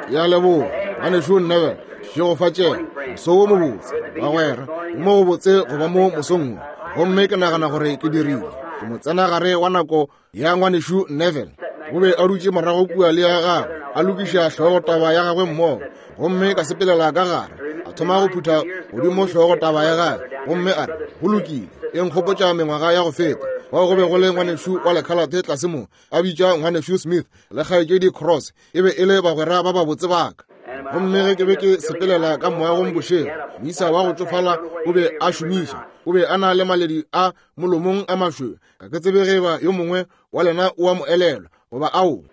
Ke a leboga, Ngwanešu Neville. Šegofatšega. Moso wo mobotse, bagwera. Ke mo gobotse go ba mo mosong wo. Gomme ke nagana gore ke dirile. Ke mo tsena gare wa nako ya Ngwanešu Neville. O be a dutše morago kua le ya gagwe, a lokiša hlogotaba ya gagwe mmogo. Gomme ka sepelela ka gare, a thoma go phutha godimo hlogotaba ya gagwe, gomme a re, Go lokile, e nkgopotša mengwaga ya go feta, fao go be go le ngwanešu wa lekhalate tlase mo, a bitša ngwanešu Smith le kgaetšedi Cross, e be e le bagwera ba babotse ba ka. Gomme ge ke be ke sepelela ka moagong bošego, moisa wa go tšofala o be a šomiša, o be a na le maledi a molomong a mašweu, ga ke tsebe ge eba yo mongwe wa lena o a mo elelwa goba ao.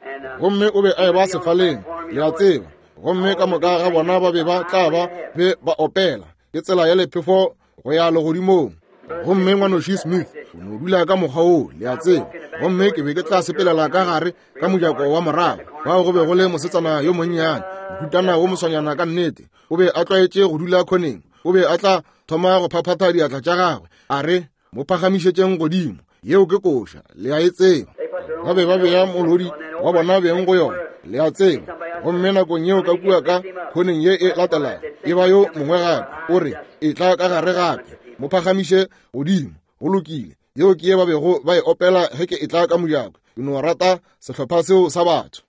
Gomme o be a eba sefaleng, le a tseba, gomme ka moka ga bona ba be ba tla ba be ba opela, ke tsela ya lephefo go ya legodimong. Gomme ngwanoši Smith o no dula ka mokgwa woo, le a tseba. Gomme ke be ke tla sepelela ka gare ka mojako wa morago, fao go be go le mosetsana yo monnyane, mohutana wo moswanyana ka nnete. O be a tlwaetše go dula khoneng. O be a tla thoma go phaphatha diatla tša gagwe, a re, Mo phagamišetšeng godimo. Yeo ke koša, le a e tseba. Ba be ba bea molodi wa bona beng go yona, le a tseba. Gomme nakong yeo ka kua ka khoneng ye e latelago, e ba yo mongwe gape, o re, Etla ka gare gape, mo phagamiše godimo. Go lokile. Yeo ke ye ba bego ba e opela ge ke etla ka mojako. Ke no rata sehlopha seo sa batho.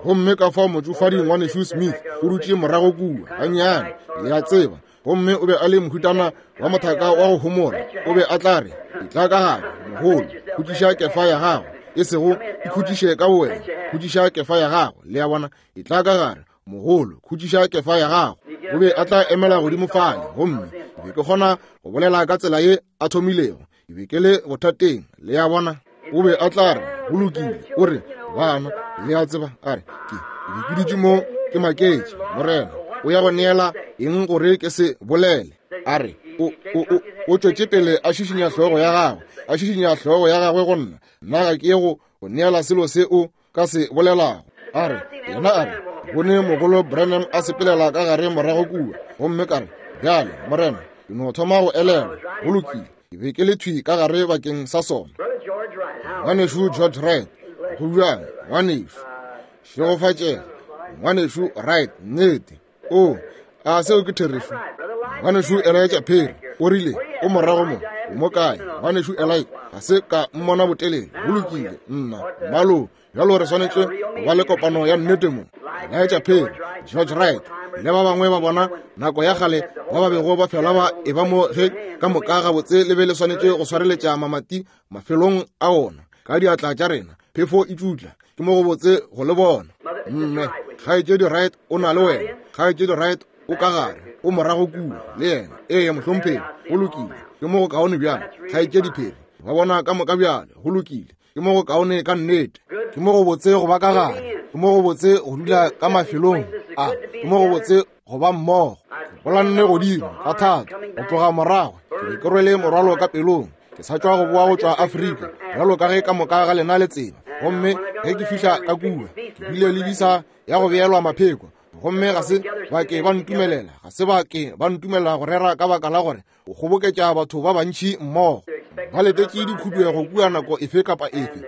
Gomme ka fao motšofadi ngwanešu Smith o dutše morago kua, gannyane, le a tseba. Gomme o be a le mohutana wa mothaka wa go homola. O be a tla re, Etla ka gare, mogolo, khutšiša kefa ya gago. E sego ikhutšiše ka bowena, khutšiša kefa ya gago. Le a bona? Etla ka gare, mogolo, khutšiša kefa ya gago. O be a tla emela godimo fale, gomme ke be ke kgona go bolela ka tsela ye a thomilego. Ke be ke le bothateng, le a bona. O be a tla re, Go lokile, o re, bana, le a tseba, a re, ke be ke dutše mo ke maketše, Morena, o ya go neela eng gore ke se bolele? A re, o, o, o, o tšwetše pele a šišinya hlogo ya gagwe, a šišinya hlogo ya gagwe go nna. Nna ga ke ye go go neela selo se o ka se bolelago. A re, yena a re, bone mogolo Branham a sepelela ka gare morago kua. Gomme ka re, Bjale, Morena, ke no thoma go elelwa. Go lokile. Ke be ke le thwi ka gare bakeng sa sona. Ngwanešu George Wright, go bjang, ngwanešu? Šegofatšega, ngwanešu Wright, nnete. O, a seo ke therešo? Ngwanešu Elijah Perry o rile, o morago mo, o mo kae? Ngwanešu Eli, ga se ka mmona botelele. Go lokile, nna, mmalo, bjalo re swanetše go ba le kopano ya nnete mo. Elijah Perry, George Wright, le ba bangwe ba bona nako ya kgale ba ba bego ba fela ba e ba mo ge ka moka gabotse le be le swanetše go swareletša mamati mafelong a ona ka diatla tša rena, phefo e tšutla. Ke mo gobotse go le bona. Mme kgaetšedi Wright o na le wena. Kgaetšedi Wright o ka gare, o morago kua le yena. Ee, mohlomphegi, go lokile. Ke mo go kaone bjalo, kgaetšedi Perry. Ba bona ka moka bjale, go lokile. Ke mo go kaone ka nnete. Ke mo go botse go ba ka gare. Ke mo go botse go dula ka mafelong a. Ke mo go botse go ba mmogo. Ke bolanne godimo ka thata go tloga morago. Ke be ke rwele morwalo ka pelong. Ke sa tšwa go boa go tšwa Afrika, bjalo ka ge ka moka ga lena le tseba. Gomme ge ke fihla ka kua, ke bile le bisa ya go beelwa mapheko. Gomme ga se ba ke ba ntumelela, ga se ba ke ba ntumelela go rera ka baka la gore o kgoboketša batho ba bantši mmogo. Ba letetše dikhuduego kua nako efe kapa efe.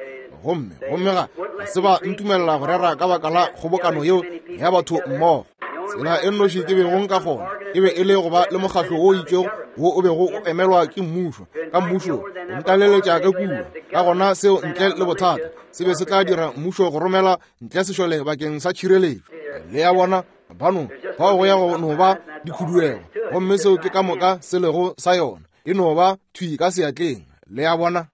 Gomme, gomme ga, ga se ba ntumelela go rera ka baka la kgobokano yeo ya batho mmogo. Tsela e nnoši ke bego nka kgona e be e le go ba le mokgatlo wo itšego wo o bego o emelwa ke mmušo, ka mmušo o ntaleletša ka kua. Ka gona seo ntle le bothata se be se tla dira mmušo go romela ntle sešole bakeng sa tšhireletšo. Le a bona, bano fao go ya go no ba dikhuduego, gomme seo ke ka moka se lego sa yona, e no ba thwi ka seatleng. Le a bona?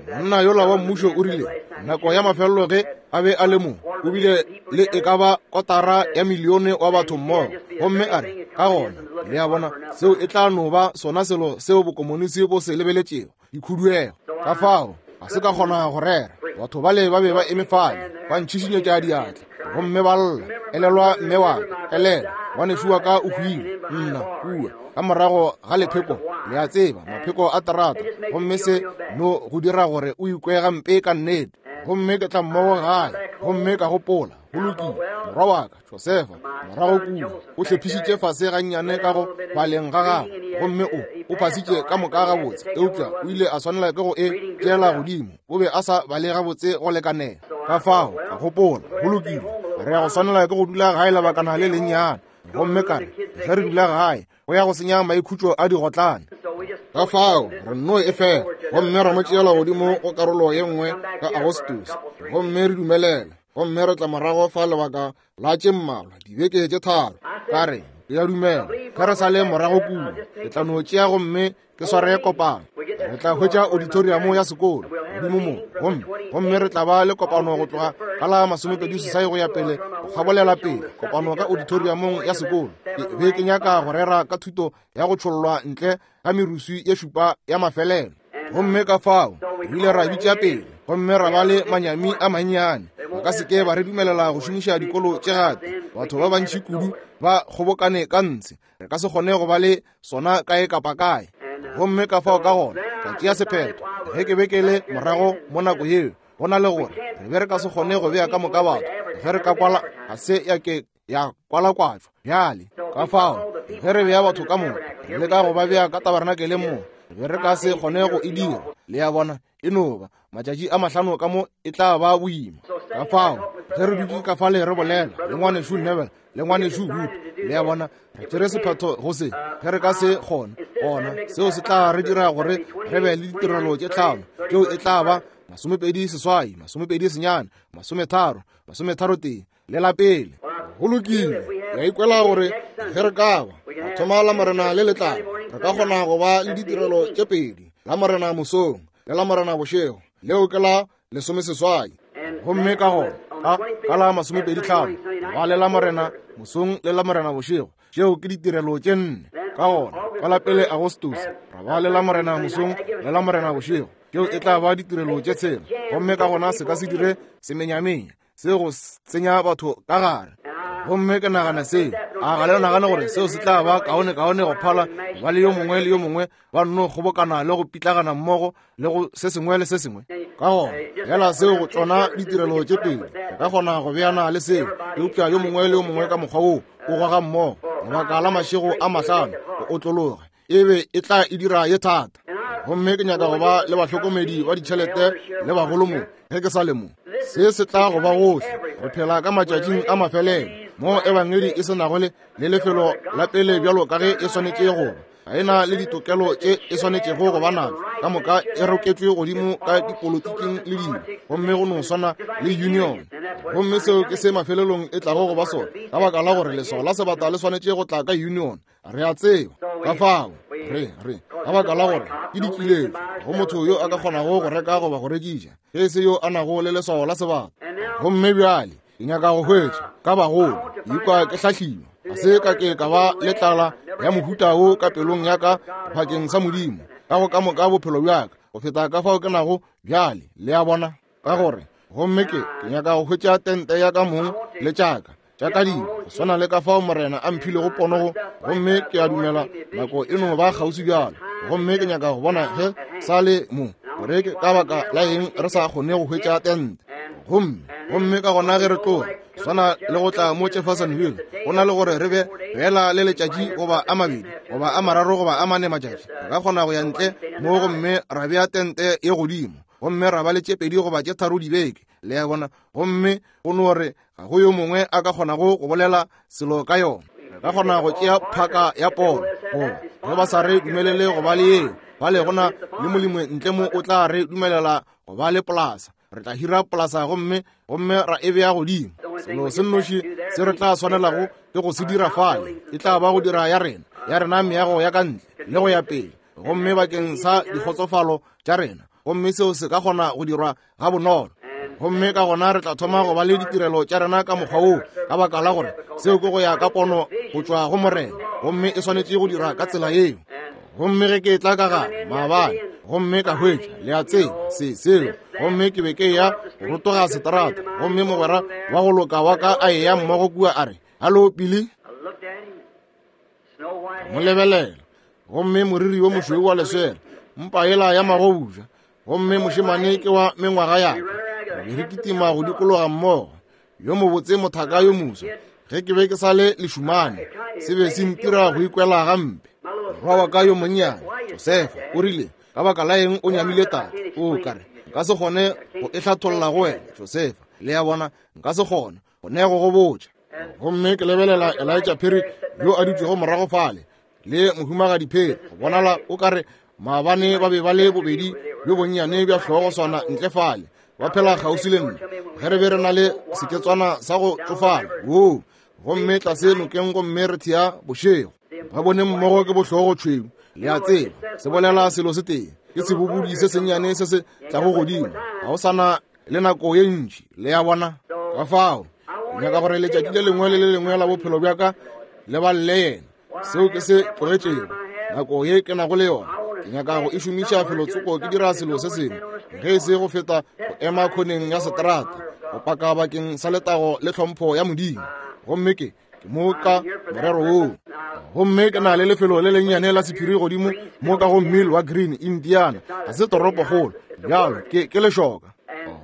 Monna yola wa mmušo o rile nako ya mafelelo ge a be a le mo, o bile le e ka ba kotara ya milione wa batho mmogo, gomme a re, ka gona, le a bona, seo e tla no ba sona selo seo bokomonisi bo se lebeletšego, dikhuduego. Ka fao ga se ka kgona go rera. Batho bale ba be ba eme fale ba ntšhišinyetša diatla gomme ba lla, elelwa mme wa ka, elelwa ngwanešu wa ka o hwile, nna kua ka morago ga lepheko, le a tseba, mapheko a terata, gomme se no go dira gore o ikwe gampe ka nnete. Gomme ke tla mmogo gae gomme ka gopola, go lokile, morwa wa ka Josefa morago kua o hlephišitše fase gannyane ka go baleng ga gagwe, gomme o o phasitše ka moka gabotse, eupša o ile a swanela ke go e tšeela godimo, o be a sa bale gabotse go lekanela. Ka fao ka gopola, go lokile, Re ya go swanela ke go dula gae lebakana le lennyane. Gomme ka re, Ge re dula gae, go ya go senya maikhutšo a digotlane. Ka fao re nno e fela, gomme ra mo tšeela godimo go karolo ye nngwe ka Agostose, gomme re dumelela, gomme re tla morago fa lebaka la tše mmalwa, dibeke tše tharo. Ka re, Ke a dumela ge re sa le morago kua, ke tla no tšea gomme ke sware kopano. Re tla hwetša auditoriamo ya sekolo godimo mo, gomme gomme re tla ba le kopano go tloga ka la 28 go ya pele go kgabolela pele, kopano ka auditoriamong ya sekolo. Ke be ke nyaka go rera ka thuto ya go tšhollwa ntle ga meruswi ye šupa ya mafelelo. Gomme ka fao re ile ra bitša pele gomme ra ba le manyami a mannyane. Ba ka se ke ba re dumelela go šomiša dikolo tše gape. Batho ba bantši kudu ba kgobokane ka ntshe. Re ka se kgone go ba le sona kae kapa kae. Gomme ka fao ka gona ka tšea sephetho ge ke be ke le morago mo nako yeo, go na le gore re be re ka se kgone go bea ka moka batho ge re ka kwala ga se ya ke ya kwalakwatšwa bjale. Ka fao ge re bea batho ka moka, re leka go ba bea ka tabernakeleng mo, re be re ka se kgone go e dira. Le a bona, e no ba matšatši a mahlano ka mo e tla ba boima. Ka fao ge re dutše ka fale re bolela le ngwanešu Neville le ngwanešu Wood, le a bona, re tšere sephetho go se ge re ka se kgone, gona seo se tla re dira gore re be le ditirelo tše tlhano, tšeo e tla ba 28, 29, 30, 33 le la pele. Go lokile, ke a ikwela gore ge re ka ba ra thoma Lamorena le le tlago, re ka kgona go ba le ditirelo tše pedi, Lamorena mosong le Lamorena bošego, leo ke la 18. Gomme ka gona ka, ka la 25 ba le Lamorena mosong le Lamorena bošego, tšeo ke ditirelo tše nne. Ka gona ka la pele Agostose ra ba le Lamorena mosong le Lamorena bošego, tšeo e tla ba ditirelo tše tshela. Gomme ka gona se ka se dire semenyamenya se go tsenya batho ka gare. Gomme ke nagana seo, a ga le nagane gore seo se tla ba kaone kaone go phala ba le yo mongwe le yo mongwe ba nno kgobokana le go pitlagana mmogo le go se sengwe le se sengwe? Ka gona fela seo go tšona ditirelo tše pedi re ka kgona go beana le seo, eupša yo mongwe le yo mongwe ka mokgwa woo o goga mmogo lebaka la mašego a mahlano go otlologa, e be e tla e dira ye thata. Gomme ke nyaka go ba le bahlokomedi ba ditšhelete le bagolo mo ge ke sa le mo. Se se tla go ba gohle. Re phela ka matšatšing a mafelelo mo ebangedi e se nago le le lefelo la pele bjalo ka ge e swanetše go ba. Ga e na le ditokelo tše e swanetšego go ba natšo. Ka moka e roketšwe godimo ka dipolotiking le dilo, gomme go no swana le union. Gomme seo ke se mafelelong e tlago go ba sona, ka baka la gore leswao la sebata le swanetše go tla ka union. Re a tseba ka fao re re ka baka la gore ke dikiletšo go motho yo a ka kgonago go reka goba go rekiša ge e se yo a nago le leswao la sebata. Gomme bjale ke nyaka go hwetša ka bagolo, ke ikwa ke hlahliwa, ga se ka ke ka ba le tlala ya mohuta wo ka pelong ya ka bakeng sa Modimo ka go ka moka bophelo bja ka go feta ka fao ke nago bjale. Le a bona? Ka gore gomme ke ke nyaka go hwetša tente ya ka mong le tšaka tša ka dilo go swana le ka fao Morena a mphilego pono go, gomme ke a dumela nako e no ba kgauswi bjalo. Gomme ke nyaka go bona ge sa le mo gore ke ka baka la eng re sa kgone go hwetša tente. Gomme gomme ka gona ge re tloga swana le go tla mo Jeffersonville, go na le gore re be fela le letšatši goba a mabedi goba a mararo goba a mane matšatši, re ka kgona go ya ntle mo gomme ra bea tente ye godimo gomme ra ba le tše pedi goba tše tharo dibeke, le a bona, gomme go no re ga go yo mongwe a ka kgonago go bolela selo ka yona. Re ka kgona go tšea phaka ya pono, goba ge ba sa re dumelele go ba le yeo, bale go na le molemi ntle mo o tla re dumelela go ba le polasa. Re tla hira polasa gomme gomme ra e bea godimo. Selo se nnoši se re tla swanelago ke go se dira fale e tla ba go dira ya rena, ya rena meago ya ka ntle le go ya pele, gomme bakeng sa dikgotsofalo tša rena, gomme seo se ka kgona go dirwa gabonolo. Gomme ka gona re tla thoma go ba le ditirelo tša rena ka mokgwa woo, ka baka la gore seo ke go ya ka pono go tšwa go Morena, gomme e swanetše go dira ka tsela yeo. Gomme ge ke tla ka gare maabane gomme ka hwetša, le a tseba, se seo, gomme ke be ke eya go rotoga seterata, gomme mogwera wa go loka wa ka a eya mmogo kua, a re, Halo, Billy. Mo lebelela, gomme moriri wo mošweu wa leswele, mpa yela ya magobuja, gomme mošemane ke wa mengwaga ya ka, re be re kitima go dikologa mmogo, yo mobotse mothaka yo moswa. Ge ke be ke sa le lešumane, se be se ntira go ikwela gampe. Morwa wa ka yo monnyane Josefa o rile, ka baka la eng o nyamile tate? O ka re nka se kgone go e hlatholla go wena, Josefa. Le a bona, nka se kgone. go ne go go botša. Gomme ke lebelela Elijah Perry yo a dutšego morago fale, le Mohumagadi Perry, go bonala o ka re maabane ba be ba le bobedi bjo bonnyane bja hlogo swana ntle fale, ba phela kgauswi le nna, ge re be re na le seketswana sa go tšofala woo, gomme tlase nokeng gomme re thea bošego. Ba bone mmogo ke bohlogo tšhweu, le a tseba, se bolela selo se tee, ke sebobodi se sennyane se se tlago godimo, ga o sana le nako ye ntši, le a bona. Ka fao ke nyaka gore letšatši le lengwe le le lengwe la bophelo bja ka le balele yena. Seo ke se tlogetšego nako ye ke nago le yona, ke nyaka go e šomiša felotsoko ke dira selo se sengwe ge e se go feta go ema khoneng ya seterata go paka bakeng sa letago le tlhompho ya Modimo. Gomme ke ke mo ka morero woo. Gomme ke na le lefelo le lennyane la sephiri godimo mo ka go Mill wa Green, Indiana. Ga se toropokgolo bjalo, ke lešoka.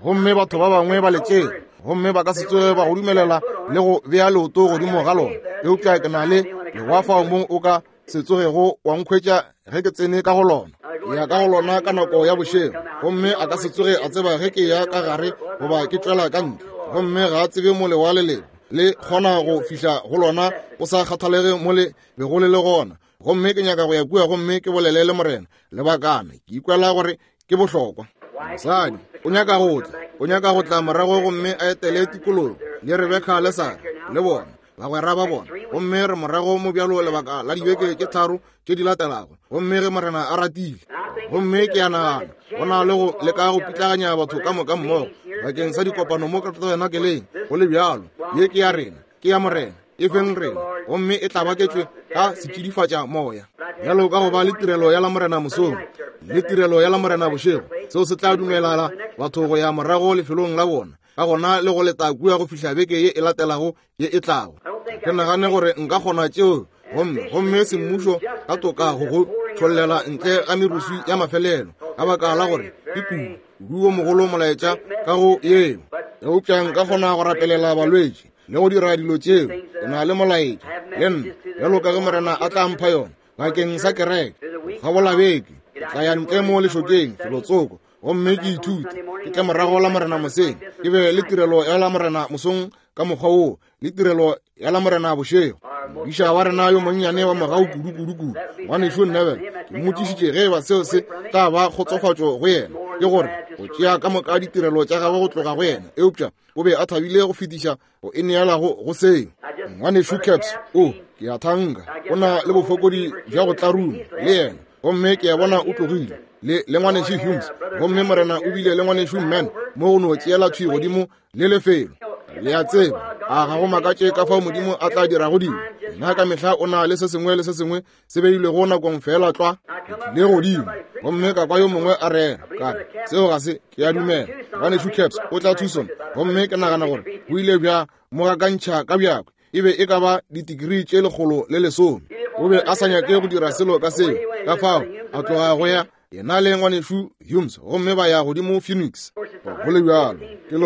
Gomme batho ba bangwe ba le tšere, gomme ba ka se tsoge ba go dumelela le go bea leoto godimo ga lona. Eupša ke na le lewa fao mo o ka se tsogego wa nkhwetša ge ke tsene ka go lona. Ke ya ka go lona ka nako ya bošego, gomme a ka se tsoge a tseba ge ke ya ka gare goba ke tšwela ka ntle. Gomme ga a tsebe mo lewa le lego, le kgona go fihla go lona go sa kgathalege mo le bego le le gona. Gomme ke nyaka go ya kua gomme ke bolele le Morena lebakana, ke ikwela gore ke bohlokwa. Mosadi o nyaka go tla, o nyaka go tla morago gomme a etele tikologo le Rebeka le Sara le bona bagwera ba bona. Gomme re morago mo bjalo lebaka la dibeke tše tharo tše di latelago, gomme ge Morena a ratile. Gomme ke a nagana go na le go leka go pitlaganya batho ka moka mmogo bakeng sa dikopano mo ka tabernakeleng. Go le bjalo, ye ke ya rena, ke ya Morena, e feng rena, gomme e tla baketšwe ka setšidifatša moya. Bjalo ka go ba le tirelo ya Lamorena mosong le tirelo ya Lamorena bošego, seo se tla dumelala batho go ya morago lefelong la bona, ka gona le go leta kua go fihla beke ye e latelago ye e tlago. Ke nagane gore nka kgona tšeo, gomme semmušo ka toka go go tšhollela ntle ga meruswi ya mafelelo, ka baka la gore ke kudu kudu wo mogolo molaetša ka go yeo. Eupša nka kgona go rapelela balwetši le go dira dilo tšeo. Ke na le molaetša le nna, bjalo ka ge Morena a tla mpha yona bakeng sa kereke. Kgabola beke ke tla ya ntle mo lešokeng felotsoko gomme ke ithute, ke tle morago la Morena moseng, ke be le tirelo ya la Morena mosong ka mokgwa woo, le tirelo ya la Morena bošego. Modiša wa rena yo monnyane wa mogau kudu kudu kudu, ngwanešu Neville, ke mmotšišitše ge eba seo se tla ba kgotsofatšo go yena, ke gore go tšea ka moka ditirelo tša gagwe go tloga go yena, eupša o be a thabile go fetiša go e neela go seo. Ngwanešu Caps, o, ke a thanka, o na le bofokodi bja go tlaruma le yena, gomme ke a bona o tlogile le ngwanešu Humes, gomme Morena o bile le ngwanešu Mann mo go no tšeela thwi godimo le lefelo. Le a tseba, a ga go makatše ka fao Modimo a tla dirago dilo. Yena ka mehla o na le se sengwe le se sengwe se beilwego nakong feela tlwa. Ke tlile godimo gomme ka kwa yo mongwe a rera, ka re, seo ga se, ke a dumela ngwanešu Caps o tla Tucson, gomme ke nagana gore bo ile bja mo gakantšha ka bjakwe, e be e ka ba ditikrii tše 110. O be a sa nyake go dira selo ka seo, ka fao a tloga go ya yena le ngwanešu Humes, gomme ba ya godimo Phoenix. Go le bjalo ke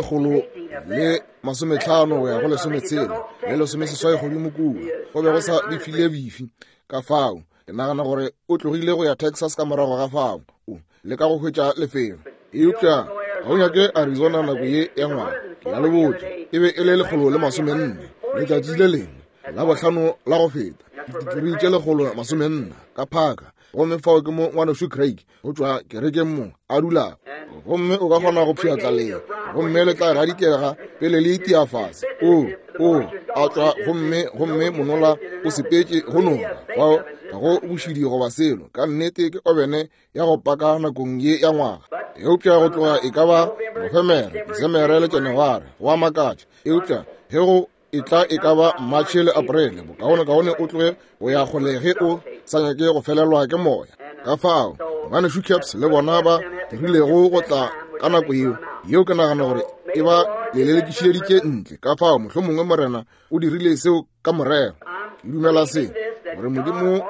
150 go ya go 60 le 18 godimo kua, go be go sa befile bifi. Ka fao ke nagana gore o tlogile go ya Texas ka morago ga fao, o leka go hwetša lefelo. Eupša ga o nyake Arizona nako ye ya ngwaga, ke a le botša, e be e le 140 letšatši le lengwe la bohlano la go feta, ditikrii tše 140 ka phaka. Gomme fao ke mo ngwanešu Craig go tšwa kerekeng mo a dulago, gomme o ka kgona go pšhatla lee, gomme le tla gadikega pele le itia fase. O, o a tšwa, gomme monola o sepetše go noka. Fao ga go bošidi goba selo, ka nnete ke obene ya go paka nakong ye ya ngwaga. Eupša go tloga e ka ba Nofemere, Disemere le Janaware, go a makatša. Eupša ge go e tla e ka ba Matšhe le Aprele, bokaonekaone o tloge go ya kgole ge o sa nyake go felelwa ke moya. Ka fao ngwanešu Caps le bona ba dirilego go tla ka nako yeo, yeo ke nagana gore e ba lelelekišeditše ntle. Ka fao mohlomongwe Morena o dirile seo ka morero. Ke dumela se, gore Modimo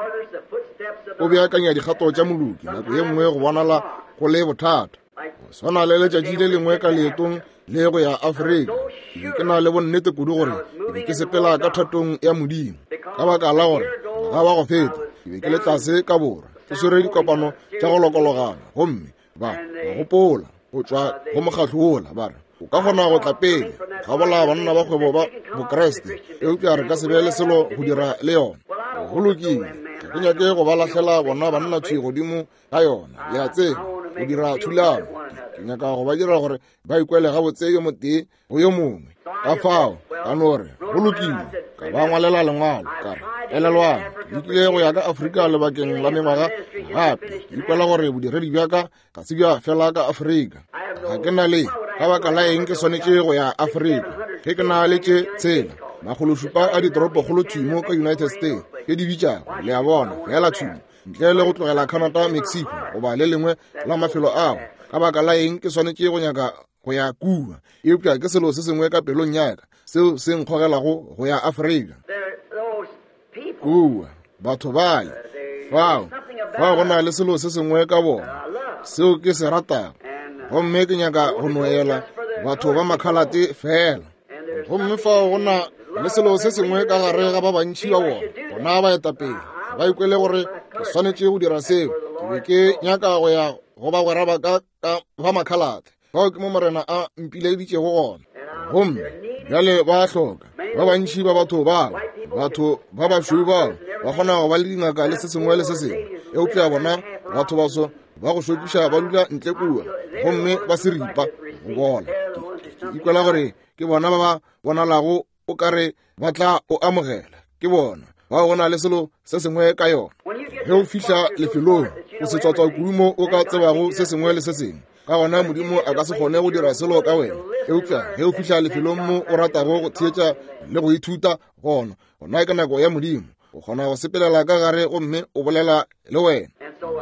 o beakanya dikgato tša moloki nako ye nngwe go bonala go le bothata. Go swana le letšatši le lengwe ka leetong le go ya Afrika, ke be ke na le bonnete kudu gore ke be ke sepela ka thatong ya Modimo, ka baka la gore ngwaga wa go feta ke be ke le tlase ka borwa ke swere dikopano tša go lokologana, gomme ba gopola go tšwa go mokgatlo wola ba re, O ka kgona go tla pele gabola banna ba kgwebo ba Bokriste, eupša re ka se be le selo go dira le yona. Go lokile, ga ke nyake go ba lahlela bona banna thwi godimo ga yona, le a tseba, go dira thulano. Ke nyaka go ba dira gore ba ikwele gabotse yo motee go yo mongwe. Ka fao ka no re, go lokile, ka ba ngwalela lengwalo, ka re, elelwang, ke lekile go ya ka Afrika lebakeng la mengwaga, gape ke ikwela gore bodiredi bja ka ga se bja fela ka Afrika. Ga ke na le ka baka la eng ke swanetše go ya Afrika ge ke na le tše 607 a ditoropokgolo thwi mo ka United States ke di bitšago, le a bona, feela thwi ntle le go tlogela Canada, Mexico goba le lengwe la mafelo ao. Ka baka la eng ke swanetše go nyaka go ya kua? Eupša ke selo se sengwe ka pelong ya ka seo se nkgogelago go ya Afrika. Kua batho bale fao, fao go na le selo se sengwe ka bona seo ke se ratago, gomme ke nyaka go noela batho ba makhalate fela. Gomme fao go na le selo se sengwe ka gare ga ba bantši ba bona, bona baetapele ba ikwele gore ke swanetše go dira seo. Ke be ke nyaka go ya go bagwera ba ka ka ba makhalate, fao ke mo Morena a mpileditšego gona. Gomme bjale ba hloka ba bantši ba batho bao, batho ba bašweu bao ba kgona go ba le dingaka le se sengwe le se sengwe, eupša bona batho baso ba go šokiša ba dula ntle kua gomme ba se ripa go bola. Ke ikwela gore ke bona ba ba bonalago o ka re ba tla o amogela, ke bona bao go na le selo se sengwe ka yona. Ge o fihla lefelong o se tswatswa kudu mo o ka tsebago se sengwe le se sengwe, ka gona Modimo a ka se kgone go dira selo ka wena. Eupša ge o fihla lefelong mo o ratago go theetša le go ithuta gona, gona ke nako ya Modimo. O kgona go sepelela ka gare gomme o bolela le wena.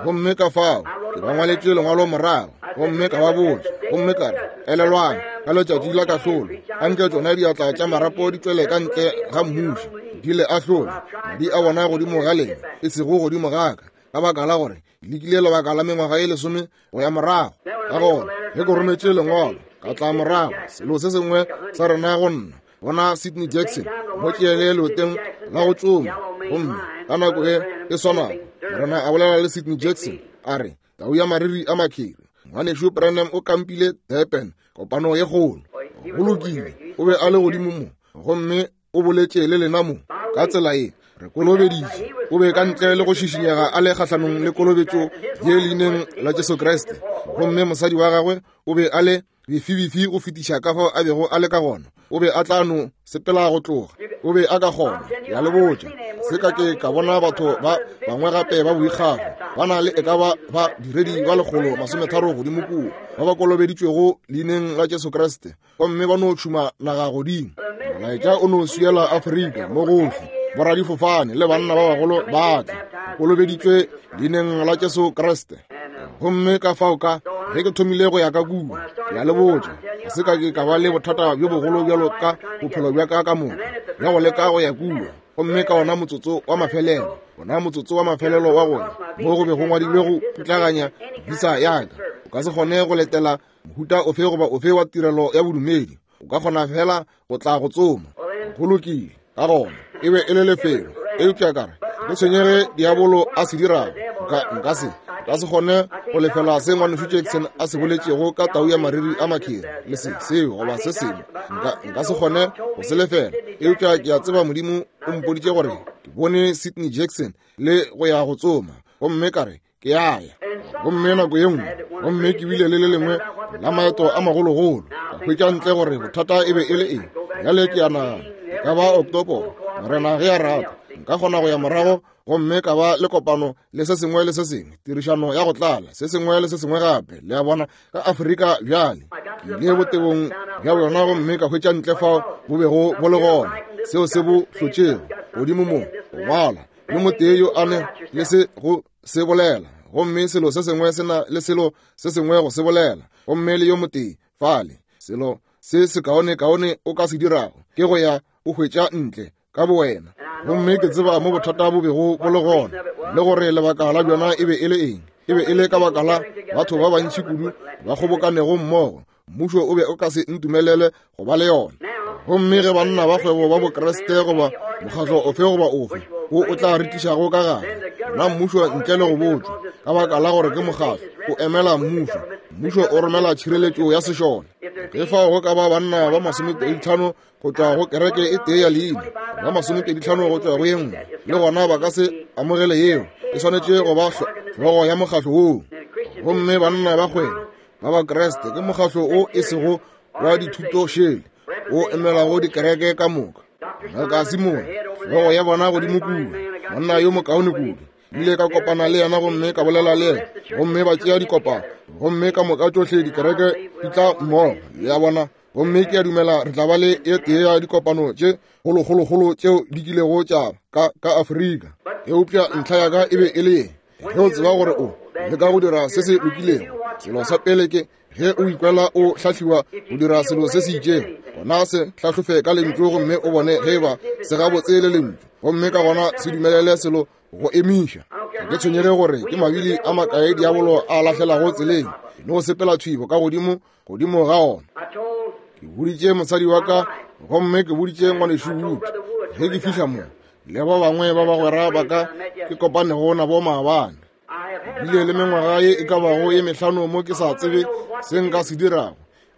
Gomme ka fao ke ba ngwaletše lengwalo morago, gomme ka ba botša, gomme ka re, elelwang, ka letšatši la kahlolo, anke tšona diatla tša marapo di tšwele ka ntle ga mmušo, di le ahlole, madi a bona godimo ga lena, e sego godimo ga ka, ka baka la gore ke lekile lebaka la mengwaga e 10 go ya morago. Ka gona ge ke rometše lengwalo, ka tla morago, selo se sengwe sa rena go nna, bona Sidney Jackson mo tšeele leoteng la go tsoma. Gomme ka nako e e swanago Morena a bolela le Sidney Jackson a re, tau ya mariri a makheri, ngwanešu Branham o kampile Durban, kopano ye kgolo. Go lokile, o be a le godimo mo, gomme o boletše le lena mo ka tsela ye, re kolobeditše. O be ka ntle le go šišinyega a le kgahlanong le kolobetšo ye leineng la Jesu Kriste. Gomme mosadi wa gagwe o be a le bifibifi go fetiša ka fao a bego a le ka gona. O be a tla no sepela go tloga. O be a ka kgona, ke a le botša. Se ka ke ka bona batho ba bangwe gape ba boikgafo ba na le e ka ba ba diredi ba 130 godimo kua ba ba kolobeditšwego leineng la Jesu Kriste, gomme ba no tšhuma naga godimo. Molaetša o no swiela Afrika mo gohle, boradifofane le banna ba bagolo ba tla kolobeditšwe leineng la Jesu Kriste. Gomme ka fao ka ge ke thomile go ya ka kua, ke a le botša, ga se ka ke ka ba le bothata bjo bogolo bjalo ka bophelo bja ka ka moka bja go leka go ya kua. Gomme ka ona motsotso wa mafelelo, ona motsotso wa mafelelo wa go ya mo go be go ngwadilwe go putlaganya visa ya ka, o ka se kgone go letela mohuta ofe goba ofe wa tirelo ya bodumedi, o ka kgona fela go tla go tsoma. Go lokile, ka gona e be e le lefelo, eupša ka re ke tshwenyege diabolo a se dirago, nka se kgone go lefela se ngwanešu Jackson a se boletšego ka tau ya mariri a makheri le se seo goba se sengwe. Nka se kgone go se lefela, eupša ke a tseba Modimo o mpoditše gore ke bone Sidney Jackson le go ya go tsoma, gomme ka re ke ya ya. Gomme nako ye nngwe, gomme ke bile le le lengwe la maeto a magologolo, ka hwetša ntle gore bothata e be e le eng. Bjale ke a nagana e ka ba Oktoboro, Morena ge a rata, nka kgona go ya morago gomme ka ba le kopano le se sengwe le se sengwe, tirišano ya go tlala, se sengwe le se sengwe gape, le a bona, ka Afrika. Bjale ke ile botebong bja bjona gomme ka hwetša ntle fao bo bego bo le gona, seo se bo hlotšego godimo mo, go ngwala yo motee yo a ne le se go se bolela, gomme selo se sengwe se na le selo se sengwe go se bolela, gomme le yo motee fale. Selo se sekaonekaone o ka se dirago ke go ya o hwetša ntle ka bowena. Gomme ke tseba mo bothata bo bego bo le gona, le gore lebaka la bjona e be e le eng. E be e le ka baka la batho ba bantši kudu ba kgobokanego mmogo, mmušo o be o ka se ntumelele go ba le yona. Gomme ge banna ba kgwebo ba Bokriste goba mokgatlo ofe goba ofe wo o tla re tlišago ka gare, na mmušo ntle le go botšwa, ka baka la gore ke mokgatlo o emela mmušo. Mmušo o romela tšhireletšo ya sešole. Ge fao go ka ba banna ba 25 go tšwa go kereke e tee ya leina, ba 25 go tšwa go ye nngwe, le gona ba ka se amogele yeo. E swanetše go ba hlogo ya mokgatlo woo. Gomme banna ba kgwebo ba Bakriste ke mokgatlo o e sego wa dithuto šele, o emelago dikereke ka moka. Ngaka Simone, hlogo ya bona godimo kua, monna yo mokaone kudu. Ile ka kopana le yena gomme ka bolela le yena, gomme ba tšea dikopano, gomme ka moka tšohle dikereke di tla mmogo, le a bona. Gomme ke a dumela re tla ba le e tee ya dikopano tše kgolokgolokgolo tšeo di kilego tša ka ka Afrika. Eupša ntlha ya ka e be e le ye, ge o tseba gore o leka go dira se se lokilego, selo sa pele ke ge o ikwela o hlahliwa go dira selo se se itšego, gona se hlahlofe ka lentšu gomme o bone ge eba se gabotse le lentšu, gomme ka gona se dumelele selo go emiša. Ga ke tshwenyege gore ke mabili a makae diabolo a lahlelago tseleng, le go sepela thwibo ka godimo godimo ga ona. Ke boditše mosadi wa ka gomme ke boditše ngwanešu Wood ge ke fihla mo, le ba bangwe ba bagwera ba ka ke kopanego nabo maabane. Bile le mengwaga ye e ka bago ye mehlano mo ke sa tsebe se nka se dirago.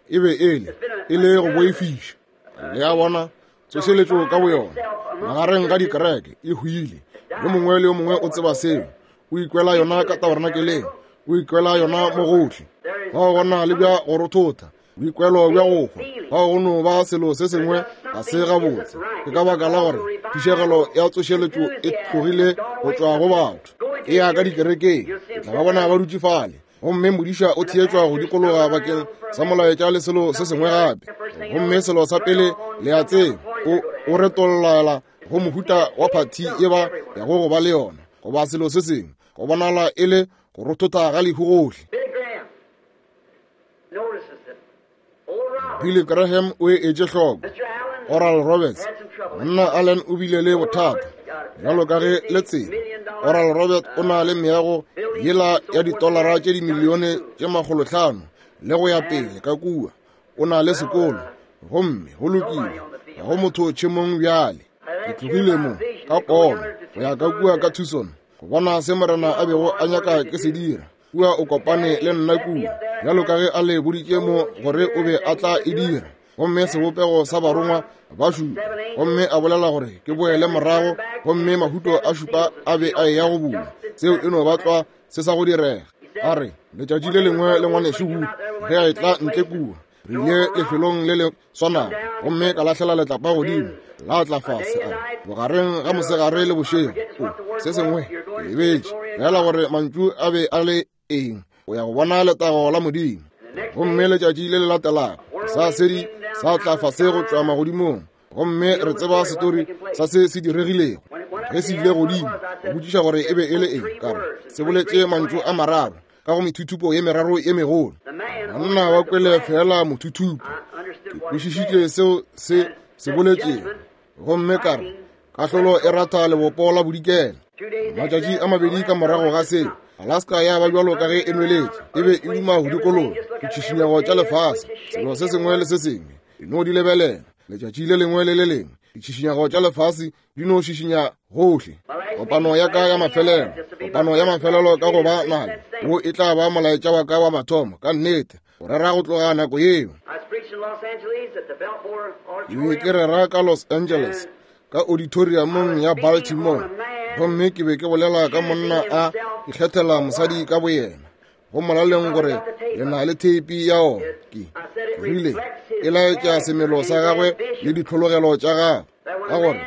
E be e le, e le go boifiša. Le a bona, tsošeletšo ka boyona magareng ga dikereke e hwile. Yo mongwe le yo mongwe o tseba seo. O ikwela yona ka tabernakeleng, o ikwela yona mo gohle. Fao go na le bja go rothotha, boikwelo bja go hwa. Fao go no ba selo se sengwe ga se gabotse. Ke ka baka la gore phišegelo ya tsošeletšo e tlogile go tšwa go batho, e ya ka dikerekeng. O tla ba bona ba dutše fale, gomme modiša o theetšwa go dikologa bakeng sa molaetša le selo se sengwe gape. Gomme selo sa pele le a tseba, o retollela go mohuta wa phathi ye ba yago go ba le yona, goba selo se sengwe, go bonala e le go rothotha ga lehu gohle. Billy Graham o e etše hloko. Oral Roberts, monna Allen o bile le bothata bjalo ka ge le tseba. Oral Roberts o na le meago yela ya ditolara tše dimilione tše 500 le go ya pele ka kua. O na le sekolo, gomme go lokile, ga go motho tšhemong bjale. Ke tlogile mo ka pono go ya ka kua ka Tucson go bona se Morena a bego a nyaka ke se dira. Kua o kopane le nna kua, bjalo ka ge a le boditše mo gore o be a tla e dira, gomme sebopego sa barongwa ba šupa, gomme a bolela gore ke boele morago, gomme mahuto a šupa a be a eya go bula. Seo e no ba tlwa se sa go direga. A re, letšatši le lengwe le ngwanešu Wood ge a etla ntle kua, re ile lefelong le le swanago, gomme ka lahlela letlapa godimo, la tla fase. A re, bogareng ga mosegare le bošego, o se sengwe ke lebetše fela gore mantšu a be a le eng, o ya go bona letago la Modimo. Gomme letšatši le le latelago sa sedi sa tla fase go tšwa magodimong, gomme re tseba setori sa se se diregilego ge se ile godimo. Go botšiša gore e be e le eng, ka re se boletše mantšu a mararo ka go methuthupo ye meraro ye megolo. Banna ba kwele fela mothuthupo. Ke kwešišitše seo se se boletšego, gomme ka re kahlolo e ratha lebopo la bodikela. Matšatši a mabedi ka morago ga seo, Alaska ya ba bjalo ka ge e nweletše, e be e duma go dikologa ditšhišinyego tša lefase, selo se sengwe le se sengwe e no di lebelela. Letšatši le lengwe le le lengwe ditšhišinyego tša lefase di no šišinya gohle. Kopano ya ka ya mafelelo, kopano ya mafelelo ka go ba nayo, wo e tla ba molaetša wa ka wa mathomo, ka nnete, go rera go tloga nako yeo. Ke be ke rera ka Los Angeles, ka auditoriumong ya Baltimore, gomme ke be ke bolela ka monna a ikgethela mosadi ka boyena. Go molaleng gore le na le theipi ya ona. Ke rile e laetša semelo sa gagwe le ditlhologelo tša gagwe, ka gore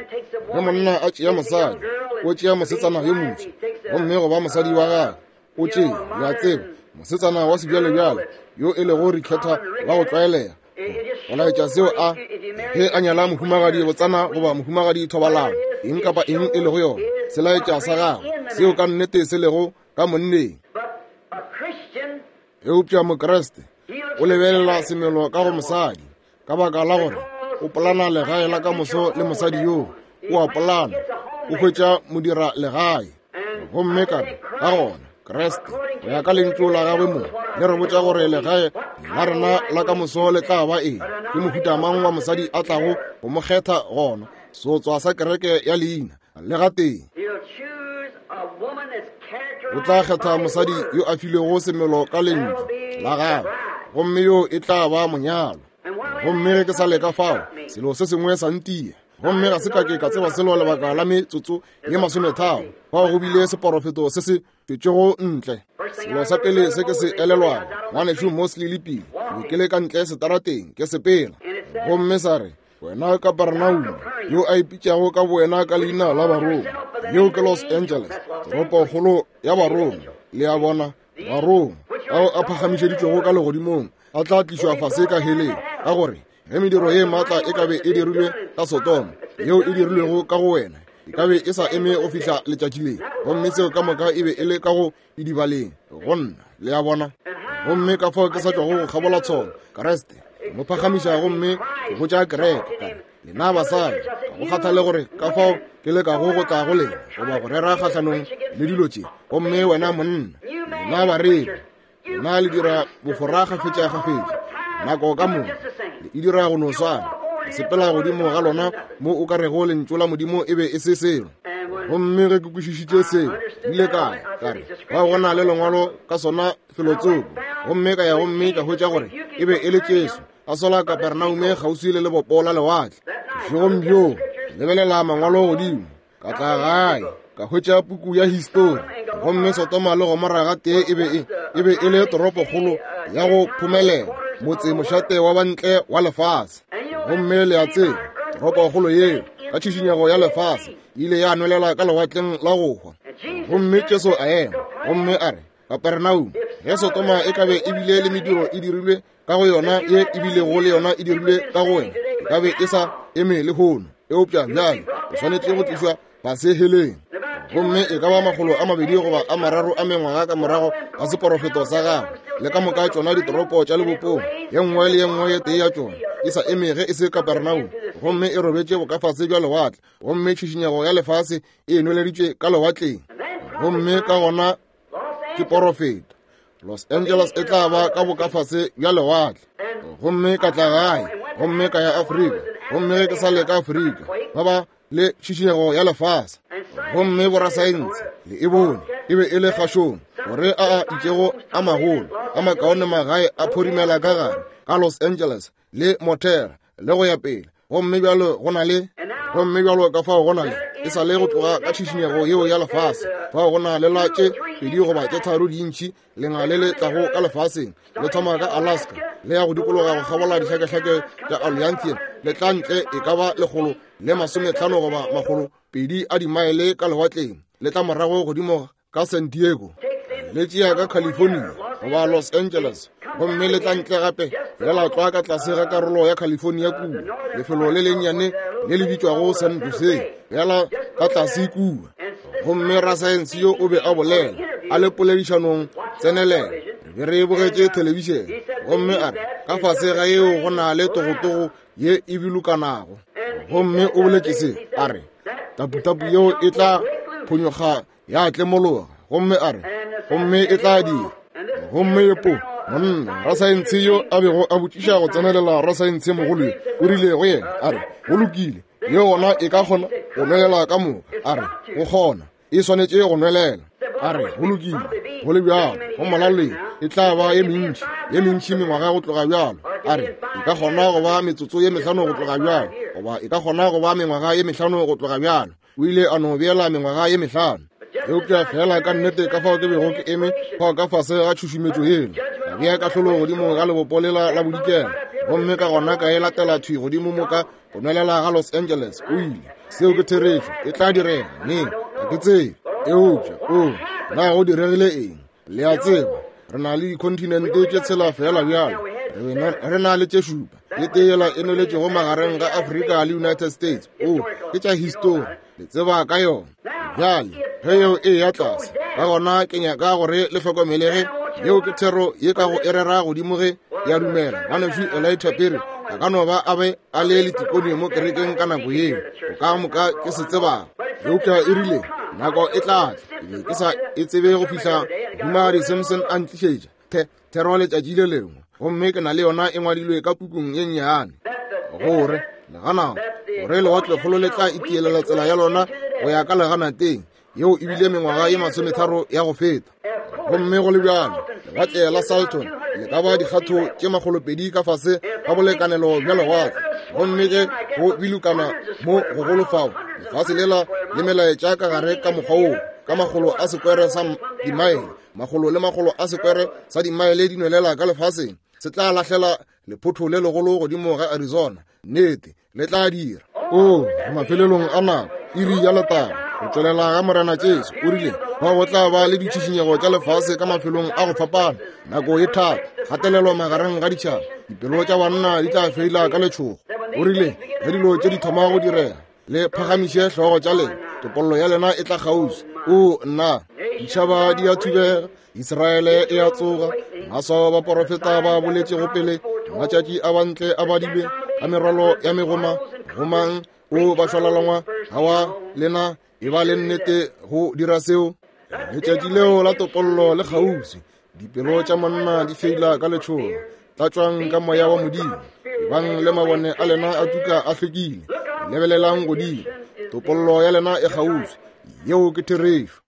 ge monna a tšea mosadi, o tšea mosetsana yo moswa, gomme go ba mosadi wa gagwe, o tšea, le a tseba, mosetsana wa sebjalebjale yo e lego rikhetha wa go tlwaelega, go laetša seo a ge a nyala mohumagadi botsana goba mohumagadi thobalano, eng kapa eng e lego yona, se laetša sa gagwe seo ka nnete se lego ka monneng. Eupša Mokriste o lebelela semelo ka go mosadi, ka baka la gore o polana legae la ka moso le mosadi yoo, o a polana, o hwetša modira legae. Gomme ka re, ka gona Kriste, go ya ka lentšu la gagwe mo, le re botša gore legae la rena la ka moso le tla ba eng, ke mohuta mang wa mosadi a tlago go mo kgetha gona, seotswa sa kereke ya leina, le gatee. O tla kgetha mosadi yo a filwego semelo ka lentšu. la gagwe, gomme yo e tla ba monyalwa. Gomme ge ke sa leka fao, selo se sengwe sa ntia. Gomme ga se ka ke ka tseba selo lebaka la metsotso ye masometharo. Fao go bile seporofeto se se tšwetšego ntle. Selo sa pele se ke se elelwago, Ngwanešu Mosley le Pili, ke be ke le ka ntle setarateng ke sepela. Gomme sa re, Wena Kapernauma, yo a ipitšago ka bowena ka leina la Barongwa, yeo ke Los Angeles, toropokgolo ya Barongwa, le a bona, Barongwa ao a phagamišeditšwego ka legodimong a tla tlišwa fase ka heleng, ka gore ge mediro ye maatla e ka be e dirilwe ka Sodoma, yeo e dirilwego ka go wena, e ka be e sa eme go fihla letšatši le. Gomme seo ka moka e be e le ka go idibaleng go nna, le a bona. Gomme ka fao ke sa tšwago go kgabola tsholo, Kriste mo phagamiša gomme ke botša kereke ka re, lena basadi, ga go kgathale gore ka fao ke lekago go tla go lena goba go rera kgahlanong le dilo tše, gomme wena monna, lena bareri, lena le dira bofora kgafetšakgafetša nako ka moka, le e dira go no swana, le sepela godimo ga lona mo o ka rego lentšu la Modimo e be e se selo. Gomme ge ke kwešišitše seo, ke ile ka ya, ka re, Fao go na le lengwalo ka sona felotsoko. Gomme ka ya gomme ka hwetša gore e be e le Jesu a sola Kapernaume kgauswi le lebopo la lewatle. Bošegong bjoo, ke lebelela mangwalo godimo, ka tla gae, ka hwetša puku ya histori. Gomme Sodoma le Gomora gatee e be e, e be e le toropokgolo ya go phomelela, motse mošate wa bantle wa lefase. Gomme le a tseba, toropokgolo yeo, ka tšhišinyego ya lefase, e ile ya nwelela ka lewatleng la go hwa. Gomme Jesu a ema, gomme a re, Kaperenaume, ge Sodoma e ka be e bile le mediro e dirilwe ka go yona ye e bilego le yona e dirilwe ka go wena, e ka be e sa eme lehono. Eupša bjale o swanetše go tlišwa fase heleng. Gomme e ka ba 200 goba a 3 a mengwaga ka morago ga seporofeto sa gagwe, le ka moka tšona ditoropo tša lebopong, ye nngwe le ye nngwe ye tee ya tšona e sa eme ge e se Kaperenaume, gomme e robetše bokafase bja lewatle, gomme tšhišinyego ya lefase e nweleditšwe ka lewatleng. Gomme ka gona ke porofeta, Los Angeles e tla ba ka bokafase bja lewatle. Gomme ka tla gae, gomme ka ya Afrika, gomme ge ke sa le ka Afrika, ba ba le tšhišinyego ya lefase. Gomme borasaense le e bone e be e le kgašong gore a a itšego a magolo a makaone magae a phorimela ka gare ka Los Angeles le Montreal le go ya pele. Gomme bjalo go na le, gomme bjalo ka fao go na le, e sa le go tloga ka tšhišinyego yeo ya lefase, fao go na le la tše pedi goba tše tharo dintši lenga le le tlago ka lefaseng, le thoma ka Alaska, le ya go dikologa go kgabola dihlakehlake tša Aleutian, le tla ntle e ka ba 150 goba 200 a dimaele ka lewatleng, le tla morago godimo ka San Diego, le tšea ka California goba Los Angeles, gomme le tla ntle gape feela tlwa ka tlase ga karolo ya California kua, lefelo le lennyane le le bitšwago San Jose, feela ka tlase kua. Gomme rasaense yo o be a bolela a le poledišanong tsenelelo, re be re bogetše thelebišene, gomme a re ka fase ga yeo go na le togotogo ye e bilokanago. Gomme o boletše se, a re taputapu yeo e tla phonyokga ya tlemologa, gomme a re gomme e tla dira. Gomme yepo monna rasaense yo a bego a botšiša go tsenelela rasaense mogolo yo, o rile go yena, a re go lokile, ye gona e ka kgona go nwelela ka moka. A re go kgona, e swanetše go nwelela. A re go lokile, go le bjalo go molaleng e tla ba ye mentši, ye mentši mengwaga go tloga bjalo. A re e ka kgona go ba metsotso ye mehlano go tloga bjalo, goba e ka kgona go ba mengwaga ye mehlano go tloga bjalo. O ile a no beela mengwaga ye mehlano. Eupša feela ka nnete ka fao ke bego ke eme fao ka fase ga tšhušumetšo yela, ka bea kahlolo godimo ga lebopo lela la bodikela, gomme ka gona ka e latela thwi godimo mo ka go nwelela ga Los Angeles. O ile, seo ke therešo, e tla direga neng ga ke tsebe. Eupša o, na go diregile eng? Le a tseba, re na le dikhontinente tše tshela feela bjalo, re na le tše šupa, e tee yela e nweletšego magareng ga Afrika le United States. O, ke tša histori, le tseba ka yona. Bjale, ge yeo e ya tlase, ka gona ke nyaka gore le hlokomelege, yeo ke thero ye ka go e rera godimo ge ya dumela. Ngwanešu Elijah Perry a ka no ba a be a le letikone mo kerekeng ka nako yeo, go ka moka ke se tsebago. Eupša e rile, nako e tla tla, ke be ke sa e tsebe go fihla Mohumagadi Simpson a ntlišetša the thero letšatši le lengwe, gomme ke na le yona e ngwadilwe ka pukung ye nnyane, gore legana gore lewatlekgolo le tla itielela tsela ya lona go ya ka leganateng. Yeo e bile mengwaga ye 30 ya go feta. Gomme go le bjalo, lewatle la Salton Le ka ba dikgatho tše makgolopedi ka fase ga bolekanelo bja lewatle. Gomme ge go bilokana mo gogolo fao, lefase lela le melaetša ka gare ka mokgwa woo, ka makgolo a sekwere sa dimaele, makgolo le makgolo a sekwere sa dimaele di nwelela ka lefaseng, se tla lahlela lephotho le legolo godimo ga Arizona. Nnete, le tla dira. O, re mafelelong a nako, iri ya letago, go tšwelela ga Morena Jesu. O rile, Fao go tla ba le ditšhišinyego tša lefase ka mafelong a go fapana, nako e thata, kgatelelo magareng ga ditšhaba, dipelo tša banna di tla feila ka letšhogo. O rile, Ge dilo tše di thoma go direga, le phagamiše hlogo tša lena, topollo ya lena e tla kgauswi. O, nna! Ditšhaba di a thubega, Israele e a tsoga, maswao a baporofeta ba boletšego pele, matšatši a bantle a badilwe, ka merwalo ya megoma, gomang o bašwalalangwa, gawa lena e ba le nnete go dira seo. Letšatši leo la topollo le kgauswi, dipelo tša monna di feila ka letšhogo. Tlatšwang ka moya wa Modimo, ebang le mabone a lena a tuka a hlwekile, lebelelang godimo, topollo ya lena e kgauswi. Yeo ke therešo.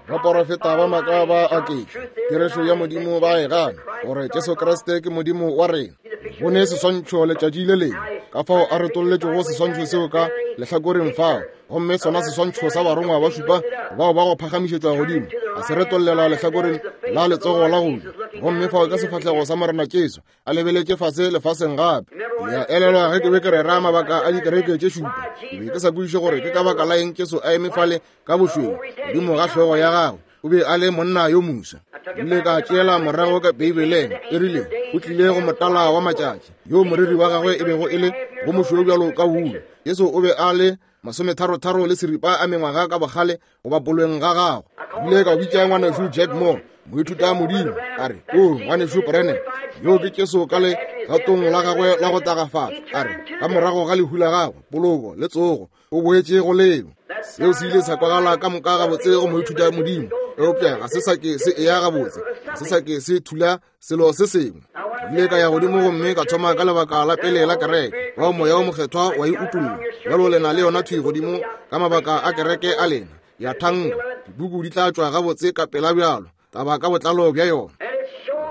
Baporofeta ba maaka ba aketša therešo ya Modimo, ba e gana gore Jesu Kriste ke Modimo wa rena. Bone seswantšho letšatši le lengwe, ka fao a retolletšego seswantšho seo ka lehlakoreng fao, gomme sona seswantšho sa barongwa ba šupa bao ba go phagamišetšwa godimo, a se retollela lehlakoreng la letsogo la go ja, gomme fao ke sefahlego sa Morena Jesu a lebeletše fase lefaseng gape. Ke a elelwa ge ke be ke rera mabaka a dikereke tše šupa, ke be ke sa kwešiše gore ke ka baka la eng Jesu a eme fale ka bošweu godimo ga hlogo ya gagwe. O be a le monna yo moswa. Ile ka tšeela morago ka Beibeleng, e rile o tlile go motala wa matšatši, yo moriri wa gagwe e bego e le go mošweu bjalo ka wulu. Jesu o be a le masometharotharo le seripa a mengwaga ka bogale go bapolweng ga gagwe. Ile ka bitša ngwanešu Jack Moore, moithuta modimo, a re, O ngwanešu Branham, yo ke Jesu ka legatong la gagwe la go tagafatša. A re, ka morago ga lehu la gagwe, poloko le tsogo, o boetše go leo. Seo se ile sa kwagala ka moka gabotse go moithuta modimo, eupša ga se sa ke se eya gabotse, ga se sa ke se thula selo se sengwe. Ke ile ka ya godimo gomme ka thoma ka lebaka la pele la kereke, bao Moya wo Mokgethwa wa e utolla. Bjalo le na le yona thwi godimo ka mabaka a kereke a lena, ya thanka. Dipuku di tla tšwa gabotse ka pela bjalo, taba ka botlalo bja yona.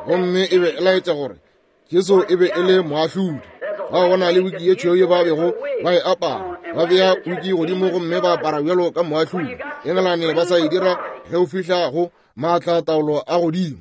Gomme e be e laetša gore Jesu e be e le moahlodi. Bao go na le wiki ye tšhweu ye ba bego ba e apara, ba bea wiki godimo gomme ba apara bjalo ka moahlodi. Engelane ba sa e dira ge o fihla go maatla taolo a godimo.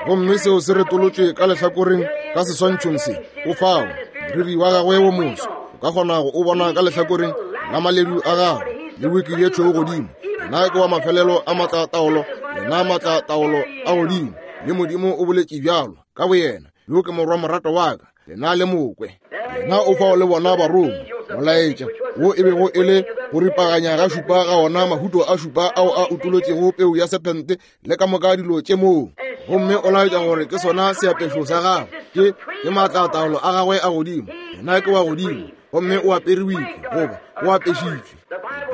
Gomme seo se retolotšwe ka lehlakoreng ka seswantšhong se, o fao moriri wa gagwe wo moso, o ka kgona go o bona ka lehlakoreng la maledu a gagwe le wiki ye tšhweu godimo. Yena ke wa mafelelo a maatla taolo, yena maatla taolo a godimo, le Modimo o boletše bjalo ka boyena, yo ke morwa morato wa ka, lena le mokwe. Yena o fao le bona barongwa, molaetša wo e bego e le go ripaganya ga šupa ga ona mahuto a šupa ao a utolotšego peu ya sephente le ka moka dilo tše moo. Gomme o laetša gore ke sona seapešo sa gagwe, ke ke maatlataolo a gagwe a godimo. Yena ke wa godimo, gomme o apere wiki goba o apešitšwe.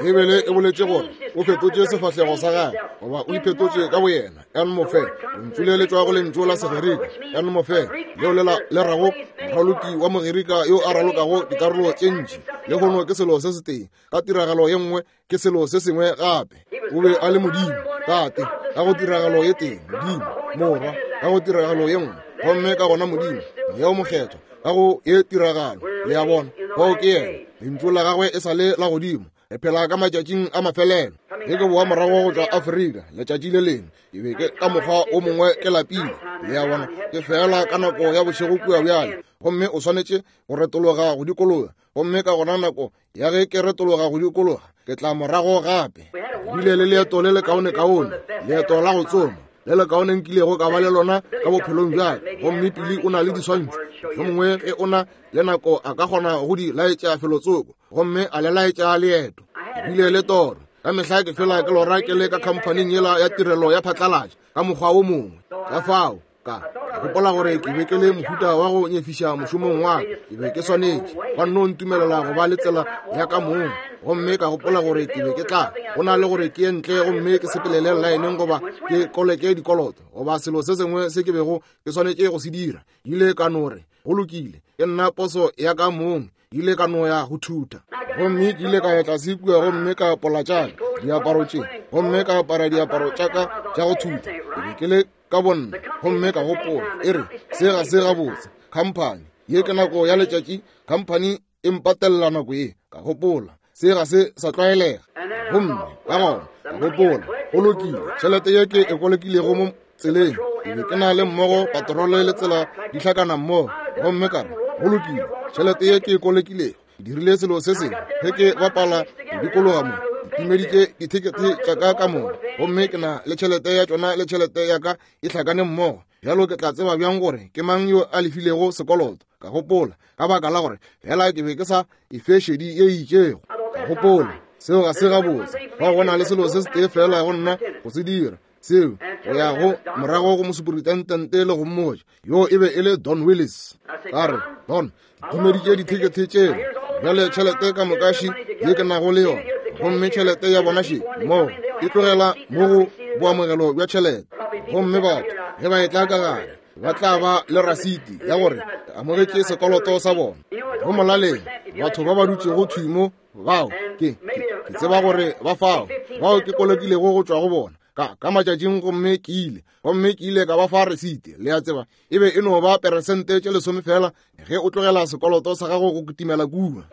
Beibele e boletše gore o fetotše sefahlego sa gagwe, goba o iphetotše ka boyena. En mofe, lentšu le le tšwa go lentšu la Segerika en mofe, leo le le rago moraloki wa Mogerika yo a ralokago dikarolo tše ntši. Lehono ke selo se setee, ka tiragalo ye nngwe ke selo se sengwe gape. O be a le Modimo, Tate, ka go tiragalo ye tee, Modimo, Morwa, ka go tiragalo ye nngwe, gomme ka gona Modimo, Moya wo Mokgethwa, ka go ye tiragalo. Le a bona, fao ke yena. Lentšu la gagwe e sa le la godimo. Re phela ka matšatšing a mafelelo. Ge ke boa morago go tšwa Afrika letšatši le lengwe, ke be ke ka mokgwa o mongwe ke lapile. Le a bona, ke feela ka nako ya bošego kua bjale, gomme o swanetše go retologa go dikologa. Gomme ka gona nako ya ge ke retologa go dikologa, ke tla morago gape. Ke bile le leeto le lekaonekaone, leeto la go tsoma le lekaone nkilego ka ba le lona ka bophelong bja ka. Gomme Pili o na le diswantšho, mohlomongwe ge o na le nako a ka kgona go di laetša felotsoko, gomme a le laetša leeto. Ke bile le toro. Ka mehla ke fela ke lora ke le ka khamphaning yela ya tirelo ya phatlalatša ka mokgwa wo mongwe. Ka fao ka gopola gore ke be ke le mohuta wa go nyefiša mošomong wa ka, ke be ke swanetše ba nno ntumelela go ba le tsela ya ka mong. Gomme ka gopola gore ke be ke tla go na le gore ke ye ntle gomme ke sepelele llaeneng goba ke koleke dikoloto goba selo se sengwe se ke bego ke swanetše go se dira. Ile ka no re, go lokile, ke nna poso ya ka mong. Ile ka no ya go thutha. Gomme ke ile ka ya tlase kua gomme ka apola tša ka diaparo tše, gomme ka apara diaparo tša ka tša go thutha. Ke be ke le ka bonna, gomme ka gopola, e re, se ga se gabotse, khamphani ye ke nako ya letšatši, khamphani e mpatelela nako ye. Ka gopola, se ga se sa tlwaelega. Gomme ka gona ka gopola, go lokile, tšhelete ye ke e kolekilego mo tseleng, ke be ke na le mmogo patrole le tsela di hlakana mmogo, gomme ka re, go lokile, tšhelete ye ke e kolekilego, ke dirile selo se sengwe ge ke bapala go dikologa mo, ke timeditše dithekethe tša ka ka moka, gomme ke na le tšhelete ya tšona le tšhelete ya ka e hlakane mmogo. Bjalo ke tla tseba bjang gore ke mang yo a lefilego sekoloto? Ka gopola, ka baka la gore fela ke be ke sa e fe šedi ye e itšego. Ka gopola, seo ga se gabotse. Fao go na le selo se setee fela go nna go se dira, seo go ya go morago go mosuperitentente le go mmotša. Yo e be e le Don Willis. Ka re, Don, ke timeditše dithekethe tšela, bjale tšhelete ka moka še ye ke nago le yona, gomme tšhelete ya bona še moo e tlogela mo go boamogelo bja tšhelete. Gomme batho ge ba etla ka gare ba tla ba le rasiti ya gore ke amogetše sekoloto sa bona. Go molaleng batho ba ba dutšego thwi mo bao ke tseba gore ba fao, bao ke kolokilego go tšwa go bona ka matšatšing, gomme ke ile, gomme ke ile ka ba fa resiti. Le a tseba, e be e no ba peresente tše 10 fela ge o tlogela sekoloto sa gago go kitimela kua,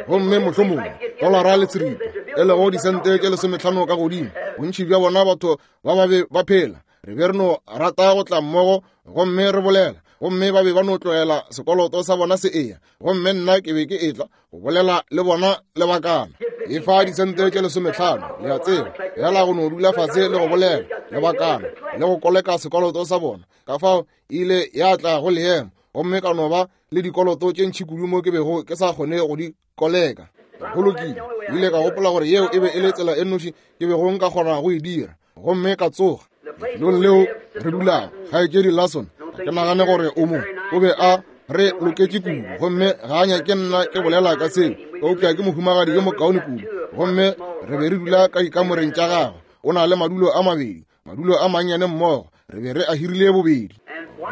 gomme mohlomongwe dolara le seripa, e lego disente tše 15 ka godimo. Bontši bja bona batho ba ba be ba phela, re be re no rata go tla mmogo gomme re bolela, gomme ba be ba no tlogela sekoloto sa bona se eya, gomme nna ke be ke etla go bolela le bona lebakana. E fa disente tše 15, le a tseba, fela go no dula fase le go bolela lebakana le go koleka sekoloto sa bona. Ka fao e ile ya tla go leemo, gomme ka no ba le dikoloto tše ntši kudu mo ke bego ke sa kgone go di koleka. Go lokile, ke ile ka gopola gore yeo e be e le tsela e nnoši ke bego nka kgona go e dira, gomme ka tsoga. Lefelong leo re dulago, kgaetšedi Larson, ga ke nagane gore o mo, o be a re loketše kudu, gomme ga a nyake nna ke bolela ka seo, eupša ke mohumagadi yo mokaone kudu, gomme re be re dula ka dikamoreng tša gagwe. O na le madulo a mabedi, madulo a mannyane mmogo, re be re a hirile bobedi.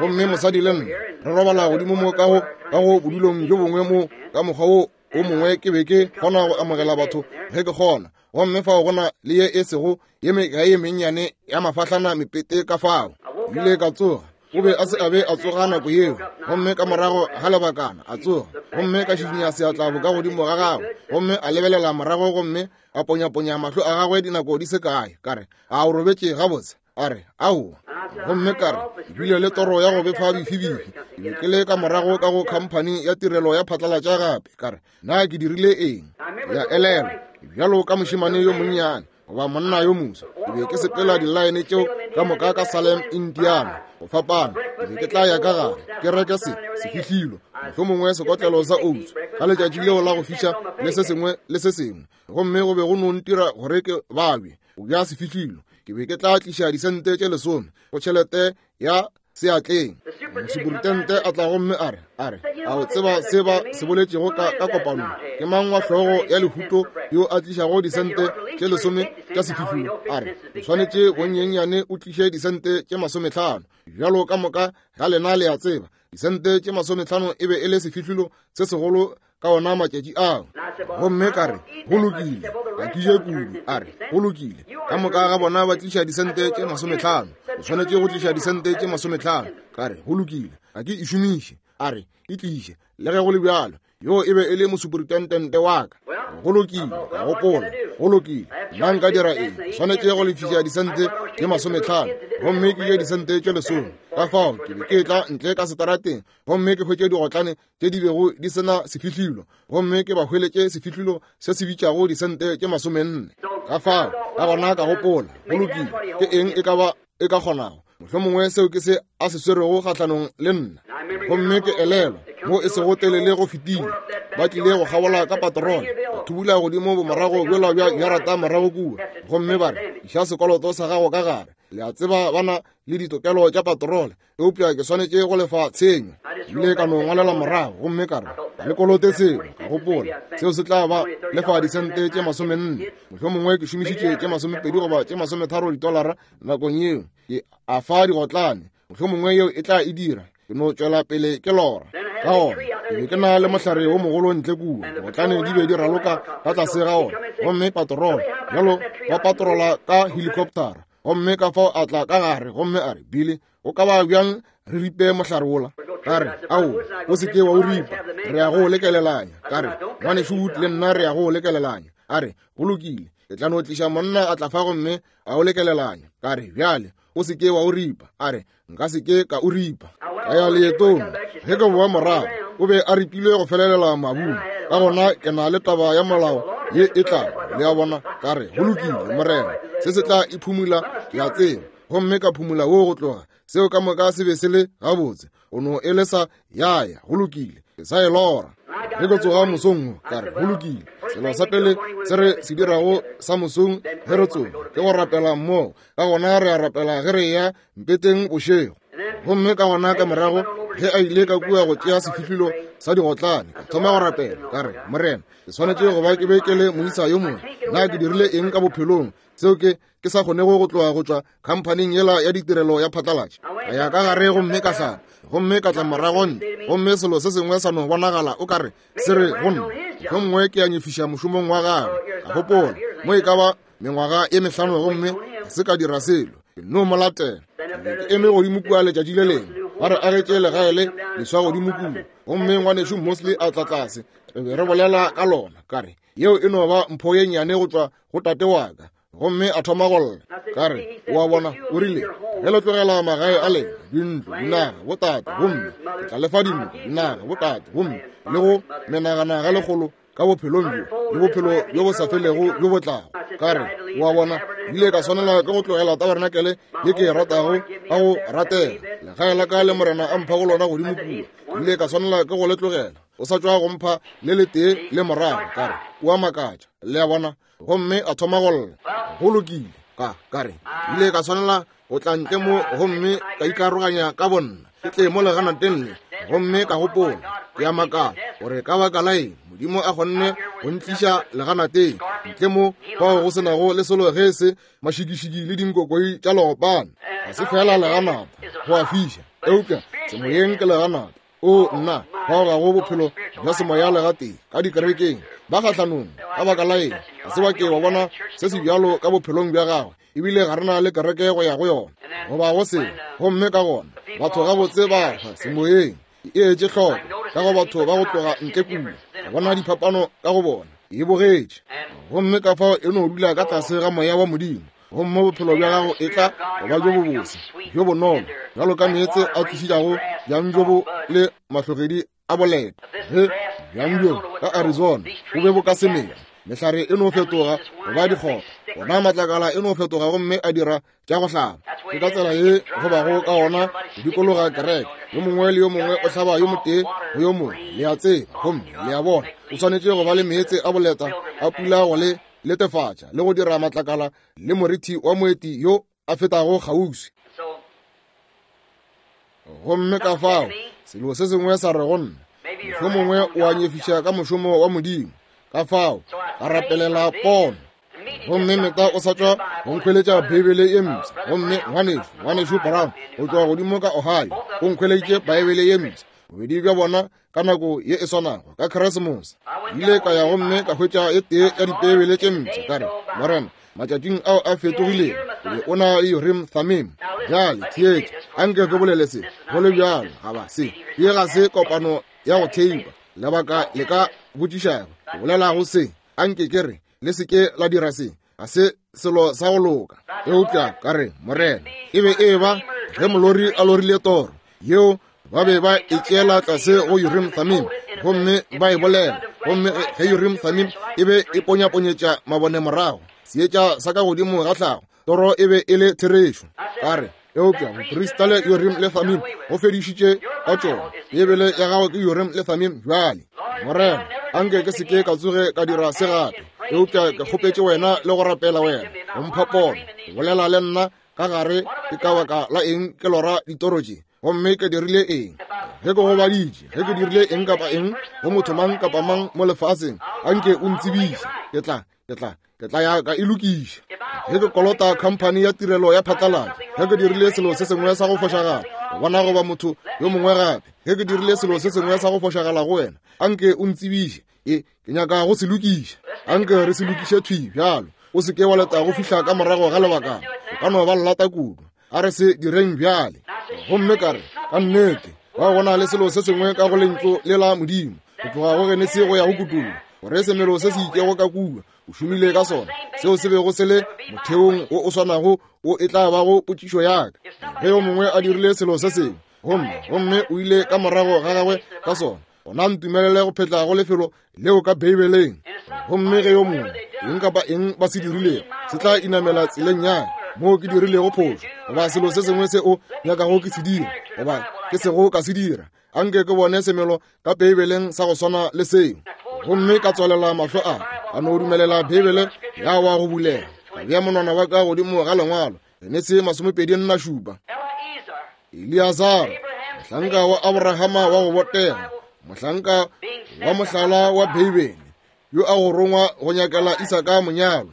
Gomme mosadi le nna re robala godimo mo ka go bodulong bjo bongwe mo, ka mokgwa wo o mongwe ke be ke kgona go amogela batho ge ke kgona, gomme fao go na le ye e sego ye mekae ye mennyane ya mafahlana mepete ka fao. Ke ile ka tsoga, o be a se a be a tsoga nako yeo, gomme ka morago ga lebakana a tsoga, gomme ka šišinya seatla boka godimo ga gagwe, gomme a lebelela morago gomme a ponyaponya mahlo a gagwe dinako di se kae. Ka re, a o robetše gabotse? A re, aowa. Gomme ka re, ke bile le toro ya go befa bifibifi, ke be ke le ka morago ka go khamphani ya tirelo ya phatlalatša gape. Ka re, na ke dirile eng? Ya elelwa, bjalo ka mošemane yo monnyane goba monna yo moswa, ke be ke sepela dilaene tšeo ka moka ka Salem, Indiana, go fapana. Ke be ke tla ya ka gare ke reke se sefihlilo, mohlomongwe sekotlelo sa oats ka letšatši leo la go fiša le se sengwe le se sengwe, gomme go be go no ntira gore ke babje go ja sefihlilo. Ke be ke tla tliša disente tše 10 go tšhelete ya seatleng. Mosuperitente a tla gomme a re, a re, a o tseba se ba se boletšego ka kopanong? Ke mang wa hlogo ya lehuto yo a tlišago disente tše 10 tša sefihlolo? A re, o swanetše bonyenyane o tliše disente tše 50. Bjalo ka moka ga lena le a tseba, disente tše 50 e be e le sefihlolo se segolo ka ona matšatši ao. Gomme ka re, go lokile, ga ke je kudu. A re, go lokile, ka moka ga bona ba tliša disente tše 50, o swanetše go tliša disente tše 50. Ka re, go lokile, ga ke e šomiše. A re, e tliše, le ge go le bjalo. Yo e be e le mosuperitentente wa ka. Go lokile, ka gopola, go lokile, nna nka dira eng? Ke swanetše go lefiša disente tše 50, gomme ke je disente tše 10. Ka fao ke be ke tla ntle ka setarateng gomme ke hwetše digotlane tše di bego di se na sefihlilo, gomme ke ba hweletše sefihlilo se se bitšago disente tše 40. Ka fao ka gona ka gopola, go lokile, ke eng e ka ba e ka kgonago? Mohlomongwe seo ke se a se swerego kgahlanong le nna. Gomme ke elelwa mo e sego telele go fetile, ba tlile go kgabola ka patrone, ba thubula godimo bomorago bjola bja jarata morago kua, gomme ba re, iša sekoloto sa gago ka gare. Le a tseba ba na le ditokelo tša patrole, eupša ke swanetše go lefa tshenyo. Ile ka no ngwalela morago gomme ka re, ga le kolote selo. Ka gopola, seo se tla ba lefa disente tše 40, mohlomongwe ke šomišitše tše 20 goba tše 30 ditolara nakong yeo. Ke a fa digotlane, mohlomongwe yeo e tla e dira. Ke no tšwela pele ke lora. Ka gona ke be ke na le mohlare wo mogolo ntle kua, digotlane di be di raloka ka tlase ga ona, gomme patrola bjalo ba patrola ka helicoptera. Gomme ka fao a tla ka gare gomme a re, Billy, o ka ba bjang re ripe mohlare wola? Ka re, Ao, o se ke wa o ripa, re ya go o lekelelanya. Ka re, Ngwanešu Wood le nna re ya go o lekelelanya. A re, Go lokile, ke tla no tliša monna a tla fa gomme a o lekelelanya. Ka re, Bjale, o se ke wa o ripa. A re, Nka se ke ka o ripa. Ka ya leetong. Ge ke boa morago, o be a ripilwe go felelela mabung. Ka gona ke na le taba ya molao ye e tlago, le a bona. Ka re, Go lokile, Morena, se se tla e phumula, ke a tseba. Gomme ka phumula wo go tloga. Seo ka moka se be se le gabotse. O no e lesa ya ya, go lokile, ke sa e lora. Ge ke tsoga mosong wo, ka re, go lokile, selo sa pele se re se dirago sa mosong ge re tsoga ke go rapela mmogo. Ka gona re a rapela ge re eya mpeteng bošego. Gomme ka gona ka morago ge a ile ka kua go tšea sefihlolo sa digotlane, ka thoma go rapela, ka re, Morena, ke swanetše go ba ke be ke le moisa yo mongwe. Na ke dirile eng ka bophelong seo ke ke sa kgonego go tloga go tšwa khamphaning yela ya ditirelo ya phatlalatša? Ka ya ka gare gomme ka hlapa, gomme ka tla morago ntle, gomme selo se sengwe sa no bonagala o ka re se re go nna, mohlomongwe ke a nyefiša mošomong wa gagwe. Ka gopola, mo e ka ba mengwaga e mehlano gomme ga se ka dira selo, ke no mo latela. Ke eme godimo kua letšatši le lengwe, ba re agetše legae le leswa godimo kua, gomme ngwanešu Mosley a tla tlase, re be re bolela ka lona. Ka re, Yeo e no ba mpho ye nnyane go tšwa go tate wa ka. Gomme a thoma go lla. Ka re, O a bona, o rile, ge le tlogela magae a lena, dintlo, dinaga, botate, gomme ke tla le fa dintlo, dinaga, botate, gomme le go menagana ga lekgolo ka bophelong bjo le bophelo bjo bo sa felego bjo bo tlago. Ka re, O a bona, ile ka swanela ke go tlogela tabarenakele ye ke e ratago ka go ratega, legae la ka le Morena a mphago lona godimo kua, ile ka swanela ke go le tlogela. O sa tšwa go mpha le letee le morago. Ka re, O a makatša, le a bona. Gomme a thoma go lla. Go lokile, ka ka re, ile ka swanela go tla ntle mo gomme ka ikaroganya ka bonna, ke tle mo leganateng le. Gomme ka gopola, ke a makala gore ka baka la eng Modimo a kgonne go ntliša leganateng ntle mo fao go se nago le selo ge e se mašikišiki le dinkokoi tša leopana. Ga se fela leganata, go a fiša, eupša semoyeng ke leganata. O nna, bao ga go bophelo bja semoya le gatee ka dikerekeng, ba kgahlanong. Ka baka la eng? Ga se ba ke wa bona se se bjalo ka bophelong bja gagwe, ebile ga re na le kereke go ya go yona goba go sengwe. Gomme ka gona batho gabotse ba hwa semoyeng. E etše hloko ka go batho ba go tloga ntle kua, ka bona diphapano ka go bona, e bogetše. Gomme ka fao e no dula ka tlase ga moya wa Modimo, gomme bophelo bja gago e tla go ba bjo bobose, bjo bonolo, bjalo ka meetse a tlišitšago bjang bjo bo le mahlogedi a boleta. Ge bjang bjo ka Arizona bo be bo ka se mela, mehlare e no fetoga go ba dikgopa, gona matlakala e no fetoga gomme a dira tša go hlaba. Ke ka tsela ye go bago ka gona go dikologa kereke, yo mongwe le yo mongwe o hlaba yo motee go yo mongwe, le a tseba, gomme le a bona, o swanetše go ba le meetse a boleta a pula go le letefatša le go dira matlakala le morithi wa moeti yo a fetago kgauswi. Gomme ka fao selo se sengwe sa re go nna, mohlomongwe o a nyefiša ka mošomo wa Modimo. Ka fao ka rapelela pono. Gomme Meta o sa tšwa go nkhweletša Beibele ye mpsha. Gomme ngwanešu, ngwanešu Brown go tšwa godimo ka Ohio o nkhweleditše Beibele ye mpsha. Bobedi bja bona ka nako ye e swanago ka Keresemose. Ile ka ya gomme ka hwetša e tee ya Dibeibele tše mpsha, ka re, Morena, matšatšing ao a fetogilego o be o na le Urim Thummim. Bjale theetša, anke ke bolele se go le bjalo, ga ba se ye ga se kopano ya go theipa. Lebaka le ka botšišago ke bolelago se, anke ke re, le se ke la dira se, ga se selo sa go loka. Eupša ka re, Morena, e be e ba ge molori a lorile toro yeo, ba be ba e tšeela tlase go Urim Thummim gomme ba e bolela, gomme ge Urim Thummim e be e ponyaponyetša mabone morago, seetša sa ka godimo ga tlhago, toro e be e le therešo. Ka re, eupša boprista le Urim le Thummim go fedišitše ka tšona. Beibele ya gago ke Urim le Thummim bjale. Morena, anke ke se ke ka tsoge ka dira se gape, eupša ke kgopetše wena le go rapela wena go mpha pono, go bolela le nna ka gare ke ka baka la eng ke lora ditoro tše, gomme ke dirile eng, ge ke gobaditše, ge ke dirile eng kapa eng go motho mang kapa mang mo lefaseng, anke o ntsebiše, ke tla, ke tla, ke tla ya ka e lokiša. Ge ke kolota khamphani ya tirelo ya phatlalatša, ge ke dirile selo se sengwe sa go fošagala go bona goba motho yo mongwe gape, ge ke dirile selo se sengwe sa go fošagala go wena, anke o ntsebiše, e ke nyaka go se lokiša. Anke re se lokiše thwi bjalo. O se ke wa leta go fihla ka morago ga lebakana. ka no ba llata kudu. A re se direng bjale. Gomme ka re, Ka nnete, ba go na le selo se sengwe ka go Lentšu le la Modimo, go tloga go Genesi go ya go Kutollo, gore semelo se se itšego ka kua, o šomile ka sona, seo se bego se le motheong wo o swanago wo e tla bago potšišo ya ka. Ge yo mongwe a dirile selo se sengwe, gomme, gomme o ile ka morago ga gagwe ka sona, gona ntumelele go phetla go lefelo leo ka Beibeleng. Gomme ge yo mongwe, eng kapa eng ba se dirilego, se tla inamela tseleng ya moo ke dirilego phošo, goba selo se sengwe se o nyakago ke se dira, goba ke sego ka se dira, anke ke bone semelo ka Beibeleng sa go swana le seo. Gomme ka tswalela mahlo a ka no dumelela Beibele ya wa go bulega, ka bea monwana wa ka godimo ga lengwalo, Genesi 27. Eleazara, mohlanka wa Abrahama wa go botega, mohlanka wa mohlala wa Beibele, yo a go rongwa go nyakela Isaka monyalo.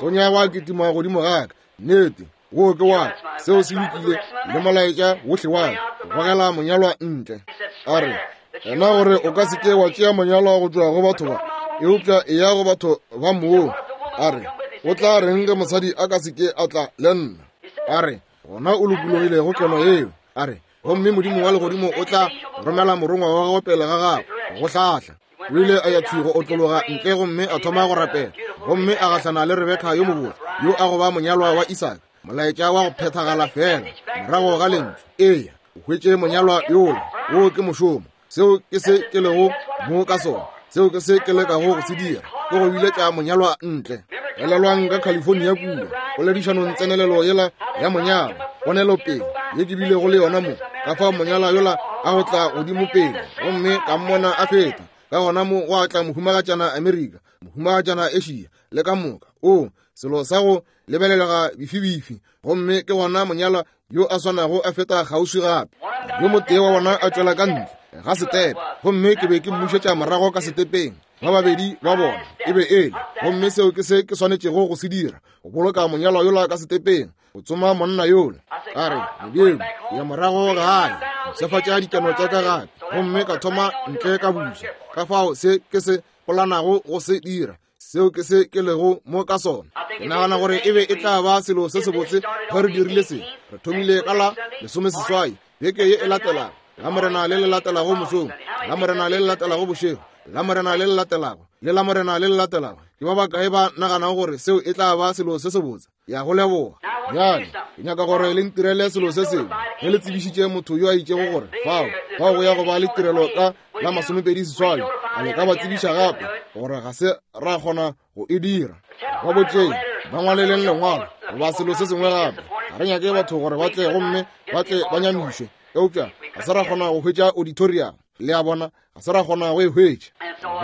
Tonya wa kitima godimo ga ka. Nnete, wo ke wa ka. Seo se lokile le molaetša wohle wa ka, go gogela monyalwa ntle. A re, Ena gore o ka se ke wa tšea monyalwa go tšwa go batho ba, eupša eya go batho ba moo. A re, O tla reng ge mosadi a ka se ke a tla le nna? A re, Gona o lokologile go keno yeo. A re, Gomme Modimo wa legodimo o tla romela morongwa wa gagwe pele ga gago go hlahla. O ile a ya thwi go otlologa ntle gomme a thoma go rapela, gomme a gahlana le Rebeka yo mobotse, yo a go ba monyalwa wa Isaka. Molaetša wa go phethagala feela morago ga lentšu. Eya, o hwetše monyalwa yola. Wo ke mošomo. Seo ke se ke lego mo ka sona. Seo ke se ke lekago go se dira, ke go biletša monyalwa ntle. Elelwang ka California kua, poledišanong tsenelelo yela ya monyalwa, ponelopele ye ke bilego le yona mo, ka fao monyalwa yola a go tla godimo pele, gomme ka mmona a feta. Ka gona mo gwa tla mohumagatšana Amerika, mohumagatšana Asia, le ka moka. Oo, selo sa go lebelelega bifibifi. Gomme ke gona monyalwa yo a swanago a feta kgauswi gape. Yo motee wa bona a tšwela ka ntle ga setepe, gomme ke be ke mmušetša morago ka setepeng. Ba babedi ba bona e be e le, gomme seo ke se ke swanetšego go se dira, go boloka monyalwa yola ka setepeng, go tsoma monna yola. Ka re, Modimo, ke ya morago gae, mpshafatša dikeno tša ka gape, gomme ka thoma ntle ka buša. Ka fao se ke se polanago go se dira, Seo ke se ke lego mo ka sona. Ke nagana gore e be e tla ba selo se sebotse ge re dirile se. Re thomile ka la 18 beke ye e latelago, Lamorena le le latelago mosong, Lamorena le le latelago bošego, Lamorena le le latelago, le Lamorena le le latelago. Ke ba bakae ba naganago gore seo e tla ba selo se sebotse? Ya go leboga. Bjale, ke nyaka gore le ntirele selo se sengwe. Ge le tsebišitše motho yo a itšego gore fao, fao go ya go ba le tirelo ka la 28, a le ka ba tsebiša gape gore ga se ra kgona go e dira? Ba botšeng, ba ngwaleleng lengwalo goba selo se sengwe gape. Ga re nyake batho gore ba tle gomme ba tle ba nyamišwe, eupša ga se ra kgona go hwetša auditorium. Le a bona, ga se ra kgona go e hwetša.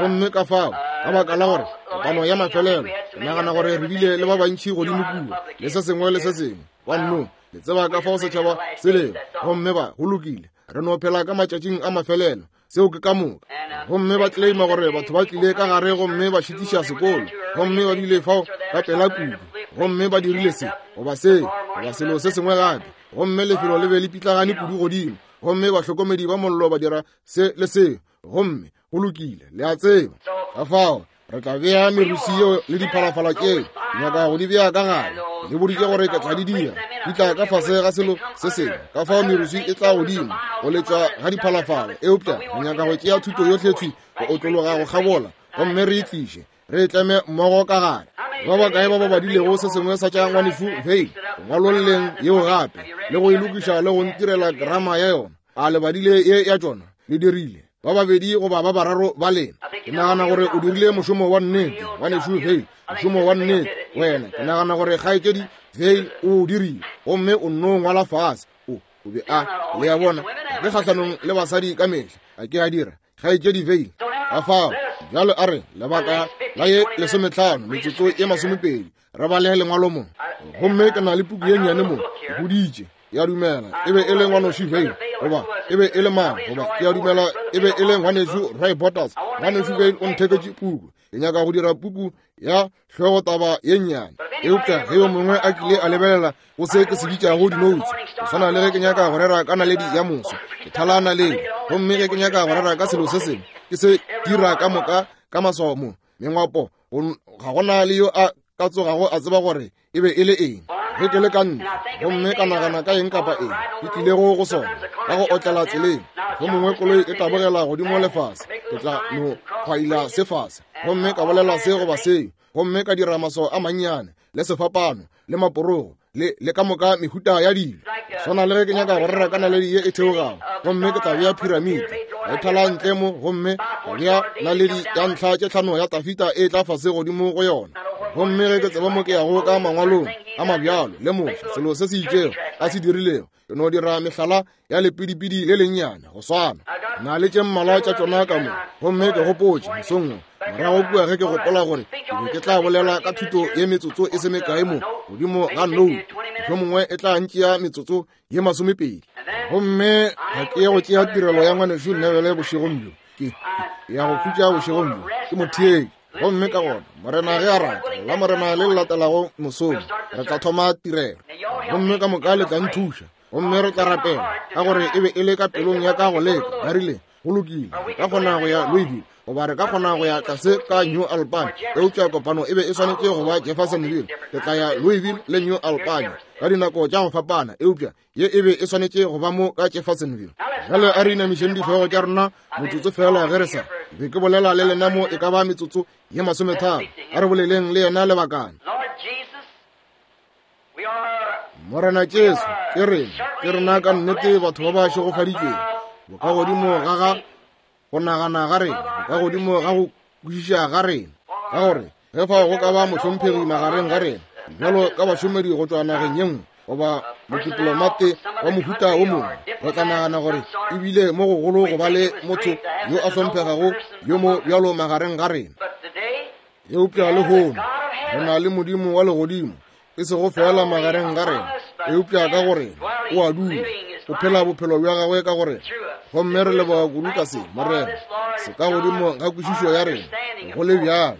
Gomme ka fao, ka baka la gore kopano ya mafelelo, ke nagana gore re bile le ba bantši godimo kua, le se sengwe le se sengwe. Ba nno, le tseba ka fao setšhaba se lego. Gomme ba, go lokile, re no phela ka matšatšing a mafelelo. Seo ke ka moka. Gomme ba claima gore batho ba tlile ka gare gomme ba šitiša sekolo, gomme ba bile fao ka pela kudu, gomme ba dirile se, goba se, goba selo se sengwe gape. Gomme lefelo le be le pitlagane kudu godimo, gomme bahlokomedi ba mollo ba dira se le se, gomme go lokile, le a tseba. Ka fao re tla bea merusi yeo le diphalafala tšeo nyaka go di bea ka gare. Le boditše gore ke tla di dira, di tla ka fase ga selo se sengwe. Ka fao merusi e tla godimo go letšwa ga diphalafala, eupša re nyaka go tšea thuto yohle thwi go otlologa go kgabola, gomme re e tliše, re e tleme mmogo ka gare. Ba bakae ba ba badilego se sengwe sa tša ngwanešu Vein go ngwalolleng yeo gape, le go e lokiša le go ntirela grama ya yona? A le badile ye ya tšona? Le dirile, ba babedi goba ba bararo ba lena. Ke nagana gore o dirile mošomo wa nnete, ngwanešu Vein, mošomo wa nnete. Wena, ke nagana gore kgaetšedi Vein o o dirile, gomme o nno ngwala fase. O, o be a, le a bona, ga ke kgahlanong le basadi ka mehla, a ke a dira, kgaetšedi Vein. Ka fao, bjalo a re, lebaka la ye 15, metsotso ye 20, re bale lengwalo mo. Gomme ke na le puku ye nnyane mo, ke boditše, ya dumela e be e le ngwanoši Vein, goba e be e le mang, goba ke a dumela e be e le ngwanešu Roy Borders. Ngwanešu Vein o ntheketše puku. Ke nyaka go dira puku ya hlogotaba ye nnyane. Eupša ge yo mongwe a kile a lebelela go se ke se bitšago dinoutse, go swana le ge ke nyaka go rera ka naledi ya moso, ke thala naledi, gomme ge ke nyaka go rera ka selo se sengwe, ke se dira ka moka ka maswao mo mengwapo, ga gona le yo a ka tsogago a tseba gore e be e le eng. Ge ke le ka ntle gomme ka nagana ka eng kapa eng ke tlilego go sona ka go otlela tseleng, mohlomongwe koloi e tabogela godimo le fase, ke tla no kgwaila se fase gomme ka bolela se goba seo, gomme ka dira maswao a mannyane le sefapano le maporogo le le ka moka mehuta ya dilo. Swana le ge ke nyaka go rera ka naledi ye e theogago, gomme ke tla bea phiramiti ka e thala ntle mo, gomme ka bea naledi ya ntlha tše tlhano ya Tafita e tla fase godimo go yona. Gomme ge ke tseba mo ke yago ka mangwalong a mabjalo le Moshe, selo se se itšego a se dirilego, ke no dira mehlala ya lepidipidi le lennyane go swana na le tše mmalwa tša tšona ka mo. Gomme ke gopotše mosong wo morago kua ge ke gopola gore ke be ke tla bolela ka thuto ye metsotso e se mekae mo godimo ga note, mohlomongwe e tla ntšea metsotso ye masomepedi. Gomme ga ke ye go tšea tirelo ya ngwanešu Neville bošegong bjo, ke ya go khutša bošegong bjo, ke motheetši. Gomme ka gona, Morena ge a rata, la Morena le le latelago mosong re tla thoma tirelo, gomme ka moka le tla nthuša, gomme re tla rapela, ka gore e be e le ka pelong ya ka go leka. Ba rile, Go lokile, re ka kgona go ya Louisville, goba re ka kgona go ya tlase ka New Albany, eupša kopano e be e swanetše go ba Jeffersonville. Ke tla ya Louisville le New Albany ka dinako tša go fapana, eupša ye e be e swanetše go ba mo ka Jeffersonville. Bjale a re inamišeng dihlogo tša rena motsotso fela ge re sa be ke bolela le lena mo e ka ba metsotso ye masometharo. A re boleleng le yena lebakana. Morena Jesu, ke rena, ke rena ka nnete batho ba ba šegofaditšwego, bokagodimo ga ga go nagana ga rena, bokagodimo ga go kwešiša ga rena, ka gore ge fao go ka ba mohlomphegi magareng ga rena, bjalo ka bašomedi go tšwa nageng ye nngwe goba modiplomate wa mohuta wo mongwe, re tla nagana gore e bile mo gogolo go ba le motho yo a hlomphegago yo mo bjalo magareng ga rena. Eupša lehono re na le Modimo wa legodimo, e sego feela magareng ga rena, eupša ka go rena o a dula, o phela bophelo bja gagwe ka go rena. Gomme re leboga kudu ka se, Morena, se ka godimo ga kwešišo ya rena, go le bjalo.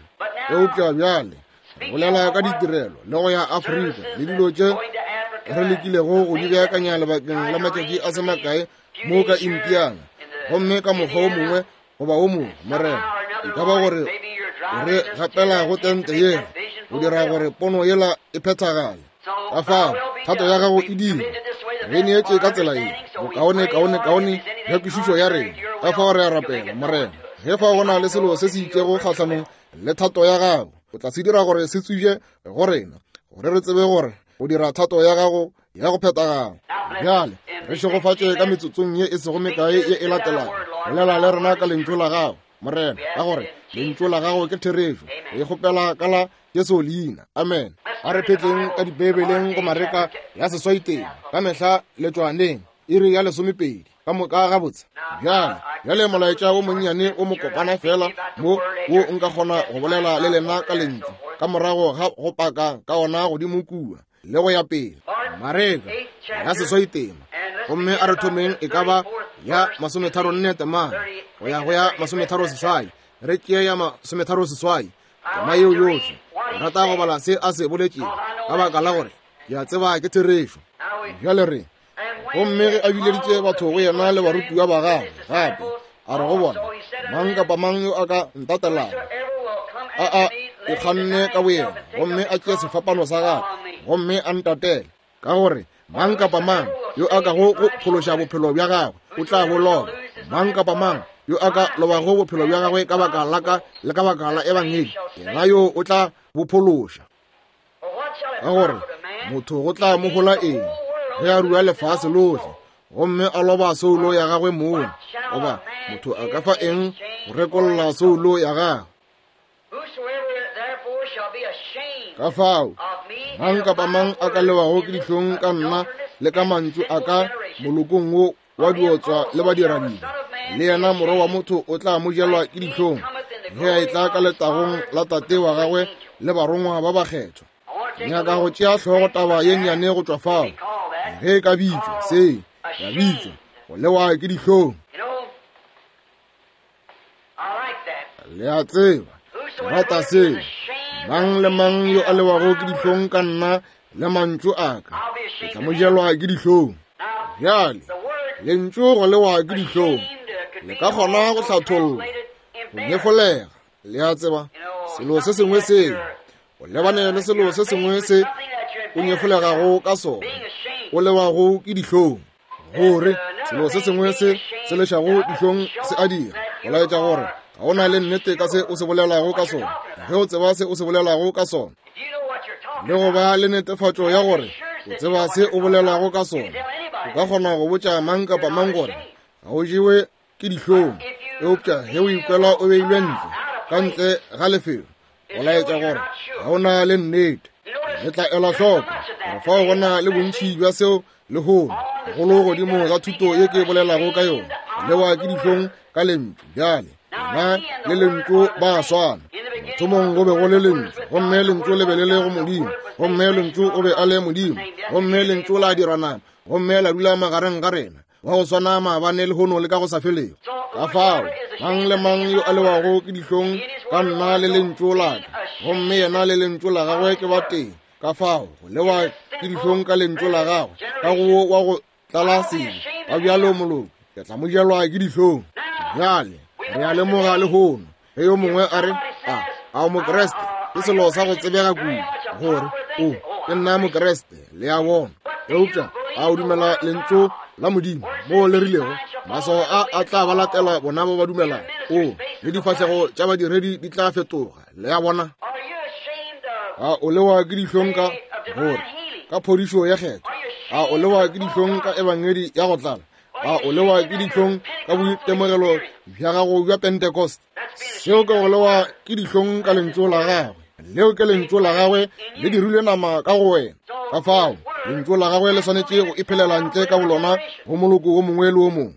Eupša bjale re bolela ka ditirelo le go ya Afrika le dilo tše re lekilego go di beakanya lebakeng la matšatši a se makae mo ka Indiana, gomme ka mokgwa wo mongwe goba wo mongwe, Morena, e ka ba gore o re gapela go tente yela go dira gore pono yela e phethagale. Ka fao thato ya gago e dire, re neetše ka tsela ye bokaone kaone kaone ya kwešišo ya rena. Ka fao re a rapela, Morena, ge fao go na le selo se se itšego kgahlanong le thato ya gago, o tla se dira gore se tsubje go rena, gore re tsebe gore go dira thato ya gago ya go phethagala. Bjale re šegofatše ka metsotsong ye e sego mekae ye e latelago. Bolela le rena ka lentšu la gago, Morena, ka gore lentšu la gago ke therešo. Re e kgopela ka la Jesu leina. Amen. A re phetleng ka Dibeibeleng go Mareka ya seswaiteng, ka mehla letšwaneng, iri ya lesomepedi. Ka moka gabotse. Bjale, bjale molaetša wo monnyane o mokopana fela mo wo nka kgona go bolela le lena ka lentšu ka morago ga go paka ka ona godimo kua le go ya pele. Mareka ya seswai tema, gomme a re thomeng e ka ba ya masometharonne temana go ya go ya masometharo seswai. Re tšee ya masometharo seswai tema yeo yohle. Ke rata go bala se a se boletšego, ka baka la gore ke a tseba ke therešo. Bjale re, gomme ge a bileditše batho go yena le barutiwa ba gagwe gape, a re go bona, Mang kapa mang yo a ka ntatelago, a a ikganne ka boyena, gomme a tšee sefapano sa gagwe, gomme a ntatele. Ka gore mang kapa mang yo a kago go phološa bophelo bja gagwe o tla bo loba, mang kapa mang yo a ka lobago bophelo bja gagwe ka baka la ka le ka baka la ebangedi, yena yo o tla bo phološa. Ka gore motho go tla mo hola eng ge a rua lefase lohle gomme a loba soulo ya gagwe mong? Goba motho a ka fa eng go rekolla soulo ya gagwe? Ka fao mang kapa mang a ka lewago ke dihlong ka nna le ka mantšu a ka molokong wo wa diotswa le badiradibe, le yena Morwa wa motho o tla mo jelwa ke dihlong ge a etla ka letagong la Tate wa gagwe le barongwa ba bakgethwa. Nyaka go tšea hlogo taba ye nnyane go tšwa fao, ge e ka bitšwa se, ya bitšwa go lewa ke dihlong. Le a tseba, ke rata seo. Mang le mang yo a lewago ke dihlong ka nna le mantšu a ka, ke tla mo jelwa ke dihlong. Bjale, lentšu go lewa ke dihlong le ka kgona go hlathollwa go nyefolega. Le a tseba, selo se sengwe seo o lebane le selo se sengwe se o nyefolegago ka sona, o lewago ke dihlong. Gore selo se sengwe se se lešago dihlong se a dira, go laetša gore ga o na le nnete ka se o se bolelago ka sona. Ge o tseba se o se bolelago ka sona, le go ba le netefatšo ya gore o tseba se o bolelago ka sona, o ka kgona go botša mang kapa mang gore ga o jewe ke dihlong. Eupša ge o ikwela o beilwe ntle, ka ntle ga lefelo, go laetša gore ga o na le nnete. Le tla ela hloko gore fao go na le bontši bja seo lehono, golo godimo ga thuto ye ke bolelago ka yona, lewa ke dihlong ka lentšu. Bjale nna le lentšu ba swana. Mathomong go be go le lentšu, gomme lentšu le be le le go Modimo, gomme lentšu o be a le Modimo, gomme lentšu la dirwa nama, gomme la dula magareng ga rena, wa go swana maabane lehono le ka go sa felego. Ka fao mang le mang yo a lewago ke dihlong ka nna le lentšu la ka, gomme yena le lentšu la gagwe ke ba tee. Ka fao go lewa ke dihlong ka lentšu la gagwe ka go wa go tlala sebe ba bjalo moloki, ke tla mo jelwa ke dihlong. Bjale re a lemoga lehono ge yo mongwe a re, a o Mokreste, ke selo sa go tsebega kudu gore o ke nna Mokreste, le a bona. Eupša a o dumela lentšu la Modimo moo le rilego maswao a a tla ba latela bona ba ba dumelang? O le difahlego tša badiredi di tla fetoga, le a bona. A o lewa ke dihlong ka gore ka phodišo ya kgetho? A o lewa ke dihlong ka ebangedi ya go tlala? A o lewa ke dihlong ka boitemogelo bja gago bja Pentecost? Seo ke go lewa ke dihlong ka lentšu la gagwe. Leo ke lentšu la gagwe le dirilwe nama ka go wena. Ka fao lentšu la gagwe le swanetše go iphelela ntle ka bolona go moloko wo mongwe le wo mongwe.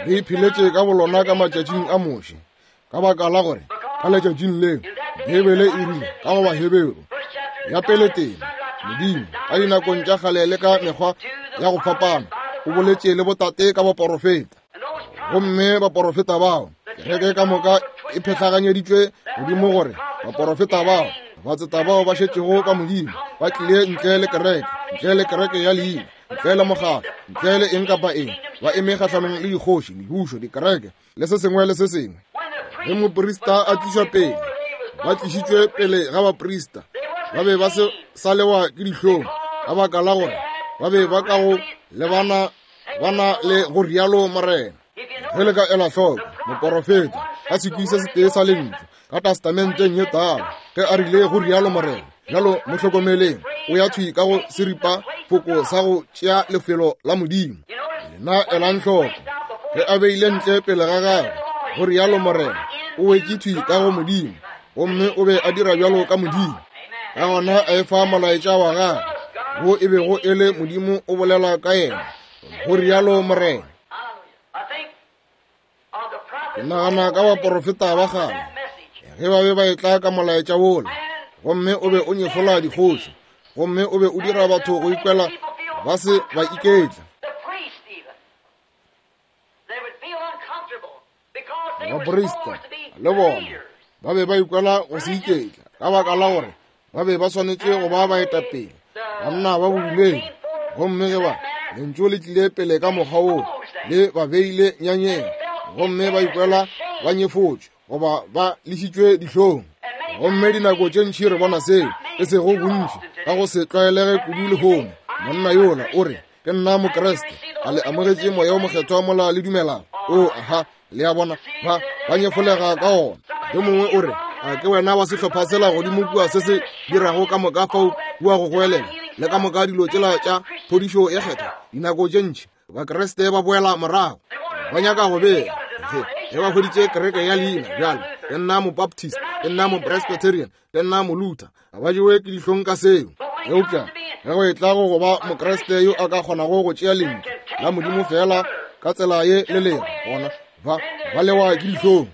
Le ipheletše ka bolona ka matšatšing a Moshe, ka baka la gore ka letšatšing leo Beibele e rile ka go Baheberu ya pele tena, Modimo ka dinakong tša kgale le ka mekgwa ya go fapana o boletše le botate ka baporofeta, gomme baporofeta bao kereke ka moka e phetlaganyeditšwe godimo gore baporofeta bao, batseta bao ba šetšego ka Modimo, ba tlile ntle le kereke, ntle le kereke ya leina, ntle le mokgatlo, ntle le eng kapa eng, ba eme kgahlanong le dikgoši, mebušo, dikereke le se sengwe le se sengwe. Ge moprista a tlišwa pele, ba tlišitšwe pele ga baprista, ba be ba se sa lewa ke dihlong ka baka la gore ba be ba ka go lebana bana le go rialo Morena. Ge le ka ela hloko, moporofeta ka sekwi se setee sa lentšu ka testamenteng ye tala, ge a rile go rialo Morena, bjalo mo hlokomeleng, o ya thwi ka go seripa foko sa go tšea lefelo la Modimo. Lena elang hloko, ge a beile ntle pele ga gagwe go rialo Morena, o wetše thwi ka go Modimo, gomme o be a dira bjalo ka Modimo. Ka gona a efa molaetša wa gagwe, wo e bego e le Modimo o bolela ka yena, go rialo Morena. Ke nagana ka baporofeta ba kgale ge ba be ba etla ka molaetša wola, gomme o be o nyefola dikgoši, gomme o be o dira batho go ikwela ba se ba iketla. Baprista le bona ba be ba ikwela go se iketla ka baka la gore ba be ba swanetše go ba baetapele, banna ba bodumedi. Gomme ge ba lentšu le tlile pele ka mokgwa woo, le ba beile nyanyeng, gomme ba ikwela ba nyefotšwe goba ba lešitšwe dihlong. Gomme dinako tše ntši re bona seo, e sego bontši ka go se tlwaelege kudu lehono. Monna yola o re, Ke nna Mokriste. A le amogetše Moya wo Mokgethwa mola le dumelago? O, aha, le a bona, ba ba nyefolega ka ona. Yo mongwe o re, A ke wena wa sehlopha sela godimo kua se se dirago ka moka fao kua go goelela le ka moka dilo tšela tša phodišo ye kgethwa? Dinako tše ntši Bakriste ba boela morago, ba nyaka go bea ge ba hweditše kereke ya leina. Bjale ke nna Mobaptist, ke nna Mopresbyterian, ke nna Moluther. Ga ba jewe ke dihlong ka seo. Eupša ge go etla go go ba Mokriste yo a ka kgonago go tšea lentšu la Modimo feela ka tsela ye le lego gona, ba ba lewa ke dihlong.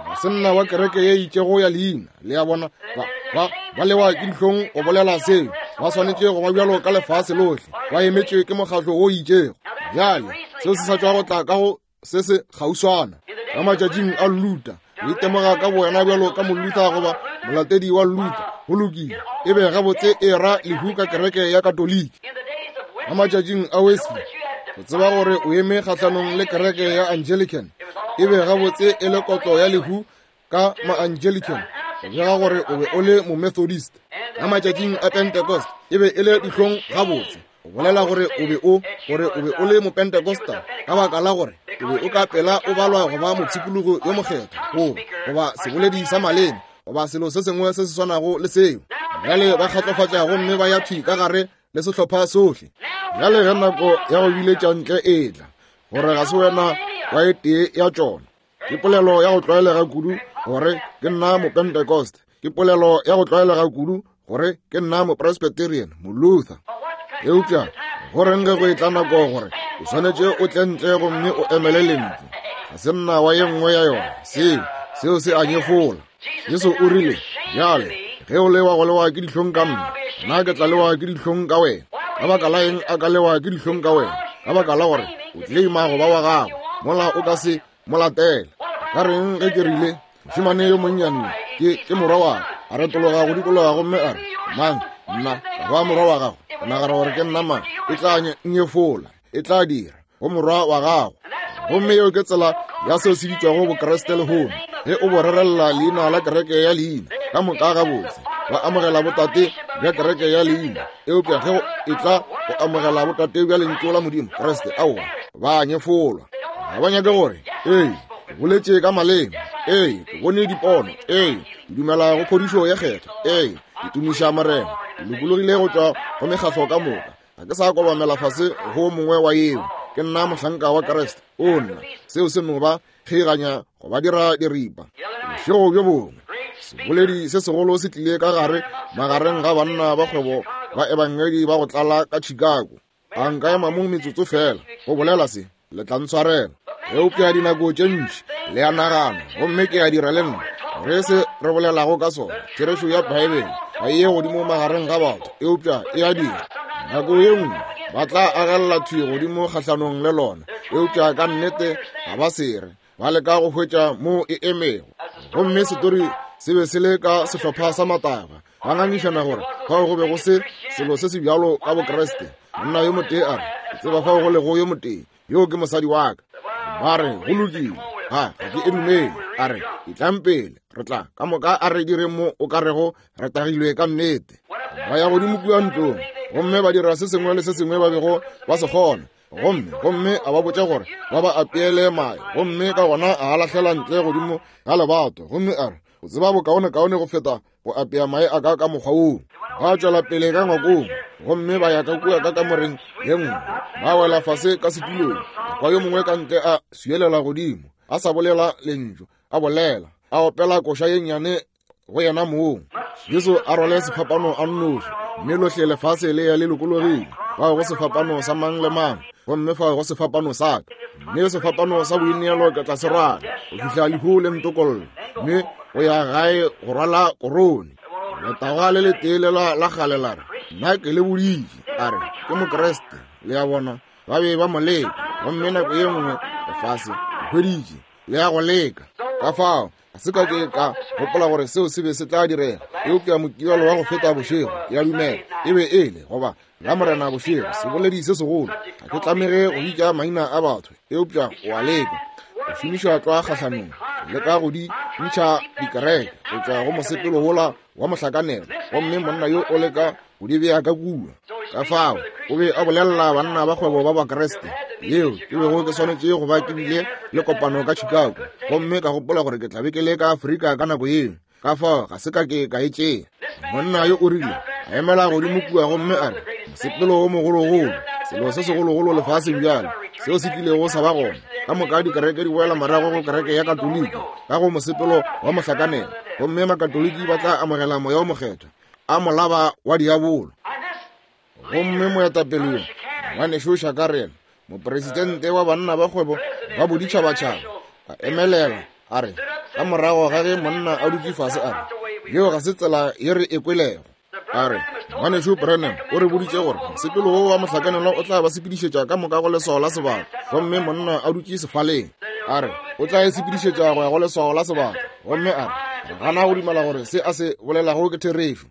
Ga se nna wa kereke ye itšego ya leina, le a bona. Ba ba ba lewa ke dihlong go bolela seo. Ba swanetše go ba bjalo ka lefase lohle, ba emetšwe ke mokgatlo wo itšego. Bjale seo se sa tšwa go tla ka go se se kgauswana. Ka matšatšing a Luther, o itemoga ka bowena bjalo ka Moluther goba molatedi wa Luther, go lokile, e be gabotse e ra lehu ka kereke ya Katoliki. Ka matšatšing a Wesley, go tseba gore o eme kgahlanong le kereke ya Anglican, e be gabotse e le kotlo ya lehu ka ma-Anglican. Go bega gore o be o le Momethodist. Ka matšatšing a Pentecost e be e le dihlong gabotse go bolela gore o be o gore o be o le Mopentecostal, ka baka la gore o be o ka pela o balwa go ba mopshikologo yo mokgethwa goba goba seboledi sa maleme goba selo se sengwe se se swanago le seo. Bjale ba kgatlofatša gomme ba ya thwi ka gare le sehlopha sohle. Bjale ge nako ya go biletša ntle e tla, gore ga se wena wa e tee ya tšona. Ke polelo ya go tlwaelega kudu gore ke nna Mopentecost. Ke polelo ya go tlwaelega kudu gore ke nna Mopresbyterian, Moluther. Eupša go reng ge go etla nako gore o swanetše o tle ntle gomme o emele lentšu? Ga se nna wa ye nngwe ya yona. Seo, seo se a nyefola. Jesu o rile, Bjale, ge o lewa go lewa ke dihlong ka nna, nna ke tla lewa ke dihlong ka wena. Ka baka la eng a ka lewa ke dihlong ka wena? Ka baka la gore o tleleima go ba wa gagwe, mola o ka se mo latele. Ka reng ge ke rile, mošemane yo monnyane ke, ke morwa wa ka, a retologa go dikologa gomme a re, Mang, nna, ka ba morwa wa gago, o nagana gore ke nna mang? E tla nyefola, e tla dira go morwa wa gago. Gomme yeo ke tsela ya seo se bitšwago Bokriste lehono. Ge o bo rerelela leina la kereke ya leina, ka moka gabotse ba amogela botate bja kereke ya leina, eupša ge e tla go amogela botate bja lentšu la Modimo, Kriste, aowa, ba nyefolwa. Ga ba nyake gore, Ee, ke boletše ka maleme. Ee, ke bone dipono. Ee, ke dumela go phodišo ya kgetho. Ee, ke tumiša Morena. Ke lokologile go tšwa go mekgahlo ka moka. Ga ke sa kobamela fase go mongwe wa yeo. Ke nna mohlanka wa Kriste. O nna, seo se no ba kgeiganya go ba dira diripa. Bošego bjo bongwe, seboledi se segolo se tlile ka gare magareng ga banna ba kgwebo ba ebangedi ba go tlala ka Chicago. A nka ema mo metsotso fela go bolela se, le tla ntshwarela. Eupša dinako tše ntši le a nagana, gomme ke a dira le nna, gore se re bolelago ka sona, therešo ya Beibele, ga e ye godimo magareng ga batho, eupša e a dira. Nako ye nngwe ba tla agelela thwi godimo kgahlanong le lona, eupša ka nnete ga ba se re. Ba leka go hwetša mo e emego. Gomme setori se be se le ka sehlopha sa matagwa, ba ngangišana gore fao go be go se selo se se bjalo ka Bokriste. Monna yo motee a re, Ke tseba fao go lego yo motee, yoo ke mosadi wa ka. Ba re, Go lokile, ga, ga ke e dumele. A re, Etlang pele, re tla ka moka a re dire mo o ka rego re tagilwe ka nnete. Ba ya godimo kua ntlong gomme ba dira se sengwe le se sengwe ba bego ba se kgona. Gomme, gomme a ba botša gore ba ba apeele mae, gomme ka gona a a lahlela ntle godimo ga lebato, gomme a re, O tseba bokaonekaone go feta go apea mae a ka ka mokgwa woo. Ba tšwela pele ka ngwakong, gomme ba ya ka kua ka kamoreng ye nngwe, ba wela fase ka setulong. Kwa yo mongwe ka ntle a swielela godimo, a sa bolela lentšu, a bolela, a opela koša ye nnyane go yena mong. Jesu a rwale sefapano a nnoši, mme lohle lefase le ya le lokologile. Fao go sefapano sa mang le mang, gomme fao go sefapano sa ka. Mme sefapano sa boineelo ke tla se rwala go fihla lehu le ntokolla, mme go ya gae go rwala korone. Letagwa le letee lela la kgale la re, Nna ke le boditše, a re, ke Mokriste. Le a bona, ba be ba mo leka, gomme nako ye nngwe lefase le hweditše le ya go leka. Ka fao ga se ka ke ka gopola gore seo se be se tla direga, eupša Mokibelo wa go feta bošego, ke a dumela e be e le, goba Lamorena bošego, seboledi se segolo. Ga ke tlamege go bitša maina a batho, eupša o a leka go šomiša tlwa kgahlanong, go leka go di ntšha dikereke go tšwa go mosepelo wola wa mohlakanelo, gomme monna yo o leka go di bea ka kua. Ka fao o be a bolelela banna ba kgwebo ba Bakriste, yeo ke bego ke swanetše go ba ke bile le kopano ka Chicago, gomme ka gopola gore ke tla be ke le ka Afrika ka nako yeo. Ka fao ga se ka ke ka e tšea. Monna yo o rile a emela godimo kua gomme a re, mosepelo wo mogologolo, selo se segologolo lefaseng bjale seo se kilego sa ba gona, ka moka dikereke di boela morago go kereke ya Katoliki ka go mosepelo wa mohlakanelo, gomme Makatoliki ba tla amogela Moya wo Mokgethwa, a molaba wa diabolo. Gomme moetapele yo, ngwanešu Shakarel, mopresidente wa banna ba kgwebo ba boditšhabatšhaba, a emelela a re, ka morago ga ge monna a dutše fase, a re, yeo ga se tsela ye re e kwelego. A re, ngwanešu Branham o re boditše gore mosepelo wo wa mohlakanelwa o tla ba sepedišetša ka moka go leswao la sebaka. Gomme monna a dutše sefaleng, a re, o tla e sepedišetša go ya go leswao la sebaka. Gomme a re, re gana go dumela gore se a se bolelago ke therešo.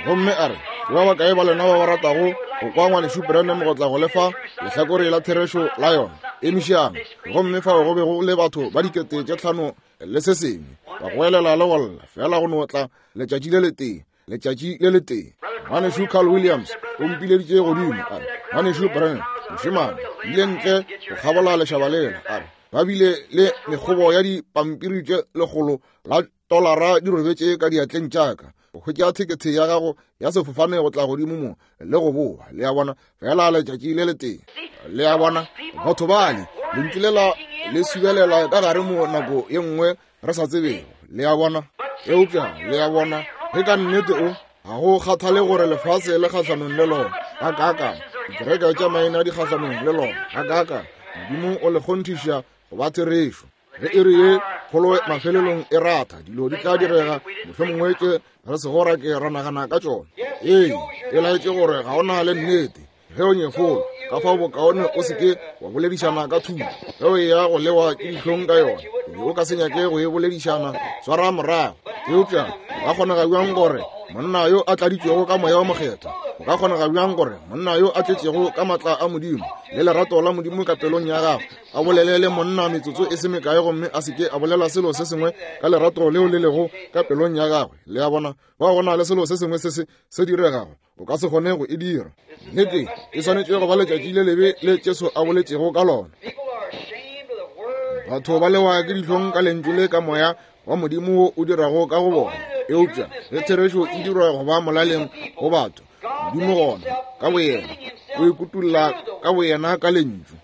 Gomme a re, ke ba bakae ba lena ba ba ratago go kwa ngwanešu Branham go tla go lefa lehlakore la therešo la yona? Emišang. Gomme fao go be go le batho ba 5000 le se sengwe. ba goelela le go lla, feela go no tla letšatši le letee, letšatši le letee. Ngwanešu Carl Williams o mpileditše godimo, a re, Ngwanešu Branham, mošemane, ile ntle go kgabola lešaba lela, a re, ba bile le mekgobo ya dipampiri tše lekgolo la tolara di robetše ka diatleng tša ka go hwetša thekethe ya gago ya sefofane go tla godimo mo le go boa. Le a bona, fela letšatši le letee. Le a bona, batho bale, lentšu lela le subelela ka gare mo nako ye nngwe re sa tsebego. Le a bona, eupša le a bona, ge ka nnete o ga go kgathale gore lefase le kgahlanong le lona ga kaakang, dikereke tša maina di kgahlanong le lona ga kaakang, Modimo o le kgonthiša go ba therešo. Ge iri ye kgolo mafelelong e ratha, dilo di tla direga mohlomongwe tše re sego ra ke ra nagana ka tšona. Ee, e laetše gore ga o na le nnete ge o nyefola, ka fao bokaone o se ke wa boledišana ka thuto. Ge o eya go lewa ke dihlong ka yona, o be o ka se nyake go e boledišana, swara morago. Eupša go ka kgonega bjang gore monna yo a tladitšwego ka Moya wo Mokgethwa, go ka kgonega bjang gore monna yo a tletšego ka maatla a Modimo le lerato la Modimo ka pelong ya gagwe a bolele le monna metsotso e se mekae gomme a se ke a bolela selo se sengwe ka lerato leo le lego ka pelong ya gagwe? Le a bona, ba go na le selo se sengwe se se se diregago, o ka se kgone go e dira. Nnete, e swanetše go ba letšatši le lebe le Jesu a boletšego ka lona. Batho ba lewa ke dihlong ka lentšu le ka moya wa Modimo wo o dirago ka go bona. Eupša ge therešo e dirwa go ba molaleng go batho, Modimo gona ka boyena o ikutulla ka boyena ka lentšu.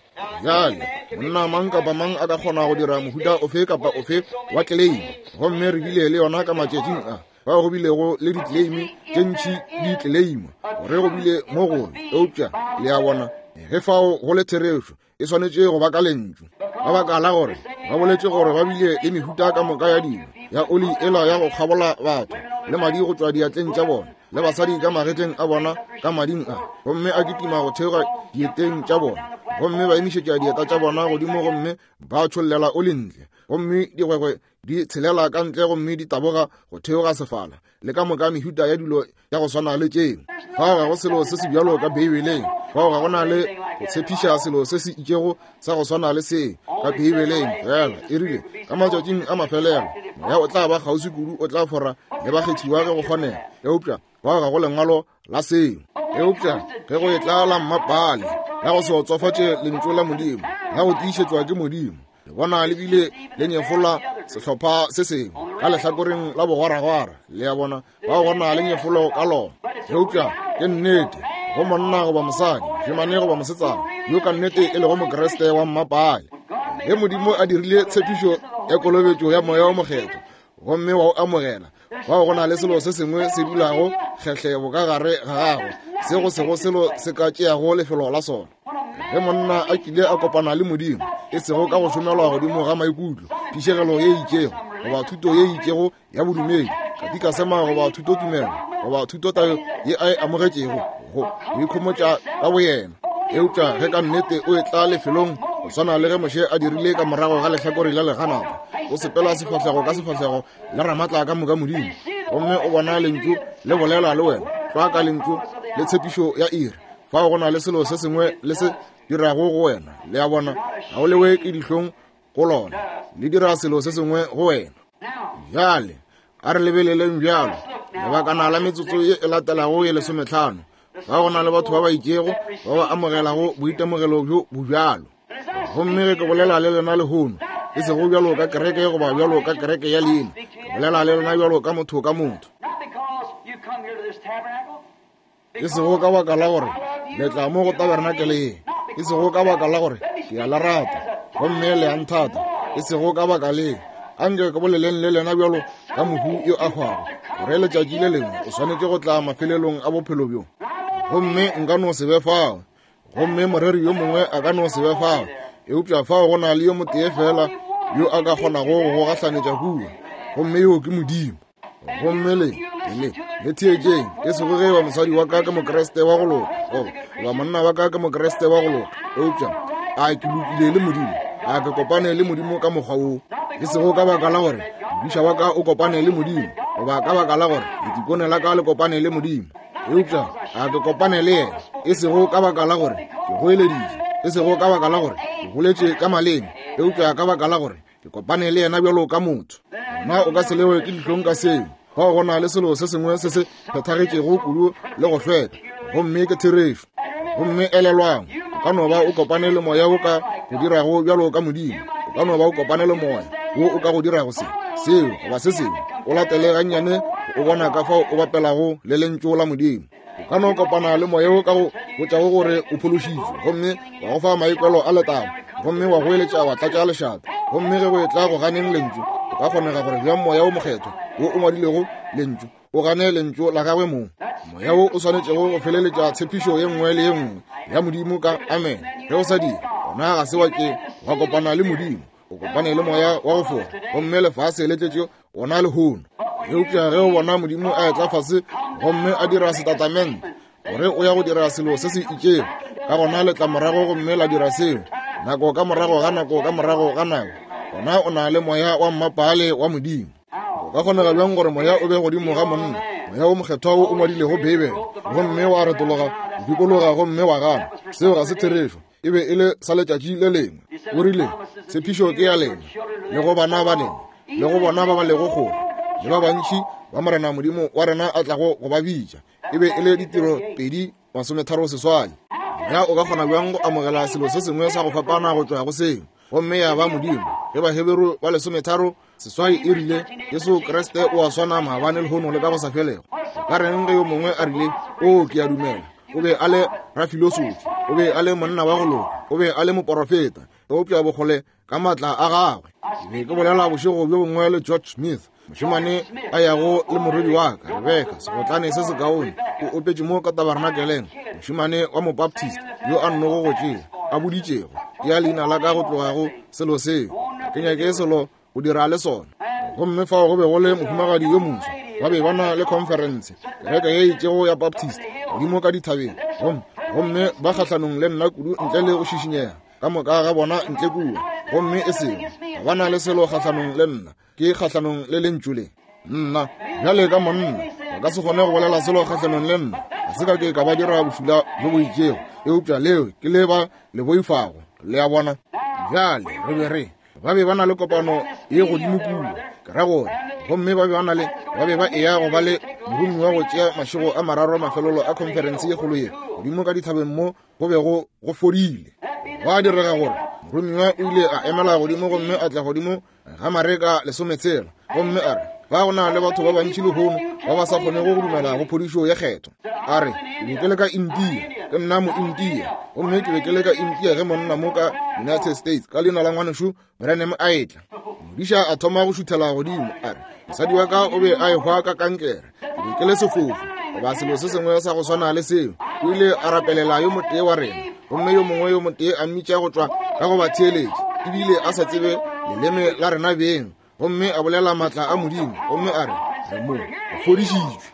Bjale, monna mang kapa mang a ka kgona go dira mohuta ofe kapa ofe wa tleleime, gomme re bile le yona ka matšatšing a bao go bilego le ditleleime tše ntši di tleleima gore go bile mo gobe. Eupša le a bona, ge fao go le therešo, e swanetše go ba ka lentšu, ka baka la gore ba boletše gore ba bile le mehuta ka moka ya dilo, ya oli ela ya go kgabola batho, le madi go tšwa diatleng tša bona, le basadi ka magetleng a bona ka mading a, gomme a kitima go theoga dieteng tša bona, gomme ba emišetša dieta tša bona godimo gomme ba tšhollela oli ntle, gomme digwegwe di tshelela ka ntle gomme di taboga go theoga sefala, le ka moka mehuta ya dilo ya go swana le tšeo. Fao ga go selo se se bjalo ka Beibeleng. Fao ga go na le go tshepiša selo se se itšego sa go swana le se ka Beibeleng. Fela e rile ka matšatšing a mafelelo moya o tla ba kgauswi kudu o tla fora le bakgethiwa ge go kgonega, eupša fao ga go lengwalo la seo. Eupša ge go etla la mmapale la go se otsofatše lentšu la Modimo, la go tiišetšwa ke Modimo, le bona le bile le nyefola sehlopha se sengwe ka lehlakoreng la bogwaragwara. Le a bona, ba gona le nyefolo ka lona. Eupša ke nnete go monna goba mosadi, mošemane goba mosetsana yo ka nnete e lego Mokriste wa mmapale, ge Modimo a dirile tshepišo ya kolobetšo ya Moya wo Mokgethwa gomme wa o amogela, fao go na le selo se sengwe se dulago kgehlebo ka gare ga gago se go sego selo se ka tšeago lefelo la sona. Ge monna a kile a kopana le Modimo, e sego ka go šomelwa godimo ga maikutlo, phišegelo ye itšego goba thuto ye itšego ya bodumedi, katikasema goba thutotumelo goba thutotayo ye a e amogetšego go ikhomotša ka boyena, eupša ge ka nnete o etla lefelong go swana le ge Moshe a dirile ka morago ga lehlakore la leganata, o sepela sefahlego ka sefahlego le ramatla ka moka Modimo, gomme o bona lentšu le bolela le wena tlwa ka lentšu le tshepišo ya iri, fao go na le selo se sengwe le se dirago go wena. Le a bona, ga o lewe ke dihlong go lona, le dira selo se sengwe go wena. Bjale a re lebeleleng bjalo lebakana la metsotso ye e latelago ye lesometlhano. Fa go na le batho ba ba itšego ba ba amogelago boitemogelo bjo bo bjalo. Gomme ge ke bolela le lena lehono, e sego bjalo ka kereke goba bjalo ka kereke ya leina, ke bolela le lena bjalo ka motho ka motho. E sego ka baka la gore le tla mo go tabernakele ye, e sego ka baka la gore ke a le rata gomme le a nthata, e sego ka baka le, a nke ke boleleng le lena bjalo ka mohu yo a hwago, gore letšatši le lengwe o swanetše go tla mafelelong a bophelo bjo, gomme nka no se be fao, gomme moreri yo mongwe a ka no se be fao, eupša fao go na le yo motee feela yo a ka kgonago go go gahlanetša kua, gomme yoo ke Modimo. Gomme le, le, le theetšeng, e sego ge eba mosadi wa ka ke Mokriste wa go loka, goba, goba monna wa ka ke Mokriste wa go loka, eupša a ke lokile le Modimo, a ke kopane le Modimo ka mokgwa wo, e sego ka baka la gore modiša wa ka o kopane le Modimo, goba ka baka la gore letikone la ka le kopane le Modimo, eupša a ke kopane le yena, e sego ka baka la gore ke goeleditše, e sego ka baka la gore ke boletše ka maleme, eupša ka baka la gore ke kopane le yena bjalo ka motho. Gona o ka se lewe ke dihlong ka seo. Fao go na le selo se sengwe se se phethagetšego kudu le go hlweka, gomme ke therešo. Gomme elelwang, o ka no ba o kopane le moya wo ka go dirago bjalo ka Modimo. O ka no ba o kopane le moya wo o ka go dirago se, seo, goba se sengwe. O latele gannyane o bona ka fao o bapelago le Lentšu la Modimo. O ka no kopana le moya wo ka go botšago gore o phološitšwe, gomme wa go fa maikwelo a letago, gomme wa goeletša wa tlatša lešata. Gomme ge go etla go ganeng Lentšu, o ka kgonega gore bjang Moya wo Mokgethwa wo o ngwadilego Lentšu o gane Lentšu la gagwe mong, Moya wo o swanetšego go feleletša tshepišo ye nngwe le ye nngwe ya Modimo ka amen. Ge o sa dire, gona ga se wa ke wa kopana le Modimo, o kopane le moya wa go fora, gomme lefase le tletše wona lehono. Eupša ge o bona Modimo a etla fase gomme a dira setatamente gore o ya go dira selo se se itšego, ka gona le tla morago gomme la dira seo nako ka morago ga nako ka morago ga nako, gona o na le moya wa mmapaale wa Modimo. Go ka kgonega bjang gore moya o be godimo ga monna, moya wo mokgethwa wo o ngwadilego Beibele, gomme wa retologa go dikologa gomme wa gana? Seo ga se therešo. E be e le sa letšatši le lengwe. O rile, Tshepišo ke ya lena, le go bana ba lena, le go bona ba ba lego kgole, le ba bantši ba Morena Modimo wa rena a tlago go ba bitša. E be e le Ditiro 2:38. Moya o ka kgona bjang go amogela selo se sengwe sa go fapana go tšwa go seo, gomme ya ba Modimo? Ge Baheberu ba 13 e rile, Jesu Kriste o a swana maabane, lehono, le ka go sa felego. Ka reng ge yo mongwe a rile, O, ke a dumela o be a le rafilosofi, o be a le monna wa go loka, o be a le moporofeta, eupša bokgole ka maatla a gagwe. Ke be ke bolela bošego bjo bongwe le George Smith, mošemane a yago le morwedi wa ka Rebeka, segotlane se sekaone, o opetše mo ka tabernakeleng, mošemane wa Mobaptist yo a nnogo go tšea a boditšego ya leina la ka go tloga go selo seo. Ga ke nyake selo go dira le sona. Gomme fao go be go le mohumagadi yo moswa, ba be ba na le khonferense, kereke ye itšego ya Baptist godimo ka dithabeng, gomme ba kgahlanong le nna kudu ntle le go šišinyega ka moka ga bona ntle kua, gomme e sego ga ba na le selo kgahlanong le nna, ke kgahlanong le lentšu le nna. Bjale ka monna ba ka se kgone go bolela selo kgahlanong le nna, ga se ka ke ka ba dira bošula bjo bo itšego, eupša leo ke le ba le boifago, le a bona. Bjale re be re ba be ba na le kopano ye godimo kua, ke ra gore, gomme ba be ba na le, ba be ba eya go ba le moromiwa go tšea mašego a mararo mafelelo a khonferense ye kgolo ye godimo ka dithabeng mo go bego go fodile. Gwa direga gore moromiwa o ile a emela godimo gomme a tla godimo ga Mareka 16, gomme a re, Ba go na le batho ba bantši lehono ba ba sa kgonego go dumela go phodišo ya kgetho. A re, Ke be ke le ka India, ke nna Moindia, gomme ke be ke le ka India ge monna mo ka United States ka leina la ngwanešu Branham a etla. Modiša a thoma go šuthela godimo, a re, Mosadi wa ka o be a ehwa ka kankere, ke be ke le sefofu, goba selo se sengwe sa go swana le seo. O ile a rapelela yo motee wa rena, gomme yo mongwe yo motee a mmitša go tšwa ka go ba theeletša, ebile a sa tsebe leleme la rena beng, gomme a bolela maatla a Modimo, gomme a re, Re mo, re fodišitšwe.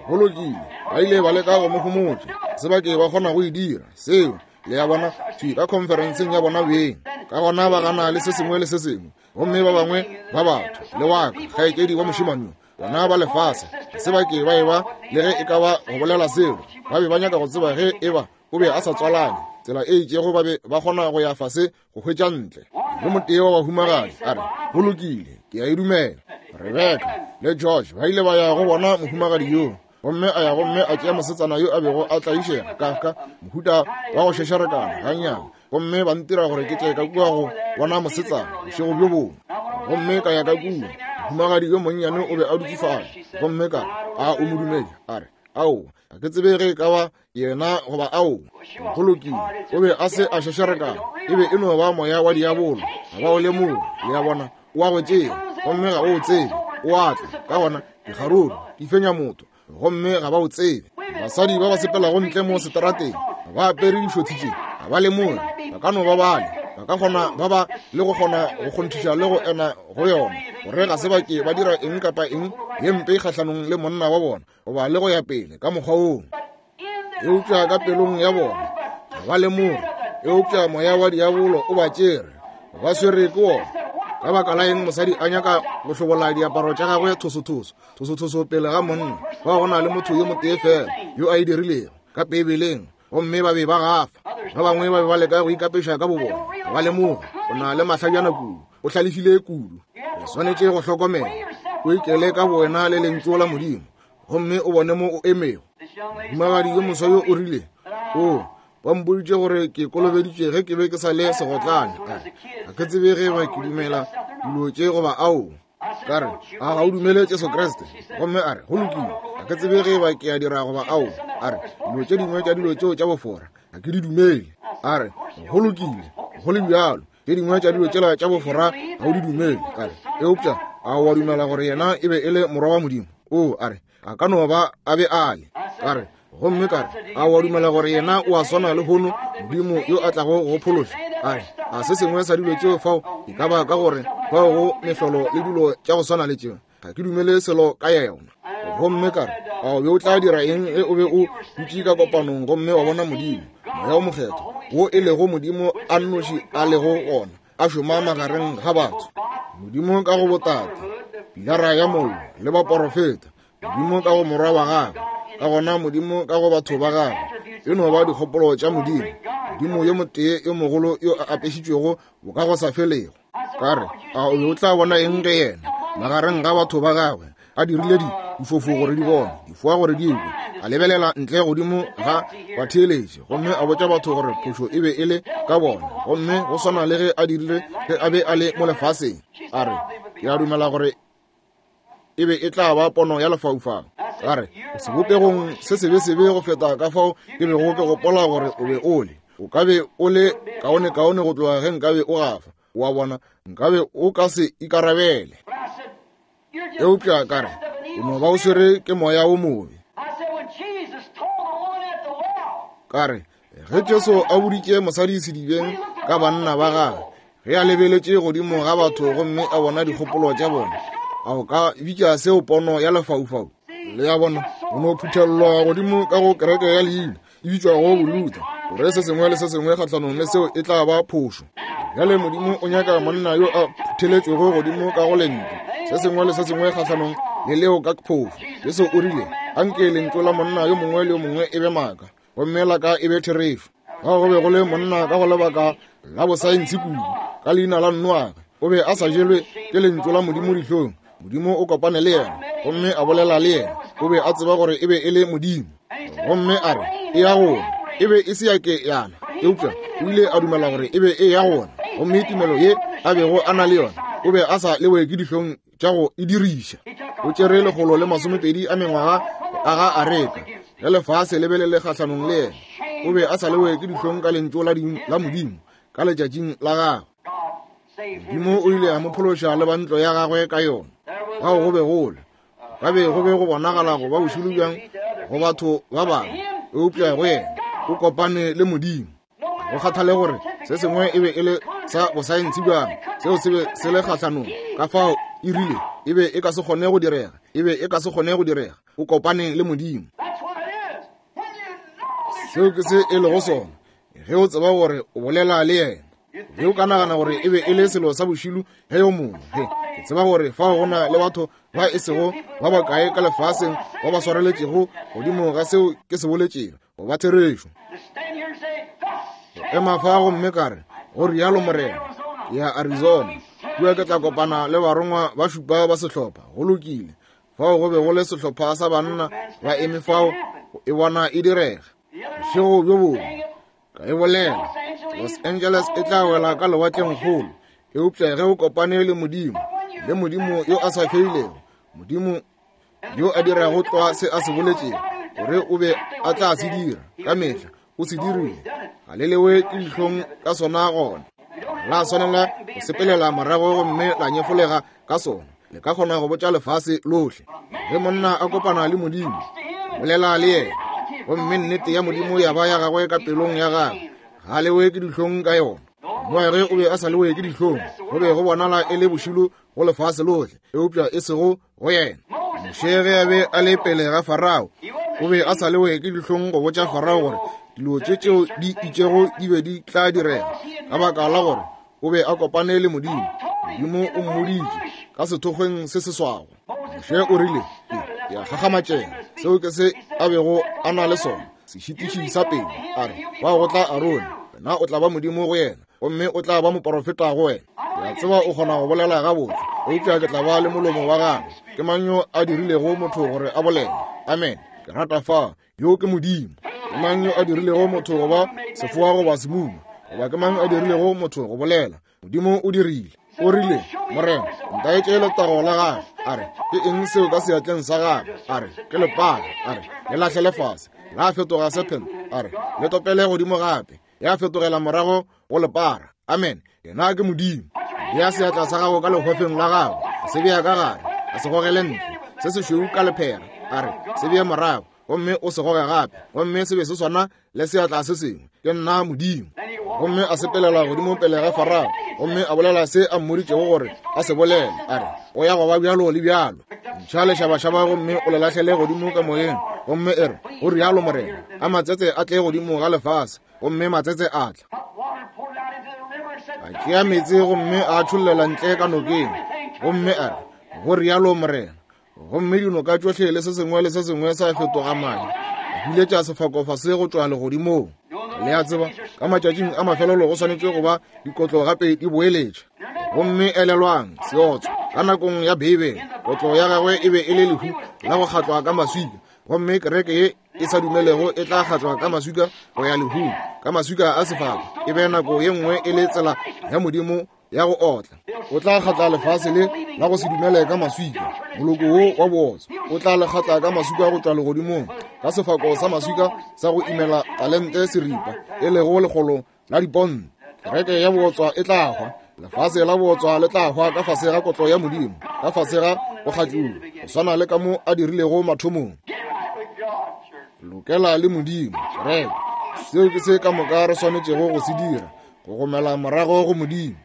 Go lokile, ba ile ba leka go mo homotša, se ba ke ba kgona go e dira seo, le a bona, thwi ka khonferenseng ya bona beng. Ka gona ba gana le se sengwe le se sengwe, gomme ba bangwe ba batho, le wa ka, kgaetšedi wa mošemane yo, bona ba lefase, ga se ba ke ba eba le ge e ka ba go bolela selo. Ba be ba nyaka go tseba ge e ba o be a sa tswalane tsela e itšego, ba be ba kgona go ya fase go hwetša ntle. Yo motee wa bahumagadi a re, Go lokile, ke a e dumela. Rebeka le George ba ile ba ya go bona mohumagadi yoo, gomme a ya gomme a tšea mosetsana yo a bego a tlaišega ka ka mohuta wa go šešarekana gannyane, gomme ba ntira gore ke tle ka kua go bona mosetsana bošego bjo bongwe. Gomme ka ya ka kua, mohumagadi yo monnyane o be a dutše fale, gomme ka re, A o modumedi? A re, Aowa, ga ke tsebe ge e ka ba yena goba ao. Go lokile, o be a se a šešarekana, e be e no ba moya wa diabolo, ga ba o lemoge, le a bona, o a go tšea gomme ga o o tsebe, o a tla, ka gona dikgaruru di fenya motho gomme ga ba o tsebe. Basadi ba ba sepelago ntle mo seterateng ba apere dišothi tše, ga ba lemoge, ba ka no ba bale, ba ka kgona ba ba le go kgona go kgonthiša le go ena go yona gore ga se ba ke ba dira eng kapa eng ye mpe kgahlanong le monna wa bona goba le go ya pele ka mokgwa woo, eupša ka pelong ya bona ga ba lemoge, eupša moya wa diabolo o ba tšere, ba swere ke wona. Ka baka la eng mosadi a nyaka go hlobola diaparo tša gagwe thosothoso thosothoso pele ga monna? Ba go na le motho yo motee fela yo a e dirilego ka Beibeleng, gomme ba be ba gafa. Ba bangwe ba be ba leka go ikapeša ka bobona, ga ba lemoge o na le mahlajana kudu, o hlalefile kudu. Le swanetše go hlokomela. O ikele ka bowena le Lentšu la Modimo, gomme o bone mo o emego. Mohumagadi yo moswa yo o rile, O, ba mpoditše gore ke kolobeditše ge ke be ke sa le segotlane. A re, Ga ke tsebe ge ba ke dumela dilo tše goba ao. Ka re, A ga o dumele Jesu Kriste? Gomme a re, Go lokile, ga ke tsebe ge ba ke a dira goba ao. A re, Dilo tše dingwe tša dilo tšeo tša bofora ga ke di dumele. A re, Go lokile, go le bjalo, tše dingwe tša dilo tšela tša bofora ga o di dumele. Ka re, Eupša a wa dumela gore yena e be e le morwa wa Modimo? O, a re, a ka no ba a be a le. Ka re, gomme ka re, a wa dumela gore yena o a swana le hono Modimo yo a tlago go phološa? A re, a se sengwe sa dilo tšeo fao e ka ba ka gore fao go mehlolo le dilo tša go swana le tšeo, ga ke dumele selo ka yona. Gomme ka re, a o be o tla dira eng ge o be o dutše ka kopanong gomme wa bona Modimo, Moya wo Mokgethwa, wo e lego Modimo a nnoši a lego gona, a šoma magareng ga batho? Modimo ka go botate, pilara ya mollo, le baporofeta, Modimo ka go morwa wa gagwe, ka gona Modimo ka go batho ba gagwe. E no ba dikgopolo tša Modimo, Modimo yo motee yo mogolo yo a apešitšwego bokagosafelego. Ka re, a o be o tla bona eng ge yena magareng ga batho ba gagwe a dirile di difofu gore di bone, difoa gore di kwe, a lebelela ntle godimo ga batheeletši gomme a botša batho gore phošo e be e le ka bona, gomme go swana le ge a dirile ge a be a le mo lefaseng. A re, ke a dumela gore e be e tla ba pono ya lefaufau. Ka re, o sebopegong se sebesebe go feta ka fao ke bego ke gopola gore o be o le. O ka be o le kaonekaone go tloga ge nkabe o gafa. O a bona, nkabe o ka se ikarabele. Eupša ka re, o no ba o swere ke moya wo mobe. Ka re, ge Jesu a boditše mosadi sedibeng ka banna ba gagwe, ge a lebeletše godimo ga batho gomme a bona dikgopolo tša bona, a o ka bitša seo pono ya lefaufau? Le a bona, o no phuthelelwa godimo ka go kereke ya leina e bitšwago Bolutha, gore se sengwe le se sengwe kgahlanong le seo e tla ba phošo. Bjale Modimo o nyaka monna yo a phutheletšwego godimo ka go lentšu, se sengwe le se sengwe kgahlanong le leo ka phošo. Jesu o rile, Anke lentšu la monna yo mongwe le yo mongwe e be maaka, gomme la ka e be therešo. Ga go be go le monna ka go lebaka la bosaense kudu, ka leina la Noage, o be a sa jelwe ke lentšu la Modimo dihlong. Modimo o kopane le yena gomme a bolela le yena. O be a tseba gore e be e le Modimo, gomme a re e ya gona. E be e se ya ke yana, eupša o ile a dumela gore e be e ya gona. Gomme tumelo ye a bego a na le yona, o be a sa lewe ke dihlong tša go e diriša. O tšere 120 a mengwaga go aga areka, ge lefase le be le le kgahlanong le yena. O be a sa lewe ke dihlong ka lentšu la Modimo ka letšatšing la gagwe. Modimo o ile a mo phološa le ba ntlo ya gagwe ka yona. Fao go be go le, ka be go be go bonagala go ba bošilo bjang go batho ba bangwe, eupša go yena o kopane le Modimo. Go kgathale gore se sengwe e be e le sa bosaense bjang, seo se be se le kgahlanong, ka fao e rile e be e ka se kgone go direga, e be e ka se kgone go direga. O kopane le Modimo. Seo ke se e lego sona, ge o tseba gore o bolela le yena. Ge o ka nagana gore e be e le selo sa bošilu ge yo mongwe, he, ke tseba gore fao go na le batho ba e sego ba bakae ka lefaseng ba ba swareletšego godimo ga seo ke se boletšego go ba therešo. Go ema fa gomme ka re, go rialo Morena, ke ya Arizona, kua ke tla kopana le barongwa ba šupa ba sehlopha. Go lokile. Fao go be go le sehlopha sa banna ba eme fao go e bona e direga. Bošego bjo bongwe ka e bolela, Los Angeles e tla wela ka lewatleng kgolo, eupša ge o kopane le Modimo, le Modimo yo a sa feilego, Modimo yo a dirago tlwa se a se boletšego gore o be a tla se dira, ka mehla o se dirile, ga le lewe ke dihlong ka sona gona. La swanela go sepelela morago gomme la nyefolega ka sona. Le ka kgona go botša lefase lohle. Ge monna a kopana le Modimo, bolela le yena, gomme nnete ya Modimo ya ba ya gagwe ka pelong ya gagwe, ga lewe ke dihlong ka yona. Noage o be a sa lewe ke dihlong, go be go bonala e le bošilo go lefase lohle, eupša e sego go yena. Moshe ge a be a le pele ga Farao, o be a sa lewe ke dihlong go botša Farao gore dilo tše tšeo di itšego di be di tla direga, ka baka la gore o be a kopane le Modimo. Modimo o mmoditše ka sethokgweng se se swago. Moshe o rile, ke a gagamatšega. Seo ke se a bego a na le sona, sešitiši sa pele. A re, fao go tla Arone, wena o tla ba Modimo go yena, gomme o tla ba moporofeta go wena. Ke a tseba o kgona go bolela gabotse. Eupša ke tla ba le molomo wa gagwe. Ke mang yo a dirilego motho gore a bolele? Amen. Ke rata fa. Yo ke Modimo. Ke mang yo a dirilego motho go ba sefoa goba semuma? Goba ke mang a dirilego motho go bolela? Modimo o dirile. O rile, Morena, ntaetše letago la gagwe. A re, ke eng seo ka seatleng sa gagwe? A re, ke lepara. A re, le lahlele fase. La fetoga serpent. A re, le topele godimo gape. Ya fetogela morago go lepara. Amen. Yena ke Modimo. Bea seatla sa gago ka lehwefeng la gago. Se bea ka gare. A se gogele ntle. Se sešweu ka lephera. A re, se bee morago. Gomme o se goge gape. Gomme se be se swana le seatla se sengwe. Ke nna Modimo. Gomme a sepelela godimo pele ga Farao. Gomme a bolela se a mmoditšego gore a se bolele. A re, o ya go ba bjalo le bjalo. Ntšha lešabašaba gomme o le lahlele godimo ka moyeng. Gomme e re, go rialo Morena. A matsetse a tle godimo ga lefase. Gomme matsetse a tla. A tšea meetse gomme a tšhollela ntle ka nokeng. Gomme a re, go rialo Morena. Gomme dinoka tšohle le se sengwe le se sengwe sa fetoga madi. A huletša sefako fase go tšwa legodimong. Le a tseba, ka matšatšing a mafelelo go swanetše go ba dikotlo gape di boeletša. Gomme elelwang, seotswa, ka nakong ya Beibele, kotlo ya gagwe e be e le lehu la go kgatlwa ka maswika. Gomme kereke ye e sa dumelego e tla kgatlwa ka maswika go ya lehung, ka maswika a sefako. E be nako ye nngwe e le tsela ya Modimo ya go otla. O tla kgatla lefase le la go se dumele ka maswika, moloko wo wa bootswa. O tla le kgatla ka maswika go tšwa legodimong, ka sefako sa maswika sa go imela talente seripa, e lego lekgolo la diponto. Kereke ya bootswa e tla hwa. Lefase la bootswa le tla hwa ka fase ga kotlo ya Modimo, ka fase ga go kgatliwa, go swana le ka mo a dirilego mathomong. Lokela le Modimo, kereke. Seo ke se ka moka re swanetšego go se dira, go gomela morago go Modimo.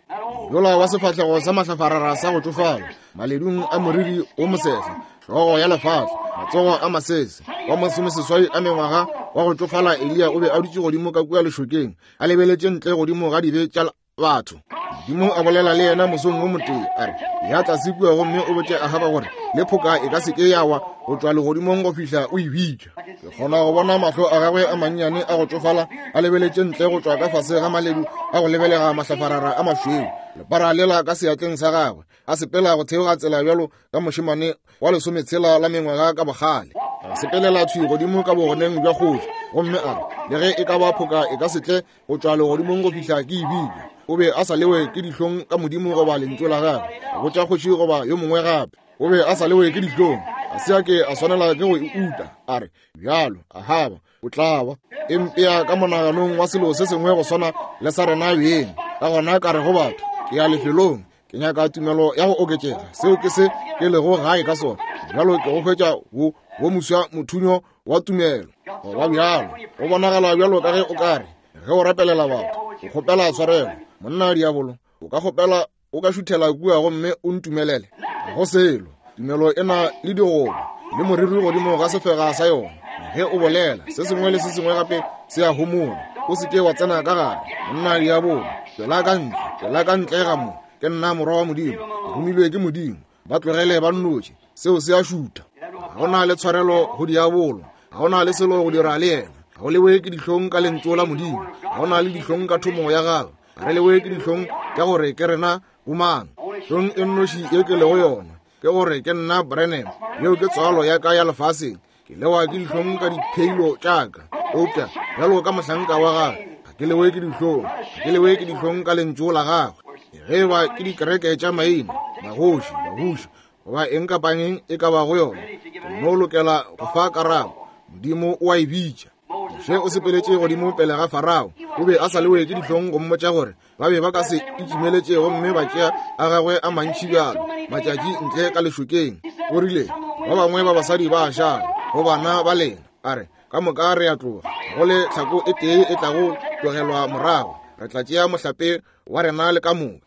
Yola wa sefahlego sa mahlafarara sa go tšofala, maledung a moriri o mosehla, hlogo ya lefatla, matsogo a masese, wa masomeseswai a mengwaga wa go tšofala Eliya o be a dutše godimo ka kua lešokeng, a lebeletše ntle godimo ga dibe tša batho. Modimo a bolela le yena mosong wo motee, a re, ya tlase kua gomme o botše Ahaba gore le phoka e ka se ke ya wa go tšwa legodimong go fihla o e bitša. Ke kgona go bona mahlo a gagwe a mannyane a go tšofala a lebeletše ntle go tšwa ka fase ga maledu a go lebelega mahlafarara a mašweu, lepara lela ka seatleng sa gagwe, a sepela go theoga tsela bjalo ka mošemane wa lesometshela la mengwaga ka bogale. A sepelela thwi godimo ka bogoneng bja kgoši, gomme a re, le ge e ka ba phoka e ka se tle go tšwa legodimong go fihla ke e bitša. O be a sa lewe ke dihlong ka Modimo goba lentšu la gagwe, go botša kgoši goba yo mongwe gape. O be a sa lewe ke dihlong, a se a ke a swanela ke go e uta. A re, bjalo, Ahaba, o tla ba e mpea ka monaganong wa selo se sengwe go swana le sa rena beng. Ka gona ka re go batho, ke ya lefelong, ke nyaka tumelo ya go oketšega. Seo ke se ke lego gae ka sona. Bjalo ke go hwetša wo, wo moswa mothunyo wa tumelo. Go ba bjalo, go bonagala bjalo ka ge o ka re, ge o rapelela batho, o kgopela tshwarelo. Monna diabolo, o ka kgopela o ka šuthela kua gomme o ntumelele. Ga go selo. Tumelo e na le digoba le moriri godimo ga sefega sa yona. Ge o bolela, se sengwe le se sengwe gape se a homola. O se ke wa tsena ka gare. Monna diabolo, tšwela ka ntle, tšwela ka ntle ga mo. Ke nna morwa wa Modimo, ke romilwe ke Modimo. Ba tlogele ba nnotše. Seo se a šutha. Ga go na le tshwarelo go diabolo. Ga go na le selo go dira le yena. Ga o lewe ke dihlong ka lentšu la Modimo. Ga go na le dihlong ka thomo ya gago. Ga re lewe ke dihlong ka gore ke rena bomang. Hlong e nnoši ye ke lego yona ke gore ke nna Branham. Yeo ke tswalo ya ka ya lefaseng. Ke lewa ke dihlong ka dipheilo tša ka. Eupša bjalo ka mohlanka wa gagwe, ga ke lewe ke dihlong. Ga ke lewe ke dihlong ka lentšu la gagwe. Ge e ba ke dikereke tša maina, magoši, babuši, goba eng kapa eng e ka bago yona, ke no lokela go fa karabo. Modimo o a e bitša. Moshe o sepeletše godimo pele ga Farao. O be a sa lewe ke dihlong go mmotša gore ba be ba ka se itšimeletše gomme ba tšea a gagwe a mantši bjalo matšatši ntle ka lešokeng. O rile, ba bangwe ba basadi ba a šala go bana ba lena. A re, ka moka re a tloga, go le tlhako e tee e tlago tlogelwa morago. Re tla tšea mohlape wa rena le ka moka.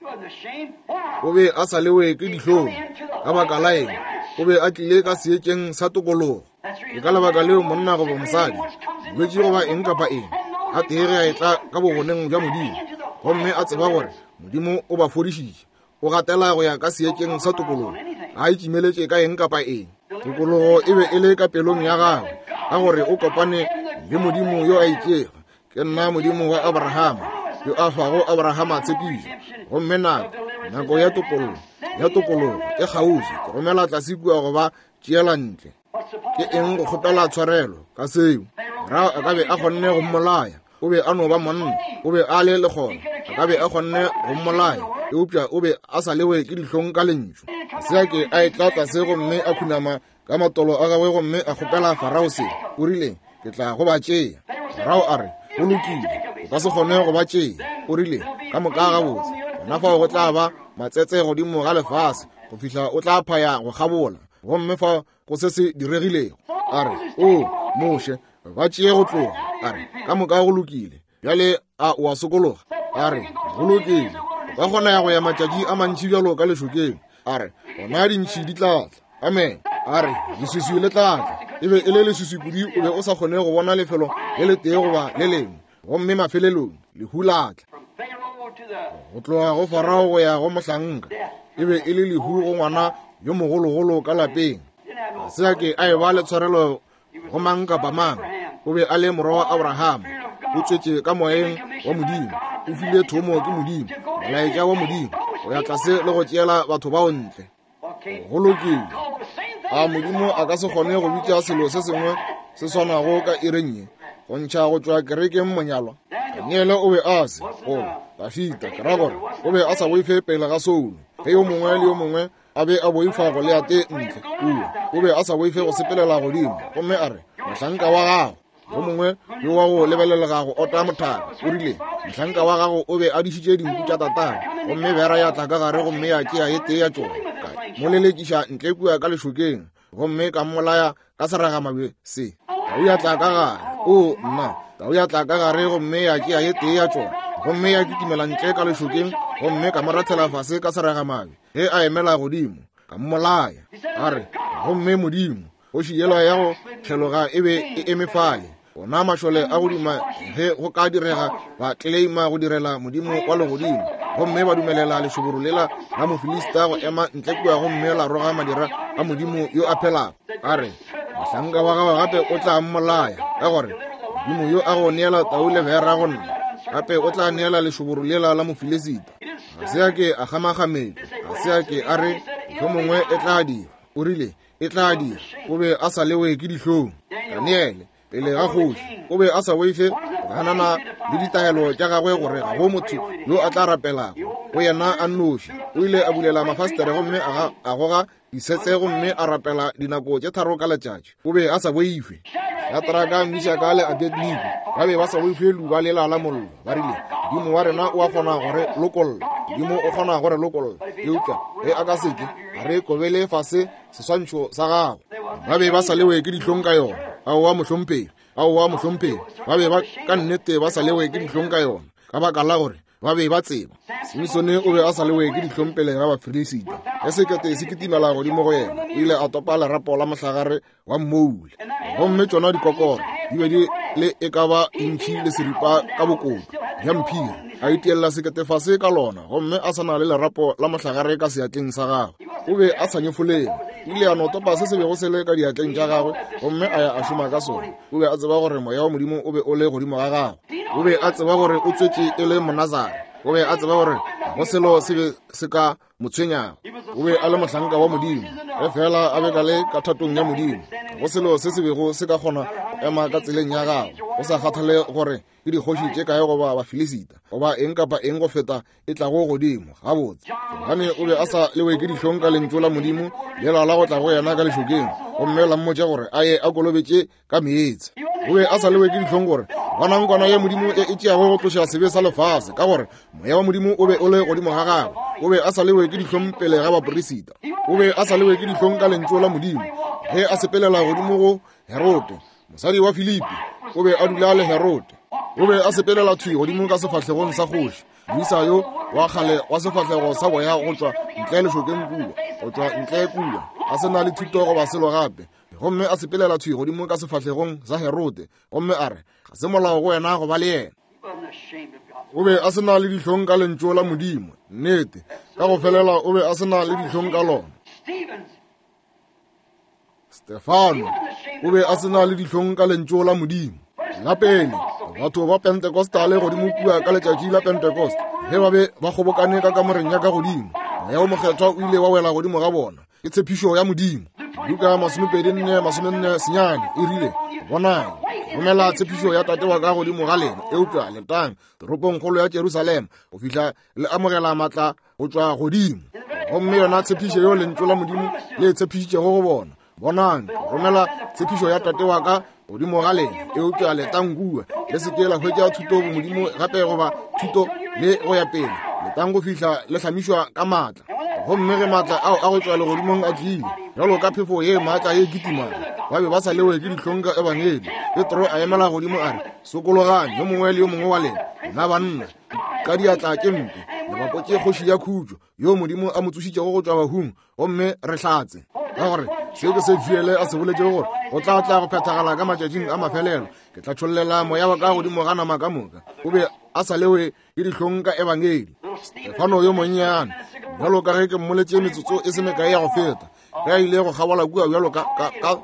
O be a sa lewe ke dihlong. Ka baka la eng? O be a tlile ka seetšeng sa tokologo. Ke ka lebaka leo monna goba mosadi, bolwetši goba eng kapa eng, a tee ge a etla ka bogoneng bja Modimo, gomme a tseba gore Modimo o ba fodišitše, o gatela go ya ka seetšeng sa tokologo, ga a itšimeletše ka eng kapa eng. Tokologo e be e le ka pelong ya gagwe, ka gore o kopane le Modimo yo a itšego, Ke nna Modimo wa Abrahama, yo a fago Abrahama tshepišo. Gomme nako, nako ya topollo, ya tokologo e kgauswi, ke romela tlase kua go ba tšeela ntle. Ke eng go kgopela tshwarelo ka seo? Farao a ka be a kgonne go mmolaya. O be a no ba monna, o be a le lekgona, a ka be a kgonne go mmolaya, eupša o be a sa lewe ke dihlong ka lentšu. Ga se a ke a etla tlase gomme a khunama ka matolo a gagwe gomme a kgopela Farao se. O rile, Ke tla go ba tšea. Farao a re, Go lokile, o ka se kgone go ba tšea. O rile, Ka moka gabotse, gona fao go tla ba matsetse godimo ga lefase go fihla o tla phaya go kgabola. Gomme fao go se se diregilego. A re, O, Moshe, ba tšee go tloga. A re, Ka moka go lokile. Bjale a o a sokologa? A re, Go lokile. O ka kgona ya go ya matšatši a mantši bjalo ka lešokeng. A re, Gona dintšhi di tla tla. Amen. A re, Leswiswi le tla tla. E be e le leswiswi kudu o be o sa kgone go bona lefelo le letee goba le lengwe. Gomme mafelelong, lehu la tla. Go tloga go Farao go ya go mohlanka, e be e le lehu go ngwana yo mogologolo ka lapeng. Ga se a ke a e ba le tshwarelo go mang kapa mang. O be a le morwa wa Abrahama, o tswetše ka moyeng wa Modimo, o file thomo ke Modimo, molaetša wa Modimo, go ya tlase le go tšeela batho bao ntle. Go lokile. A Modimo a ka se kgone go bitša selo se sengwe se swanago ka iring ye, go ntšha go tšwa kerekeng monyalwa? Daniele o be a se, goba Dafita, ke ra gore, o be a sa boife pele ga Saulo. Ge yo mongwe le yo mongwe a be a boifa Goliate ntle kua, o be a sa boife go sepelela godimo gomme a re, Mohlanka wa gago yo mongwe yo wa go lebelelega go ota mothaka o rile, Mohlanka wa gago o be a dišitše dinku tša tatagwe, gomme bera ya tla ka gare gomme ya tšea e tee ya tšona, ka mo lelekiša ntle kua ka lešokeng, gomme ka mmolaya ka seragamabje se. Tau ya tla ka gare, o nna, tau ya tla ka gare gomme ya tšea e tee ya tšona, gomme ya kitimela ntle ka lešokeng, gomme ka mo rathela fase ka seragamabje ge a emela godimo, ka mmolaya. A re, Gomme Modimo, kgoši yela ya go kgeloga e be e eme fale, ona mašole a go duma ge go ka direga ba tleleima go direla Modimo wa legodimo, gomme ba dumelela lešoboro lela la Mofilista go ema ntle kua gomme la roga madira a Modimo yo a phelago. A re, Mohlanka wa gago gape o tla mmolaya, ka gore Modimo yo a go neela tau le bera go nna, gape o tla neela lešoboro lela la Mofilisita. Ga se a ke a kgamakgametšwa, ga se a ke a re mohlomongwe e tla dira. O rile, E tla dira. O be a sa lewe ke dihlong. Daniele, pele ga kgoši, o be a sa boife go ganana le ditaelo tša gagwe gore ga go motho yo a tla rapelago go yena a nnoši. O ile a bulela mafastere gomme a goga disetse gomme a rapela dinako tše tharo ka letšatši. O be a sa boife. Shadraka, Mishaka le Abednego ba be ba sa boife leuba lela la mollo. Ba rile, Modimo wa rena o a kgona go re lokolla. Modimo o kgona go re lokolla. Eupša ge a ka se ke, ga re kobele fase seswantšho sa gago. Ba be ba sa lewe ke dihlong ka yona. Aowa, mohlomphegi. Aowa, mohlomphegi. Ba be ba ka nnete ba sa lewe ke dihlong ka yona, ka baka la gore ba be ba tseba. Simsone o be a sa lewe ke dihlong pele ga Bafilisita. Ge sekete se kitimela godimo go yena, o ile a topa lerapo la mohlagare wa mmoula. Gomme tšona dikokoro di be di le e ka ba intšhi le seripa ka bokoto bja mphiri. A itiella sekete fase ka lona, gomme a sa na le lerapo la mohlagare ka seatleng sa gagwe. O be a sa nyefolege. O ile a no topa se se bego se le ka diatleng tša gagwe gomme a ya a šoma ka sona. O be a tseba gore moya wa Modimo o be o le godimo ga gagwe. O be a tseba gore o tswetše e le Monazare. O be a tseba gore ga go selo se be se ka mo tshwenyago. O be a le mohlanka wa Modimo, ge feela a be ka le ka thatong ya Modimo. Ga go selo se se bego se ka kgona go ema ka tseleng ya gagwe, go sa kgathale gore ke dikgoši tše kae goba Bafilisita goba eng kapa eng go feta e tlago godimo. Gabotse, Johane o be a sa lewe ke dihlong ka lentšu la Modimo lela la go tla go yena ka lešokeng, gomme la mmotša gore a ye a kolobetše ka meetse. O be a sa lewe ke dihlong gore bonang kwana ya Modimo e e tšeago go tloša sebe sa lefase, ka gore moya wa Modimo o be o le godimo ga gagwe. O be a sa lewe ke dihlong pele ga baperisita. O be a sa lewe ke dihlong ka lentšu la Modimo ge a sepelela godimo go Herode, mosadi wa Filipi. O be a dula le Herode. O be a sepelela thwi godimo ka sefahlegong sa kgoši, moisa yo wa kgale wa sefahlego sa boya go tšwa ntle lešokeng kua, go tšwa ntle kua, a se na le thuto goba selo gape. Gomme a sepelela thwi godimo ka sefahlegong sa Herode, gomme a re, Ga se molao go wena go ba le yena. O be a se na le dihlong ka lentšu la Modimo. Nnete, ka go felela o be a se na le dihlong ka lona. Stefano o be a se na le dihlong ka lentšu la Modimo. La pele, batho ba Pentecostale godimo kua ka letšatši la Pentecost, ge ba be ba kgobokane ka kamoreng ya ka godimo, Moya wo Mokgethwa o ile wa wela godimo ga bona. Ke tshepišo ya Modimo. Luka 24, 49 e rile, Bonang, ke romela tshepišo ya Tate wa ka godimo ga lena, eupša letang toropongkgolo ya Jerusalema go fihla le amogela maatla go tšwa godimo. Gomme yona tshepišo yeo Lentšu la Modimo le e tshepišitšego go bona, Bonang, ke romela tshepišo ya Tate wa ka godimo ga lena, eupša letang kua, le se ke la hwetša thuto bomodimo gape goba thuto le go ya pele, letang go fihla le hlamišwa ka maatla. Gomme ge maatla ao a go tšwa legodimong a tlile, bjalo ka phefo ye maatla ye kitimago, ba be ba sa lewe ke dihlong ka ebangedi. Petro a emela godimo a re, Sokologang, yo mongwe le yo mongwe wa lena, lena banna, ka diatla tše mpe, le bapotše kgoši ya khutšo, yo Modimo a mo tsošitšego go tšwa bahung, gomme re hlatse. Ka gore se ke se Joele a se boletšego gore go tla tla go phethagala ka matšatšing a mafelelo, ke tla tšhollela moya wa ka godimo ga nama ka moka. O be a sa lewe ke dihlong ka ebangedi. Stefano yo monnyane, bjalo ka ge ke mmoletše metsotso e se mekae ya go feta, ge a ile go kgabola kua bjalo ka, ka, ka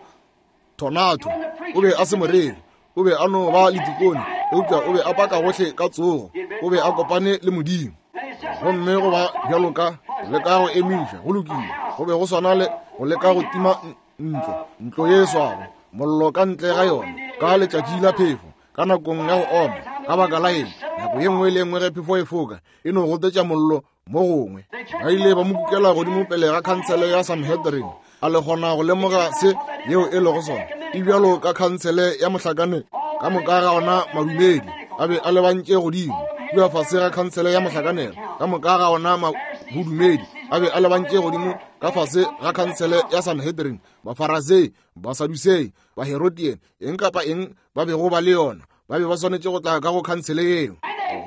tornado, o be a se moreri, o be a no ba letikone, eupša o be a paka gohle ka tsogo, o be a kopane le Modimo. Gomme go ba bjalo ka leka go emiša, go lokile, go be go swana le go leka go tima ntlo, ntlo ye e swago mollo ka ntle ga yona ka letšatši la phefo, ka nakong ya go oma. Ka baka la eng? Nako ye nngwe le ye nngwe ge phefo e foka, e no gotetša mollo mo gongwe. Ba ile ba mo kukela godimo pele ga khansele ya Sanhedrin. A le kgona go lemoga se yeo e lego sona? E bjalo ka khansele ya mohlakane ka moka ga ona madumedi a be a lebantše godimo kua fase ga khansele ya mohlakanelo, ka moka ga ona bodumedi a be a lebantše godimo ka fase ga khansele ya Sanhedrin, Bafarasei, Basadusei, Baherodian, eng kapa eng ba bego ba le yona, ba be ba swanetše go tla ka go khansele yeo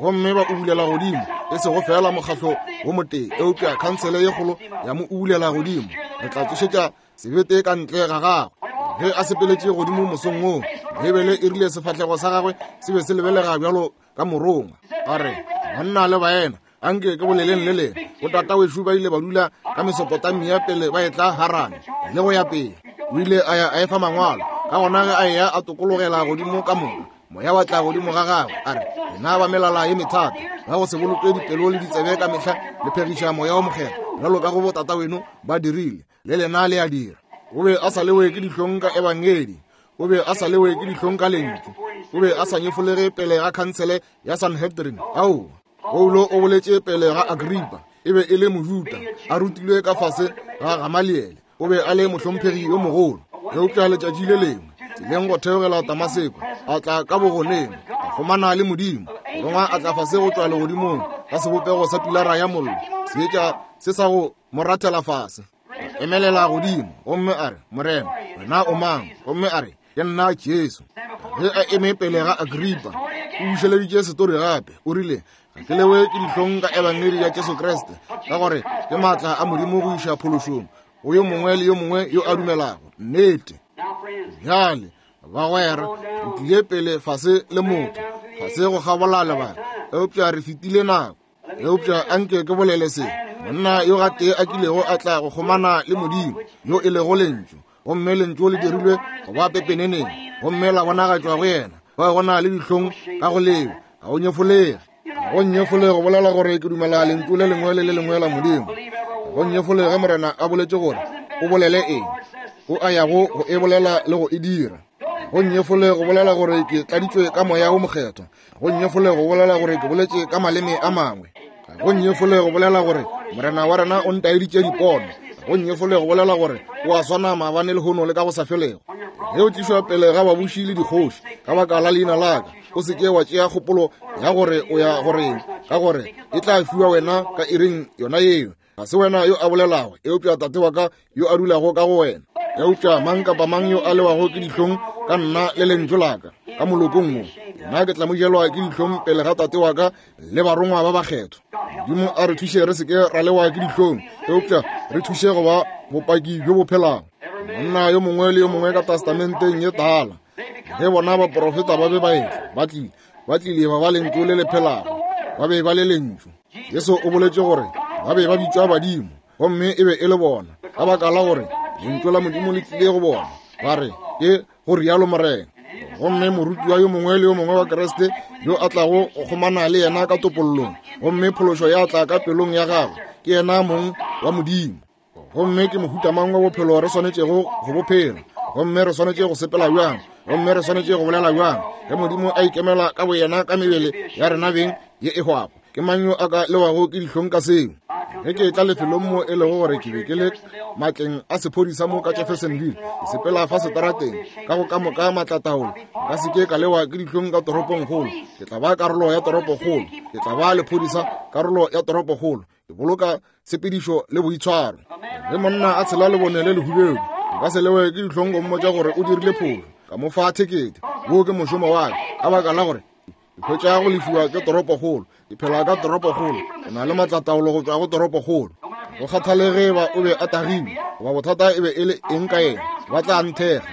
gomme ba ubulela godimo, e sego feela mokgahlo wo motee, eupša khansele ye kgolo ya mo ubulela godimo. Re tla tsošetša sebete ka ntle ga gagwe. Ge a sepeletše godimo mosong woo, Beibele e rile sefahlego sa gagwe se be se lebelega bjalo ka morongwa. A re, Banna le baena, anke ke boleleng le lena, botata wešo ba ile ba dula ka Mesopotamia pele ba etla Harane le go ya pele. O ile a ya a efa mangwalo, ka gona ge a eya a tokologela godimo ka moka, moya wa tla godimo ga gagwe, a re, Lena ba melala ye methata, ba go se boloke dipelo le ditsebe ka mehla le phegiša Moya wo Mokgethwa, bjalo ka go botata weno ba dirile, le lena le a dira. O be a sa lewe ke dihlong ka ebangedi, o be a sa lewe ke dihlong ka lentšu, o be a sa nyefolege pele ga khansele ya Sanhedrin. Aowa. Paulo o boletše pele ga Agripa, e be e le Mojuda, a rutilwe ka fase ga Gamaliele, o be a le mohlomphegi yo mogolo. Eupša letšatši le lengwe, tseleng go theogela Damaseko, a tla ka bogoneng, a kgomana le Modimo. Morongwa a tla fase go tšwa legodimong ka sebopego sa pilara ya mollo, seetša se sa go mo rathela fase. A emelela godimo gomme a re, Morena, wena o mang? Gomme a re, Ke nna Jesu. Ge a eme pele ga Agripa, o bušeleditše setori gape. O rile, Ga ke lewe ke dihlong ka ebangedi ya Jesu Kriste, ka gore ke maatla a Modimo go iša phološong go yo mongwe le yo mongwe yo a dumelago. Nnete. Bjale, bagwera, re tlile pele fase le motho, fase go kgabola lebaka, eupša re fetile nako. Eupša anke ke bolele se, monna yo gatee a kilego a tla go kgomana le Modimo, yo e lego Lentšu, gomme Lentšu le dirilwe go ba pepeneneng, gomme la bonagatšwa go yena, ba go na le dihlong ka go lewe, ga o nyefolege. Ga go nyefole go bolela gore ke dumela Lentšu le lengwe le le lengwe la Modimo. Ga go nyefole ge Morena a boletše gore o bolele eng, o a yago go e bolela le go e dira. Go nyefole go bolela gore ke tladitšwe ka Moya wo Mokgethwa. Go nyefole go bolela gore ke boletše ka maleme a mangwe. Go nyefole go bolela gore Morena wa rena o ntaeditše dipono. Go nyefole go bolela gore o a swana maabane lehono le ka go sa felego. Ge o tlišwa pele ga babuši le dikgoši ka baka la leina la ka, o se ke wa tšea kgopolo ya gore o ya goreng, ka gore e tla fiwa wena ka iring yona yeo. Ga se wena yo a bolelago, eupša Tate wa ka yo a dulago ka go wena. Eupša mang kapa mang yo a lewago ke dihlong ka nna le lentšu la ka ka molokong wo, nna ke tla mo jelwa ke dihlong pele ga Tate wa ka le barongwa ba bakgethwa. Modimo a re thuše re se ke ra lewa ke dihlong, eupša re thuše go ba bopaki bjo bo phelago. Monna yo mongwe le yo mongwe ka Testamenteng ye Tala, ge bona baprofeta ba be ba etla, ba tlile, ba tlile ba ba lentšu le le phelago, ba be ba le lentšu. Jesu o boletše gore ba be ba bitšwa badimo, gomme e be e le bona, ka baka la gore lentšu la Modimo le tlile go bona, ba re, Ke go rialo Morena. Gomme morutiwa yo mongwe le yo mongwe wa Kriste yo a tlago go kgomana le yena ka topollong, gomme phološo ya tla ka pelong ya gagwe, Ke yena mong wa Modimo. Gomme ke mohuta mang wa bophelo re swanetšego go bo phela? Gomme re swanetše go sepela bjang? Gomme re swanetše go bolela bjang? Ge Modimo a ikemela ka boyena ka mebele ya rena beng ye e hwago, ke mang yo a ka lewago ke dihlong ka seo? Ge ke etla lefelong mo e lego gore ke be ke le matleng a sephodisa mo ka Jeffersonville, ke sepela fa setarateng ka go ka moka maatlataolo, nka se ke ka lewa ke dihlong ka toropongkgolo. Ke tla ba karolo ya toropokgolo. Ke tla ba lephodisa, karolo ya toropokgolo. Ke boloka tshepedišo le boitshwaro. Ge monna a tshela lebone le lehubedu, nka se lewe ke dihlong go mmotša gore o dirile phošo, ka mo fa thekete. Wo ke mošomo wa ka, ka baka la gore ke hwetša go lefiwa ke toropokgolo. Ke phela ka toropokgolo. Ke na le maatlataolo go tšwa go toropokgolo. Go kgathalege ba o be a tagilwe goba bothata e be e le eng ka yena, ba tla nthekga.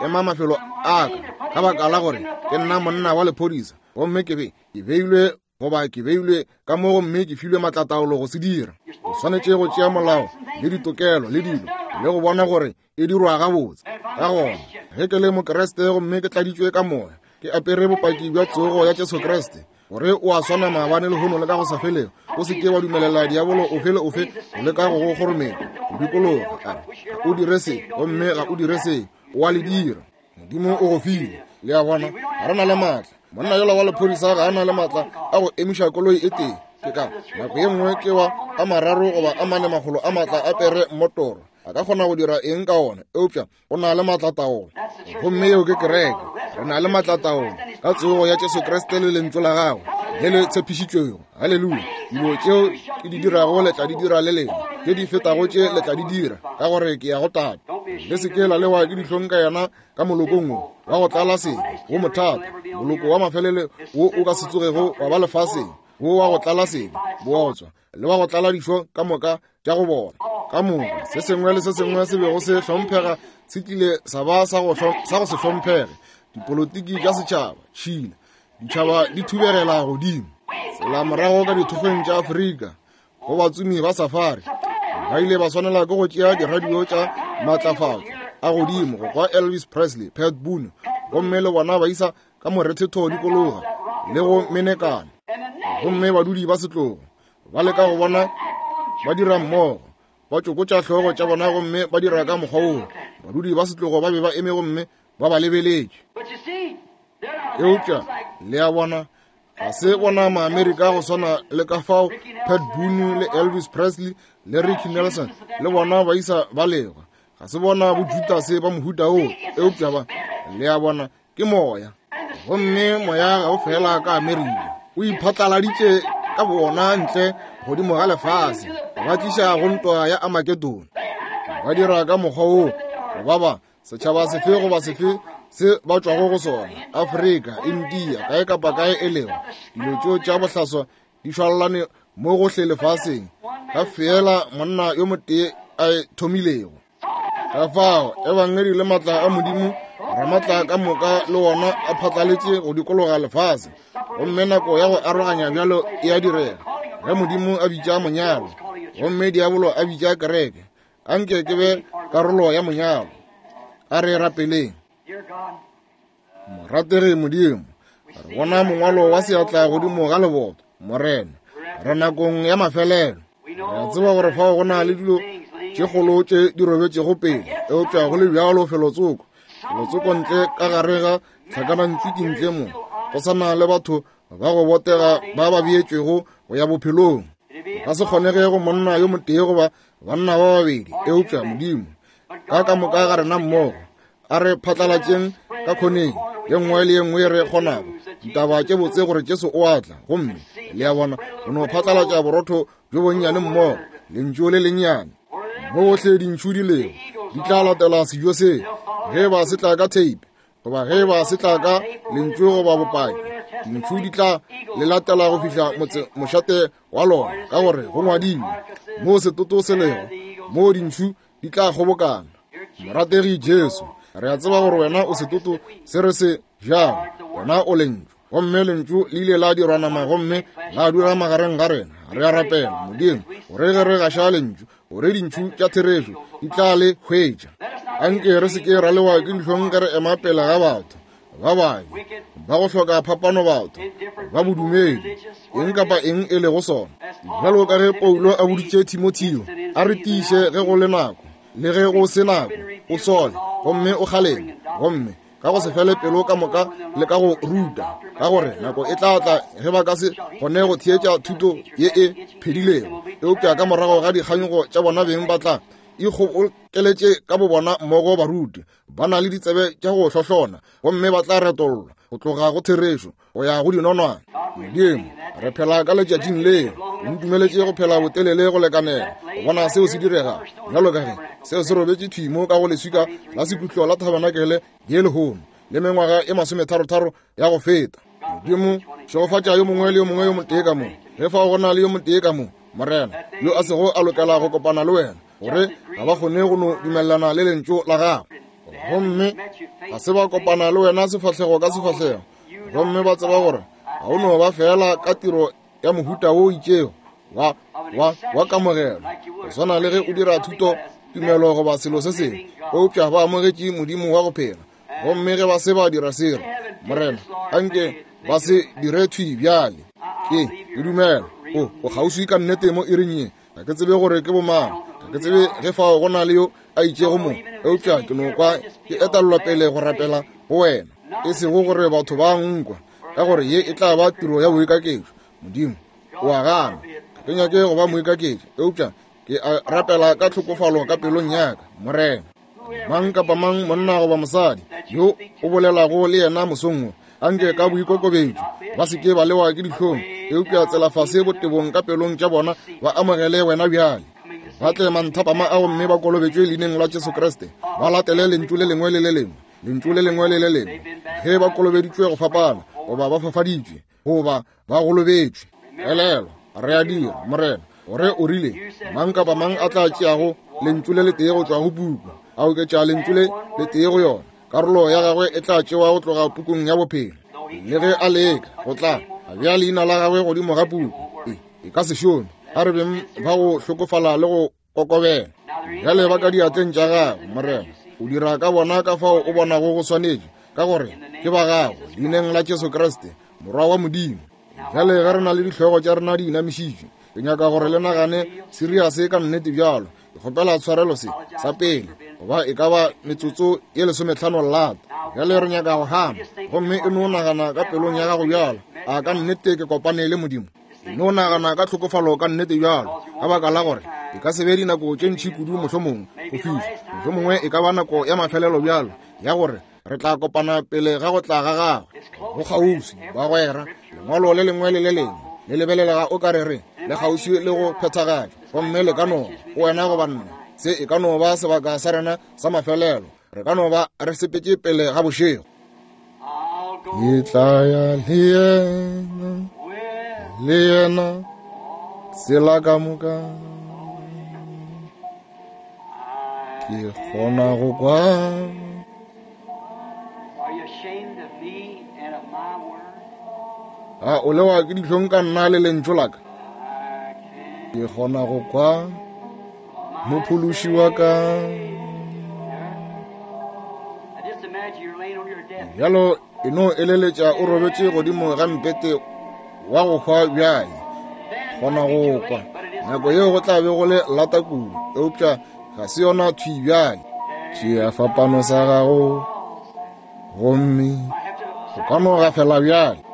Ke ema mafelo a ka, ka baka la gore ke nna monna wa lephodisa, gomme ke be ke beilwe goba ke beilwe ka mo gomme ke filwe maatlataolo go se dira. O swanetše go tšea molao le ditokelo le dilo le go bona gore e dirwa gabotse. Ka gona ge ke le Mokriste gomme ke tladitšwe ka Moya, ke apere bopaki bja tsogo ya Jesu Kriste, gore o a swana maabane, lehono le ka go sa felego. O se ke wa dumelela diabolo ofe le ofe go leka go go kgorometša go dikologa, a re, Ga o dire se, gomme ga o dire se. O a le dira. Modimo o go file. Le a bona, ga re na le maatla. Monna yola wa lephodisa ga a na le maatla a go emiša koloi e tee. Ke ka nako ye nngwe ke wa a mararo goba a mane makgolo a maatla a pere mmotoro. A ka kgona go dira eng ka ona? Eupša o na le maatlataolo. Gomme yeo ke kereke. Re na le maatlataolo ka tsogo ya Jesu Kriste le lentšu la gagwe le le tshepišitšwego. Haleluya! Dilo tšeo ke di dirago le tla di dira le lena, tše di fetago tše le tla di dira, ka gore ke ya go Tate. Le se ke la lewa ke dihlong ka yena ka molokong wo wa go tlala sebe, wo mothata, moloko wa mafelelo wo o ka se tsogego wa ba lefaseng, wo wa go tlala sebe, bootswa, le wa go tlala dišo ka moka tša go bola. Ka moka se sengwe le se sengwe se bego se hlomphega se tlile sa ba sa go se hlomphege. Dipolotiki tša setšhaba, tšhila, ditšhaba di thubegela godimo. Tsela morago ka dithokgweng tša Afrika go batsomi ba safari, ba ile ba swanela ke go tšea diradio tša maatlafatšo a godimo go kwa Elvis Presley, Pat Boone, gomme le bona ba isa ka morethetho dikologa le go menekana. Gomme badudi ba setlogo ba leka go bona ba dira mmogo, ba tšokotša hlogo tša bona gomme ba dira ka mokgwa woo. Badudi ba setlogo ba be ba eme gomme ba ba lebeletše. Eupša le a bona, ga se bona Maamerika go swana le ka fao Pat Boone le Elvis Presley le Ricky Nelson le bona ba isa ba lego. Ga se bona boJudase ba mohuta woo, eupša ba, le a bona, ke moya. Gomme moya ga o fela ka Amerika, o iphatlaladitše ka bona ntle godimo ga lefase, ba tliša go ntwa ya Armageddon. Ba dira ka mokgwa woo go ba ba setšhaba sefe goba sefe se ba tšwago go sona, Afrika, India, kae kapa kae e lego. Dilo tšeo tša bohlaswa di šwalelane mo gohle lefaseng ka feela monna yo motee a e thomilego. Ka fao ebangedi le maatla a Modimo Ramatla ka moka le wona a phatlaletše go dikologa lefase, gomme nako ya go aroganya bjalo e a direga ge Modimo a bitša monyalo gomme diabolo a bitša kereke. Anke ke be karolo ya monyalo. A re rapeleng. Morategi Modimo, re bona mongwalo wa seatla godimo ga leboto. Morena, re nakong ya mafelelo. Re a tseba gore fao go na le dilo tše kgolo tše di robetšego pele, eupša go le bjalo felotsoko, felotsoko ntle ka gare ga tlhakanantswiki ntle mo, go sa na le batho ba go botega ba ba beetšwego go ya bophelong. Go ka se kgonege go monna yo motee goba banna ba babedi, eupša Modimo, ka ka moka ga rena mmogo, a re phatlalatšeng ka khoneng ye nngwe le ye nngwe re kgonago ditaba tše botse gore Jesu o a tla. Gomme le a bona, go no phatlalatša borotho bjo bonnyane mmogo, lentšu le lennyane, mo gohle dintšhu di lego, di tla latela sejo se, ge ba se tla ka theipe goba ge ba se tla ka lentšu goba bopaki, dintšhu di tla le latela go fihla motse mošate wa lona, ka gore go ngwadilwe, mo setoto se lego, mo dintšhu di tla kgobokana. Morategi Jesu, re a tseba gore wena o setoto se re se jago, wena o lentšu, gomme lentšu le ile la dirwa nama gomme la dula magareng ga rena. Re a rapela, Modimo, gore ge re gaša lentšu, gore dintšhu tša therešo di tla le hwetša. Anke re se ke ra lewa ke dihlong ge re ema pele ga batho. Ba babe, ba go hloka phapano batho, ba bodumedi, eng kapa eng e lego sona. Bjalo ka ge Paulo a boditše Timotheo, a re tiiše ge go le nako, le ge go se nako, o sole, gomme o kgaleme, gomme ka go se fele pelo ka moka le ka go ruta, ka gore nako e tla tla ge ba ka se kgone go theetša thuto ye e phedilego, eupša ka morago ga dikganyogo tša bona beng ba tla ikgobokeletše ka bobona mmogo baruti ba na le ditsebe tša go hlohlona, gomme ba tla retollwa go tloga go therešo go ya go dinonwane. Modimo, re phela ka letšatšing leo. O ntumeletše go phela botelele go lekanela go bona seo se direga, bjalo ka ge seo se robetše thwi mo ka go leswika la sekhutlo la thabanakele ye lehono, le mengwaga e masometharotharo ya go feta. Modimo, šegofatša yo mongwe le yo mongwe yo motee ka mo. Ge fao go na le yo motee ka mo, Morena, yo a sego a lokela go kopana le wena, gore ga ba kgone go no dumelelana le lentšu la gago, gomme ga se ba kopana le wena sefahlego ka sefahlego, gomme ba tseba gore ga o no ba feela ka tiro ya mohuta wo itšego wa, wa, wa kamogelo, go swana le ge o dira thuto tumelo goba selo se sengwe, eupša ba amogetše Modimo wa go phela. Gomme ge ba se ba dira selo, Morena, anke ba se dire thwi bjale. Ke, ke dumela o, o kgauswi ka nnete mo iring ye. Ga ke tsebe gore ke bomang, ga ke tsebe ge fao go na le yo a itšego mo, eupša ke no kwa ke etellwa pele go rapela go wena, e sego gore batho ba nkwa, ka gore ye e tla ba tiro ya boikaketšo. Modimo o a gana. Ga ke nyake go ba moikaketši, eupša ke a rapela ka tlhokofalo ka pelong ya ka, Morena. Mang kapa mang, monna goba mosadi, yo o bolelago le yena mosong wo, anke ka boikokobetšo ba se ke ba lewa ke dihlong, eupša tsela fase botebong ka pelong tša bona ba amogele wena bjale. Ba tle manthapama a gomme ba kolobetšwe leineng la Jesu Kriste, ba latele lentšu le lengwe le le lengwe, lentšu le lengwe le le lengwe, ge ba kolobeditšwe go fapana, goba ba fafaditšwe, goba ba golobetšwe. Elelwa, re a dira, Morena, gore o rile, mang kapa mang a tla tšeago lentšu le letee go tšwa go puku, a oketša lentšu le letee go yona, karolo ya gagwe e tla tšewa go tloga pukung ya bophelo. Le ge a leka go tla a bea leina la gagwe godimo ga puku, e, e ka se šome. A re beng ba go hlokofala le go kokobela. Bjale ba ka diatleng tša gago, Morena. O dira ka bona ka fao o bonago go swanetše, ka gore ke ba gago, leineng la Jesu Kriste, Morwa wa Modimo. Bjale ge re na le dihlogo tša rena di inamišitšwe, ke nyaka gore le nagane seriase ka nnete bjalo. Ke kgopela tshwarelo se, sa pele, goba e ka ba metsotso ye lesometlhano lata. Bjale re nyaka go hama, gomme e no nagana ka pelong ya gago bjalo, a ka nnete ke kopane le Modimo? No nagana ka tlhokofalo ka nnete bjalo, ka baka la gore e ka se be dinako tše ntši kudu mohlomongwe go fihla, mohlomongwe e ka ba nako ya mafelelo bjalo ya gore re tla kopana pele ga go tla ga gagwe. Go kgauswi, bagwera. Lengwalo le lengwe le le lengwe le lebelelega o ka re re le kgauswi le go phethagatšwa, gomme le ka no go wena goba nna. Se e ka no ba sebaka sa rena sa mafelelo. Re ka no ba re sepetše pele ga bošego. Ke tla ya le yena, le yena tsela ka moka. Ke kgona go kwa. A o lewa ke dihlong ka nna le lentšu la ka? Ke kgona go kwa Mophološi wa ka. Bjalo e no eleletša o robetše godimo ga mpete wa go hwa bjale. Kgona go kwa. Nako yeo go tla be go le lata kudu, eupša ga se yona thwi bjale. Tšea fapano sa gago gomme o ka no gafela bjale.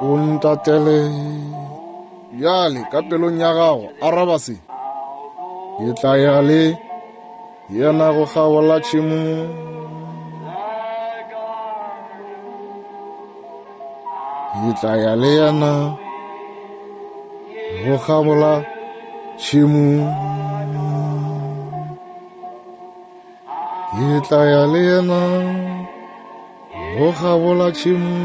O ntatele bjale ka pelong ya gago, araba se. Ke tla ya le yena go kgabola tšhemo. Ke tla ya le yena go kgabola tšhemo. Ke tla ya le yena go kgabola tšhemo.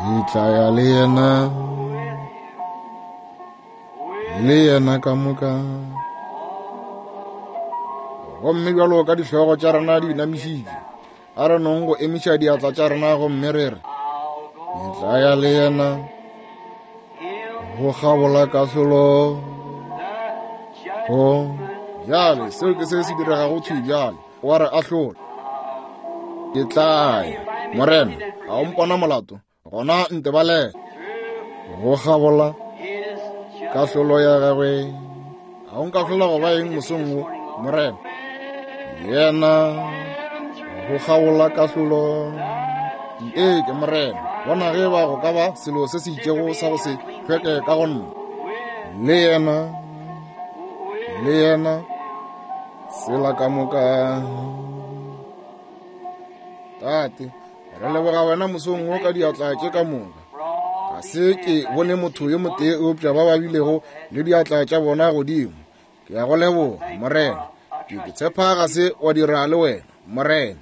Ke tla ya le yena le yena ka moka. Gomme bjalo ka dihlogo tša rena di inamišitšwe, a re nong go emiša diatla tša rena gomme re re, Ke tla ya le yena go kgabola kahlolo, go Bjale, seo ke se se diregago thwi bjale. O a re ahlola. Ke tla ya. Morena, a o mpona molato? Gona ntebalele. Go kgabola kahlolo ya gagwe. A o nkahlola go ba eng mosong wo, Morena? Yena go kgabola kahlolo. Ee, ke Morena. Bona ge ba go ka ba selo se se itšego sa go se hlweke ka go nna. Le yena, le yena, tsela ka moka. Tate, re leboga wena mosong wo ka diatla tše ka moka. Ga se ke bone motho yo motee eupša ba ba bilego le diatla tša bona godimo. Ke a go leboga, Morena. Ke tshepa ga se wa dira le wena, Morena.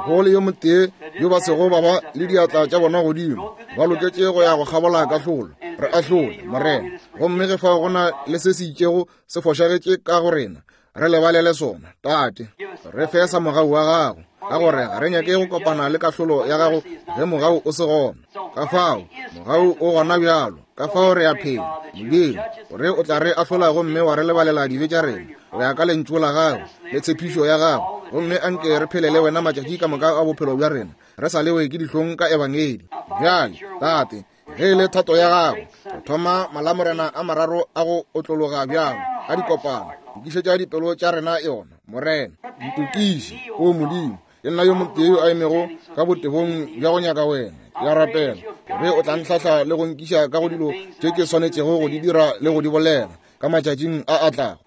Go le yo motee yo ba sego ba ba le diatla tša bona godimo, ba loketše go ya go kgabola kahlolo. Re ahlole, Morena. Gomme ge fao go na le se se itšego se fošagetše ka go rena, re lebalele sona, Tate. Re fe sa mogau wa gago, ka gore ga re nyake go kopana le kahlolo ya gago ge mogau o se gona. Ka fao mogau o gona bjalo, ka fao re a phela, Modimo, gore o tla re ahlola gomme wa re lebalela dibe tša rena go ya ka lentšu la gago le tshepišo ya gago, gomme anke re phele le wena matšatši ka moka a bophelo bja rena, re sa lewe ke dihlong ka Ebangedi. Bjale, Tate, ge e le thato ya gago, go thoma malamorena a mararo a go otlologa bjalo a dikopano, lokišetša dipelo tša rena yona, Morena. Ntokiše, o Modimo. Ke nna yo motee yo a emego ka botebong bja go nyaka wena. Ke a rapela gore o tla ntlhahla le go nkiša ka go dilo tše ke swanetšego go di dira le go di bolela ka matšatšing a a tlago.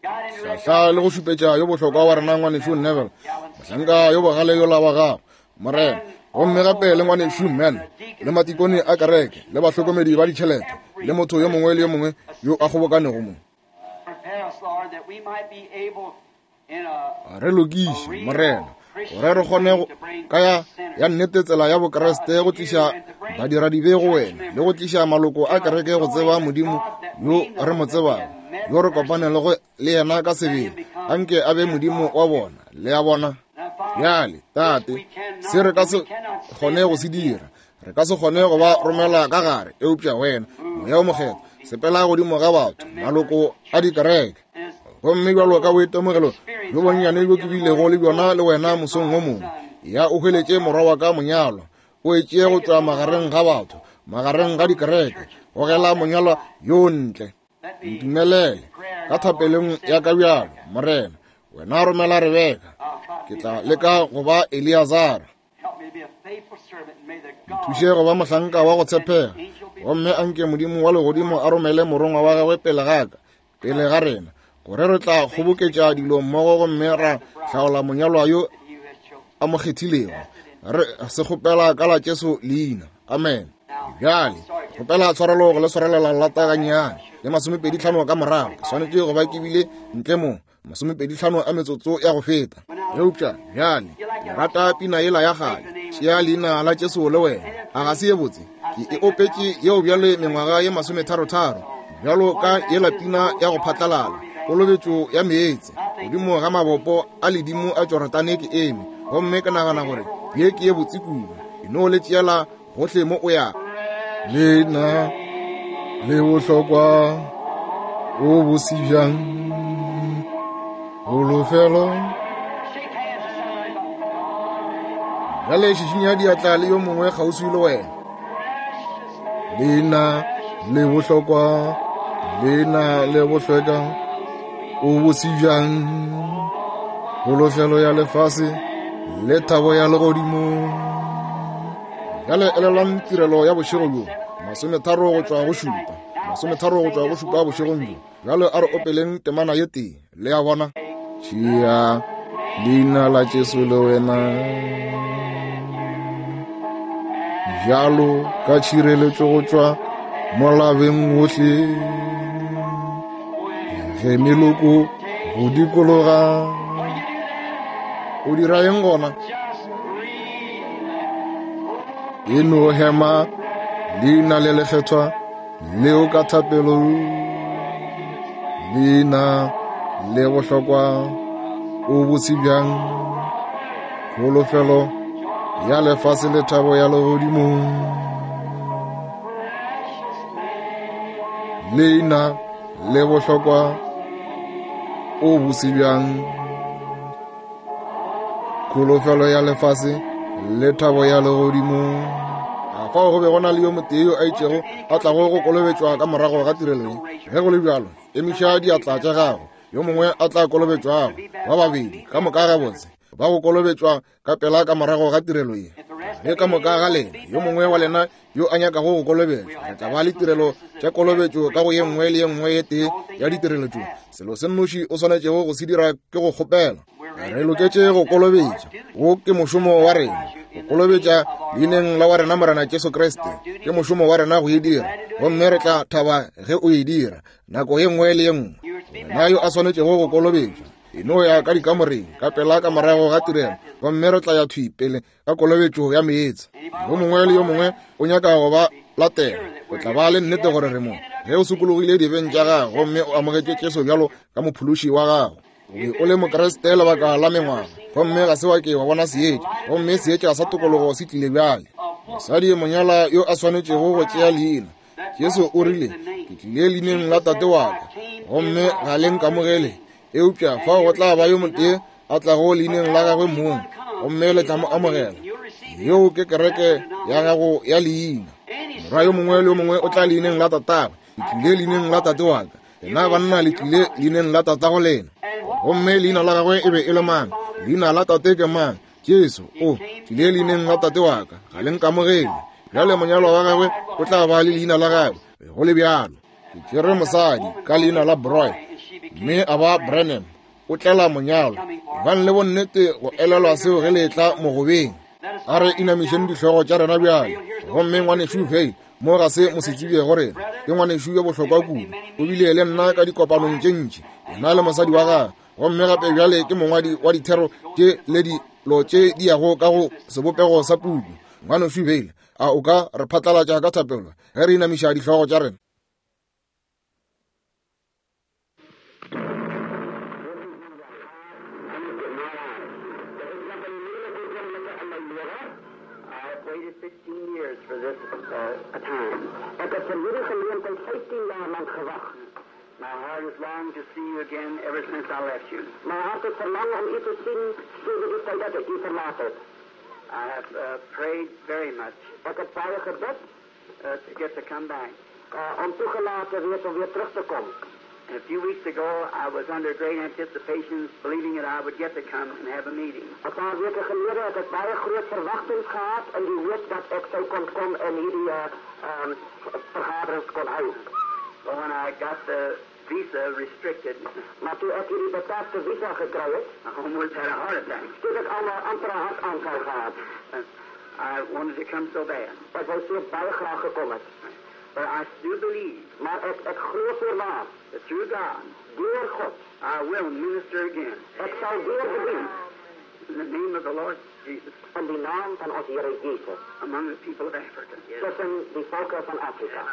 Hlahla le go šupetša yo bohlokwa wa rena ngwanešu Neville, mohlanka yo bogale yola wa gago, Morena, gomme gape le ngwanešu Man, le matikone a kereke, le bahlokomedi ba ditšhelete, le motho yo mongwe le yo mongwe yo a kgobokanego mo. Re lokiše, Morena, gore re kgone ka ya, ya nnete tsela ya Bokriste go tliša badiradibe go wena le go tliša maloko a kereke go tseba Modimo yo re mo tsebago, yo re kopanego le yena ka sebele. Anke a be Modimo wa bona. Le a bona? Bjale, Tate, se re ka se kgone go se dira, re ka se kgone go ba romela ka gare, eupša wena, Moya o Mokgethwa, sepela godimo ga batho, maloko a dikereke. Gomme bjalo ka boitemogelo bjo bonnyane bjo ke bilego le bjona le wena mosong wo mongwe, ya o hweletše morwa wa ka monyalwa, o e tšee go tšwa magareng ga batho, magareng ga dikereke, gogela monyalwa yo ntle. Ntumelele ka thapelong ya ka bjalo, Morena, wena romela Rebeka, ke tla leka go ba Eleazara. Nthuše go ba mohlanka wa go tshepega, gomme anke Modimo wa legodimo a romele morongwa wa gagwe pele ga ka, pele ga rena, gore re tla kgoboketša dilo mmogo gomme ra hlaola monyalwa yo a mo kgethilego. Re se kgopela ka la Jesu leina. Amen. Bjale, kgopela tshwarelo go le swarelela lata gannyane le 25 ka morago. Ke swanetše go ba ke bile ntle mo 25 a metsotso ya go feta. Eupša bjale, ke rata pina yela ya kgale, Tšea leina la Jesu le wena. A ga se ye botse? Ke e opetše yeo bjale mengwaga ye masometharotharo, bjalo ka yela pina ya go phatlalala, kolobetšo ya meetse, godimo ga mabopo a ledimo a Jorodane ke eme, gomme ke nagana gore ye ke ye botse kudu. E no le tšeela gohle mo o ya. Leina le bohlokwa o bose bjang, holofelo. Bjale šišinya diatla le yo mongwe kgauswi le wena. Leina le bohlokwa, leina le bohlweka, o bose bjang, holofelo ya lefase le thabo ya legodimo. Bjale elelwang tirelo ya bošego bjo, 30 go tšwa go šupa, 30 go tšwa go šupa bošegong bjo. Bjale a re opeleng temana ye tee, le a bona. Tšea leina la Jesu le wena, bjalo ka tšhireletšo go tšwa molabeng wohle, ge meloko go dikologa. O dira eng gona? E no hema leina le lekgethwa leo ka thapelo, leina le bohlokwa o bose bjang, kholofelo ya lefase le thabo ya legodimo. Leina le bohlokwa. O bose bjang! Kholofelo ya lefase le thabo ya legodimo. A fao go be go na le yo motee yo a itšego a tlago go kolobetšwa ka morago ga tirelo ye? Ge go le bjalo, emiša diatla tša gago. Yo mongwe a tla kolobetšwago, ba babedi, ka moka gabotse, ba go kolobetšwa ka pela ka morago ga tirelo ye. Ge ka moka ga lena, yo mongwe wa lena yo a nyakago go kolobetšwa, re tla ba le tirelo tša kolobetšo ka go ye nngwe le ye nngwe ye tee ya ditirelo tšo. Selo se nnoši o swanetšego go se dira ke go kgopela. Re loketše go kolobetša. Wo ke mošomo wa rena, go kolobetša leineng la wa rena Morena Jesu Kriste. Ke mošomo wa rena go e dira, gomme re tla thaba ge o e dira nako ye nngwe le ye nngwe. Wena yo a swanetšego go kolobetšwa, e no ya ka dikamoreng ka pela ka morago ga tirelo, gomme re tla ya thwi pele ka kolobetšo ya meetse. Yo mongwe le yo mongwe o nyaka go ba latela, o tla ba le nnete gore re mo. Ge o sokologile dibeng tša gago gomme o amogetše Jesu bjalo ka mophološi wa gago, o be o le Mokriste lebaka la mengwaga, gomme ga se wa ke wa bona seetša, gomme seetša sa tokologo se tlile bjale. Mosadi monyala yo a swanetšego go tšea leina, Jesu o rile, Ke tlile leineng la Tate wa ka, gomme ga le nkamogele. Eupša fao go tla ba yo motee a tlago leineng la gagwe mong, gomme le tla mo amogela. Yeo ke kereke ya gago ya leina. Morwa yo mongwe le yo mongwe o tla leineng la tatagwe. Ke tlile leineng la tate wa ka. Lena banna le tlile leineng la tatago lena. Gomme leina la gagwe e be e le mang? Leina la tate ke mang? Jesu o tlile leineng la tate wa ka, ga le nkamogele. Bjale monyalwa wa gagwe o tla ba le leina la gagwe, go le bjalo. Ke tšere mosadi ka leina la Broy, mme a ba Branham, o tlela monyalwa. Ebang le bonnete go elelwa seo ge le etla mogobeng. A re inamišeng dihlogo tša rena bjale. Gomme ngwanešu Vayle mo ga se mosetsebje go rena, ke ngwanešu yo bohlokwa kudu. O bile le nna ka dikopanong tše ntši, yena le mosadi wa gagwe. Gomme gape bjale ke mongwadi wa dithero tše le dilo tše di yago ka go sebopego sa puku. Ngwanešu Vayle, a o ka re phatlalatša ka thapelo ge re inamiša dihlogo tša rena? Ek het vir hierdie geleentheid 15 jaar lank gewag. My heart has longed to see you again ever since I left you. My hart het verlang om u te sien sedert die tyd dat ek u verlaat het. I have uh, prayed very much. Ek het baie gebid uh, to get to come back. Uh, om toegelaat te wees om weer terug te kom. And a few weeks ago, I was under great anticipations, believing that I would get to come and have a meeting. 'n Paar weke gelede het ek baie groot verwagtings gehad in die hoop dat ek sou kon kom en hierdie uh, um, vergaderings kon hou. But when I got the visa restricted, maar toe ek hierdie beperkte visa gekry het, I almost had a heart attack. Toe het ek almal amper 'n hartaanval gehad. I wanted to come so bad. Ek wou so baie graag gekom het. But I still believe. Maar ek ek glo voorwaar. That through God, deur God, I will minister again. Ek sal weer bedien. In the name of the Lord Jesus. In die naam van ons Here Jesus. Among the people of Africa. Tussen die volke van Afrika.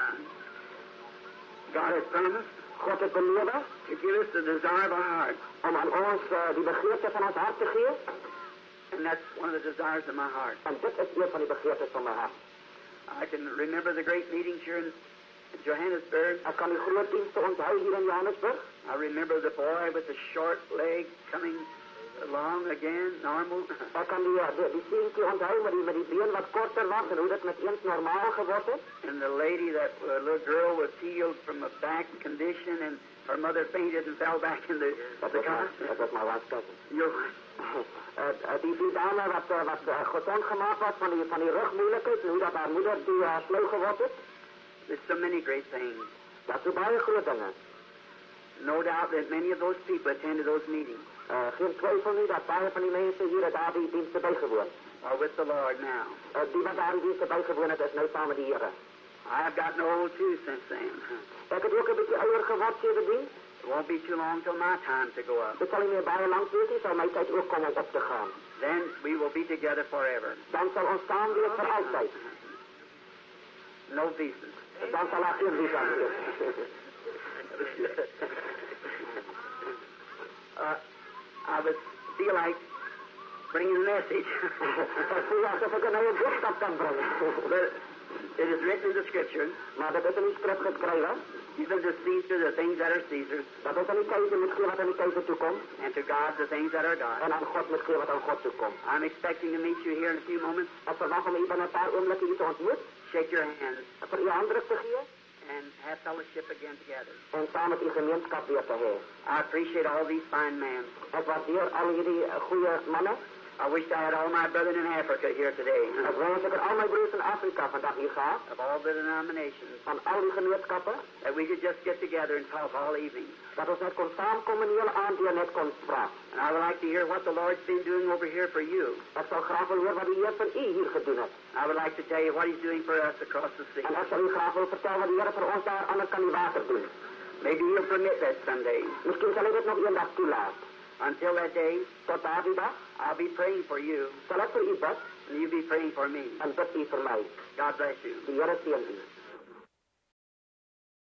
God has promised. God het beloof. To give us the desire of our heart. Om aan ons uh, die begeerte van ons hart te gee. And that's one of the desires of my heart. En dit is een van die begeertes van my hart. I can remember the great meetings here in Johannesburg. Ek kan die groot dienste onthou hier in Johannesburg. I remember the boy with the short leg coming along again, normal. Ek kan die die, die seentjie onthou met die met die been wat korter was en hoe dit met eens normaal geword het. And the lady that uh, little girl was healed from a back condition and her mother fainted and fell back in the, the car. That was my wife's cousin. Your uh, die die dame wat wat gezond gemaakt was van die van die rugmoeilikheid en hoe dat haar moeder toe uh, flou geword het. There's so many great things. Daar so baie groot dinge. No doubt that many of those people attended those meetings. Uh, geen twyfel nie dat baie van die mense hier het daardie dienste bygewoon. Are with the Lord now. Uh, die wat daardie dienste bygewoon het, is nou saam met die Here. I've gotten old too since then. Ek het ook 'n bietjie ouer geword sedertdien. It won't be too long till my time to go up. Dit sal nie meer baie lank wees nie, sal my tyd ook kom om op te gaan. Then we will be together forever. Dan sal ons saam wees vir altyd. No visas. Dan sal daar geen visas wees. uh, I would feel like bringing a message. Ek voel asof ek nou 'n boodskap kan bring. But it is written in the scripture. Maar dit is in die skrif geskrywe. Give unto Caesar the things that are Caesar's. Dat ons aan die keiser moet gee wat aan die keiser toekomt. And to God the things that are God's. En aan God moet gee wat aan God toekomt. I'm expecting to meet you here in a few moments. Ek verwag om u binne 'n paar oomblikke hier te ontmoet. Shake your hands. Vir u handdruk te gee. And have fellowship again together. En saam met u gemeenskap weer te hê. I appreciate all these fine men. Ek waardeer al hierdie goeie manne. I wish I had all my brethren in Africa here today. Ek wens ek het al my broers in Afrika vandag hier gehad. Of all the denominations. Van al die gemeenskappe. That we could just get together and talk all evening. Dat ons net kon saamkom en die hele aand deur net kon praat. And I would like to hear what the Lord's been doing over here for you. Ek sal graag wil hoor wat die Heer vir u hier gedoen het. I would like to tell you what He's doing for us across the sea. En ek sal u graag wil vertel wat die Here vir ons daar aan die ander kant die water doen. Maybe He'll permit that someday. Miskien sal hy dit nog eendag toelaat. Until that day, Tot daardie dag, I'll be praying for you, sal ek vir u bid and you be praying for me. en bid u vir my. God bless you. Die Here seën u.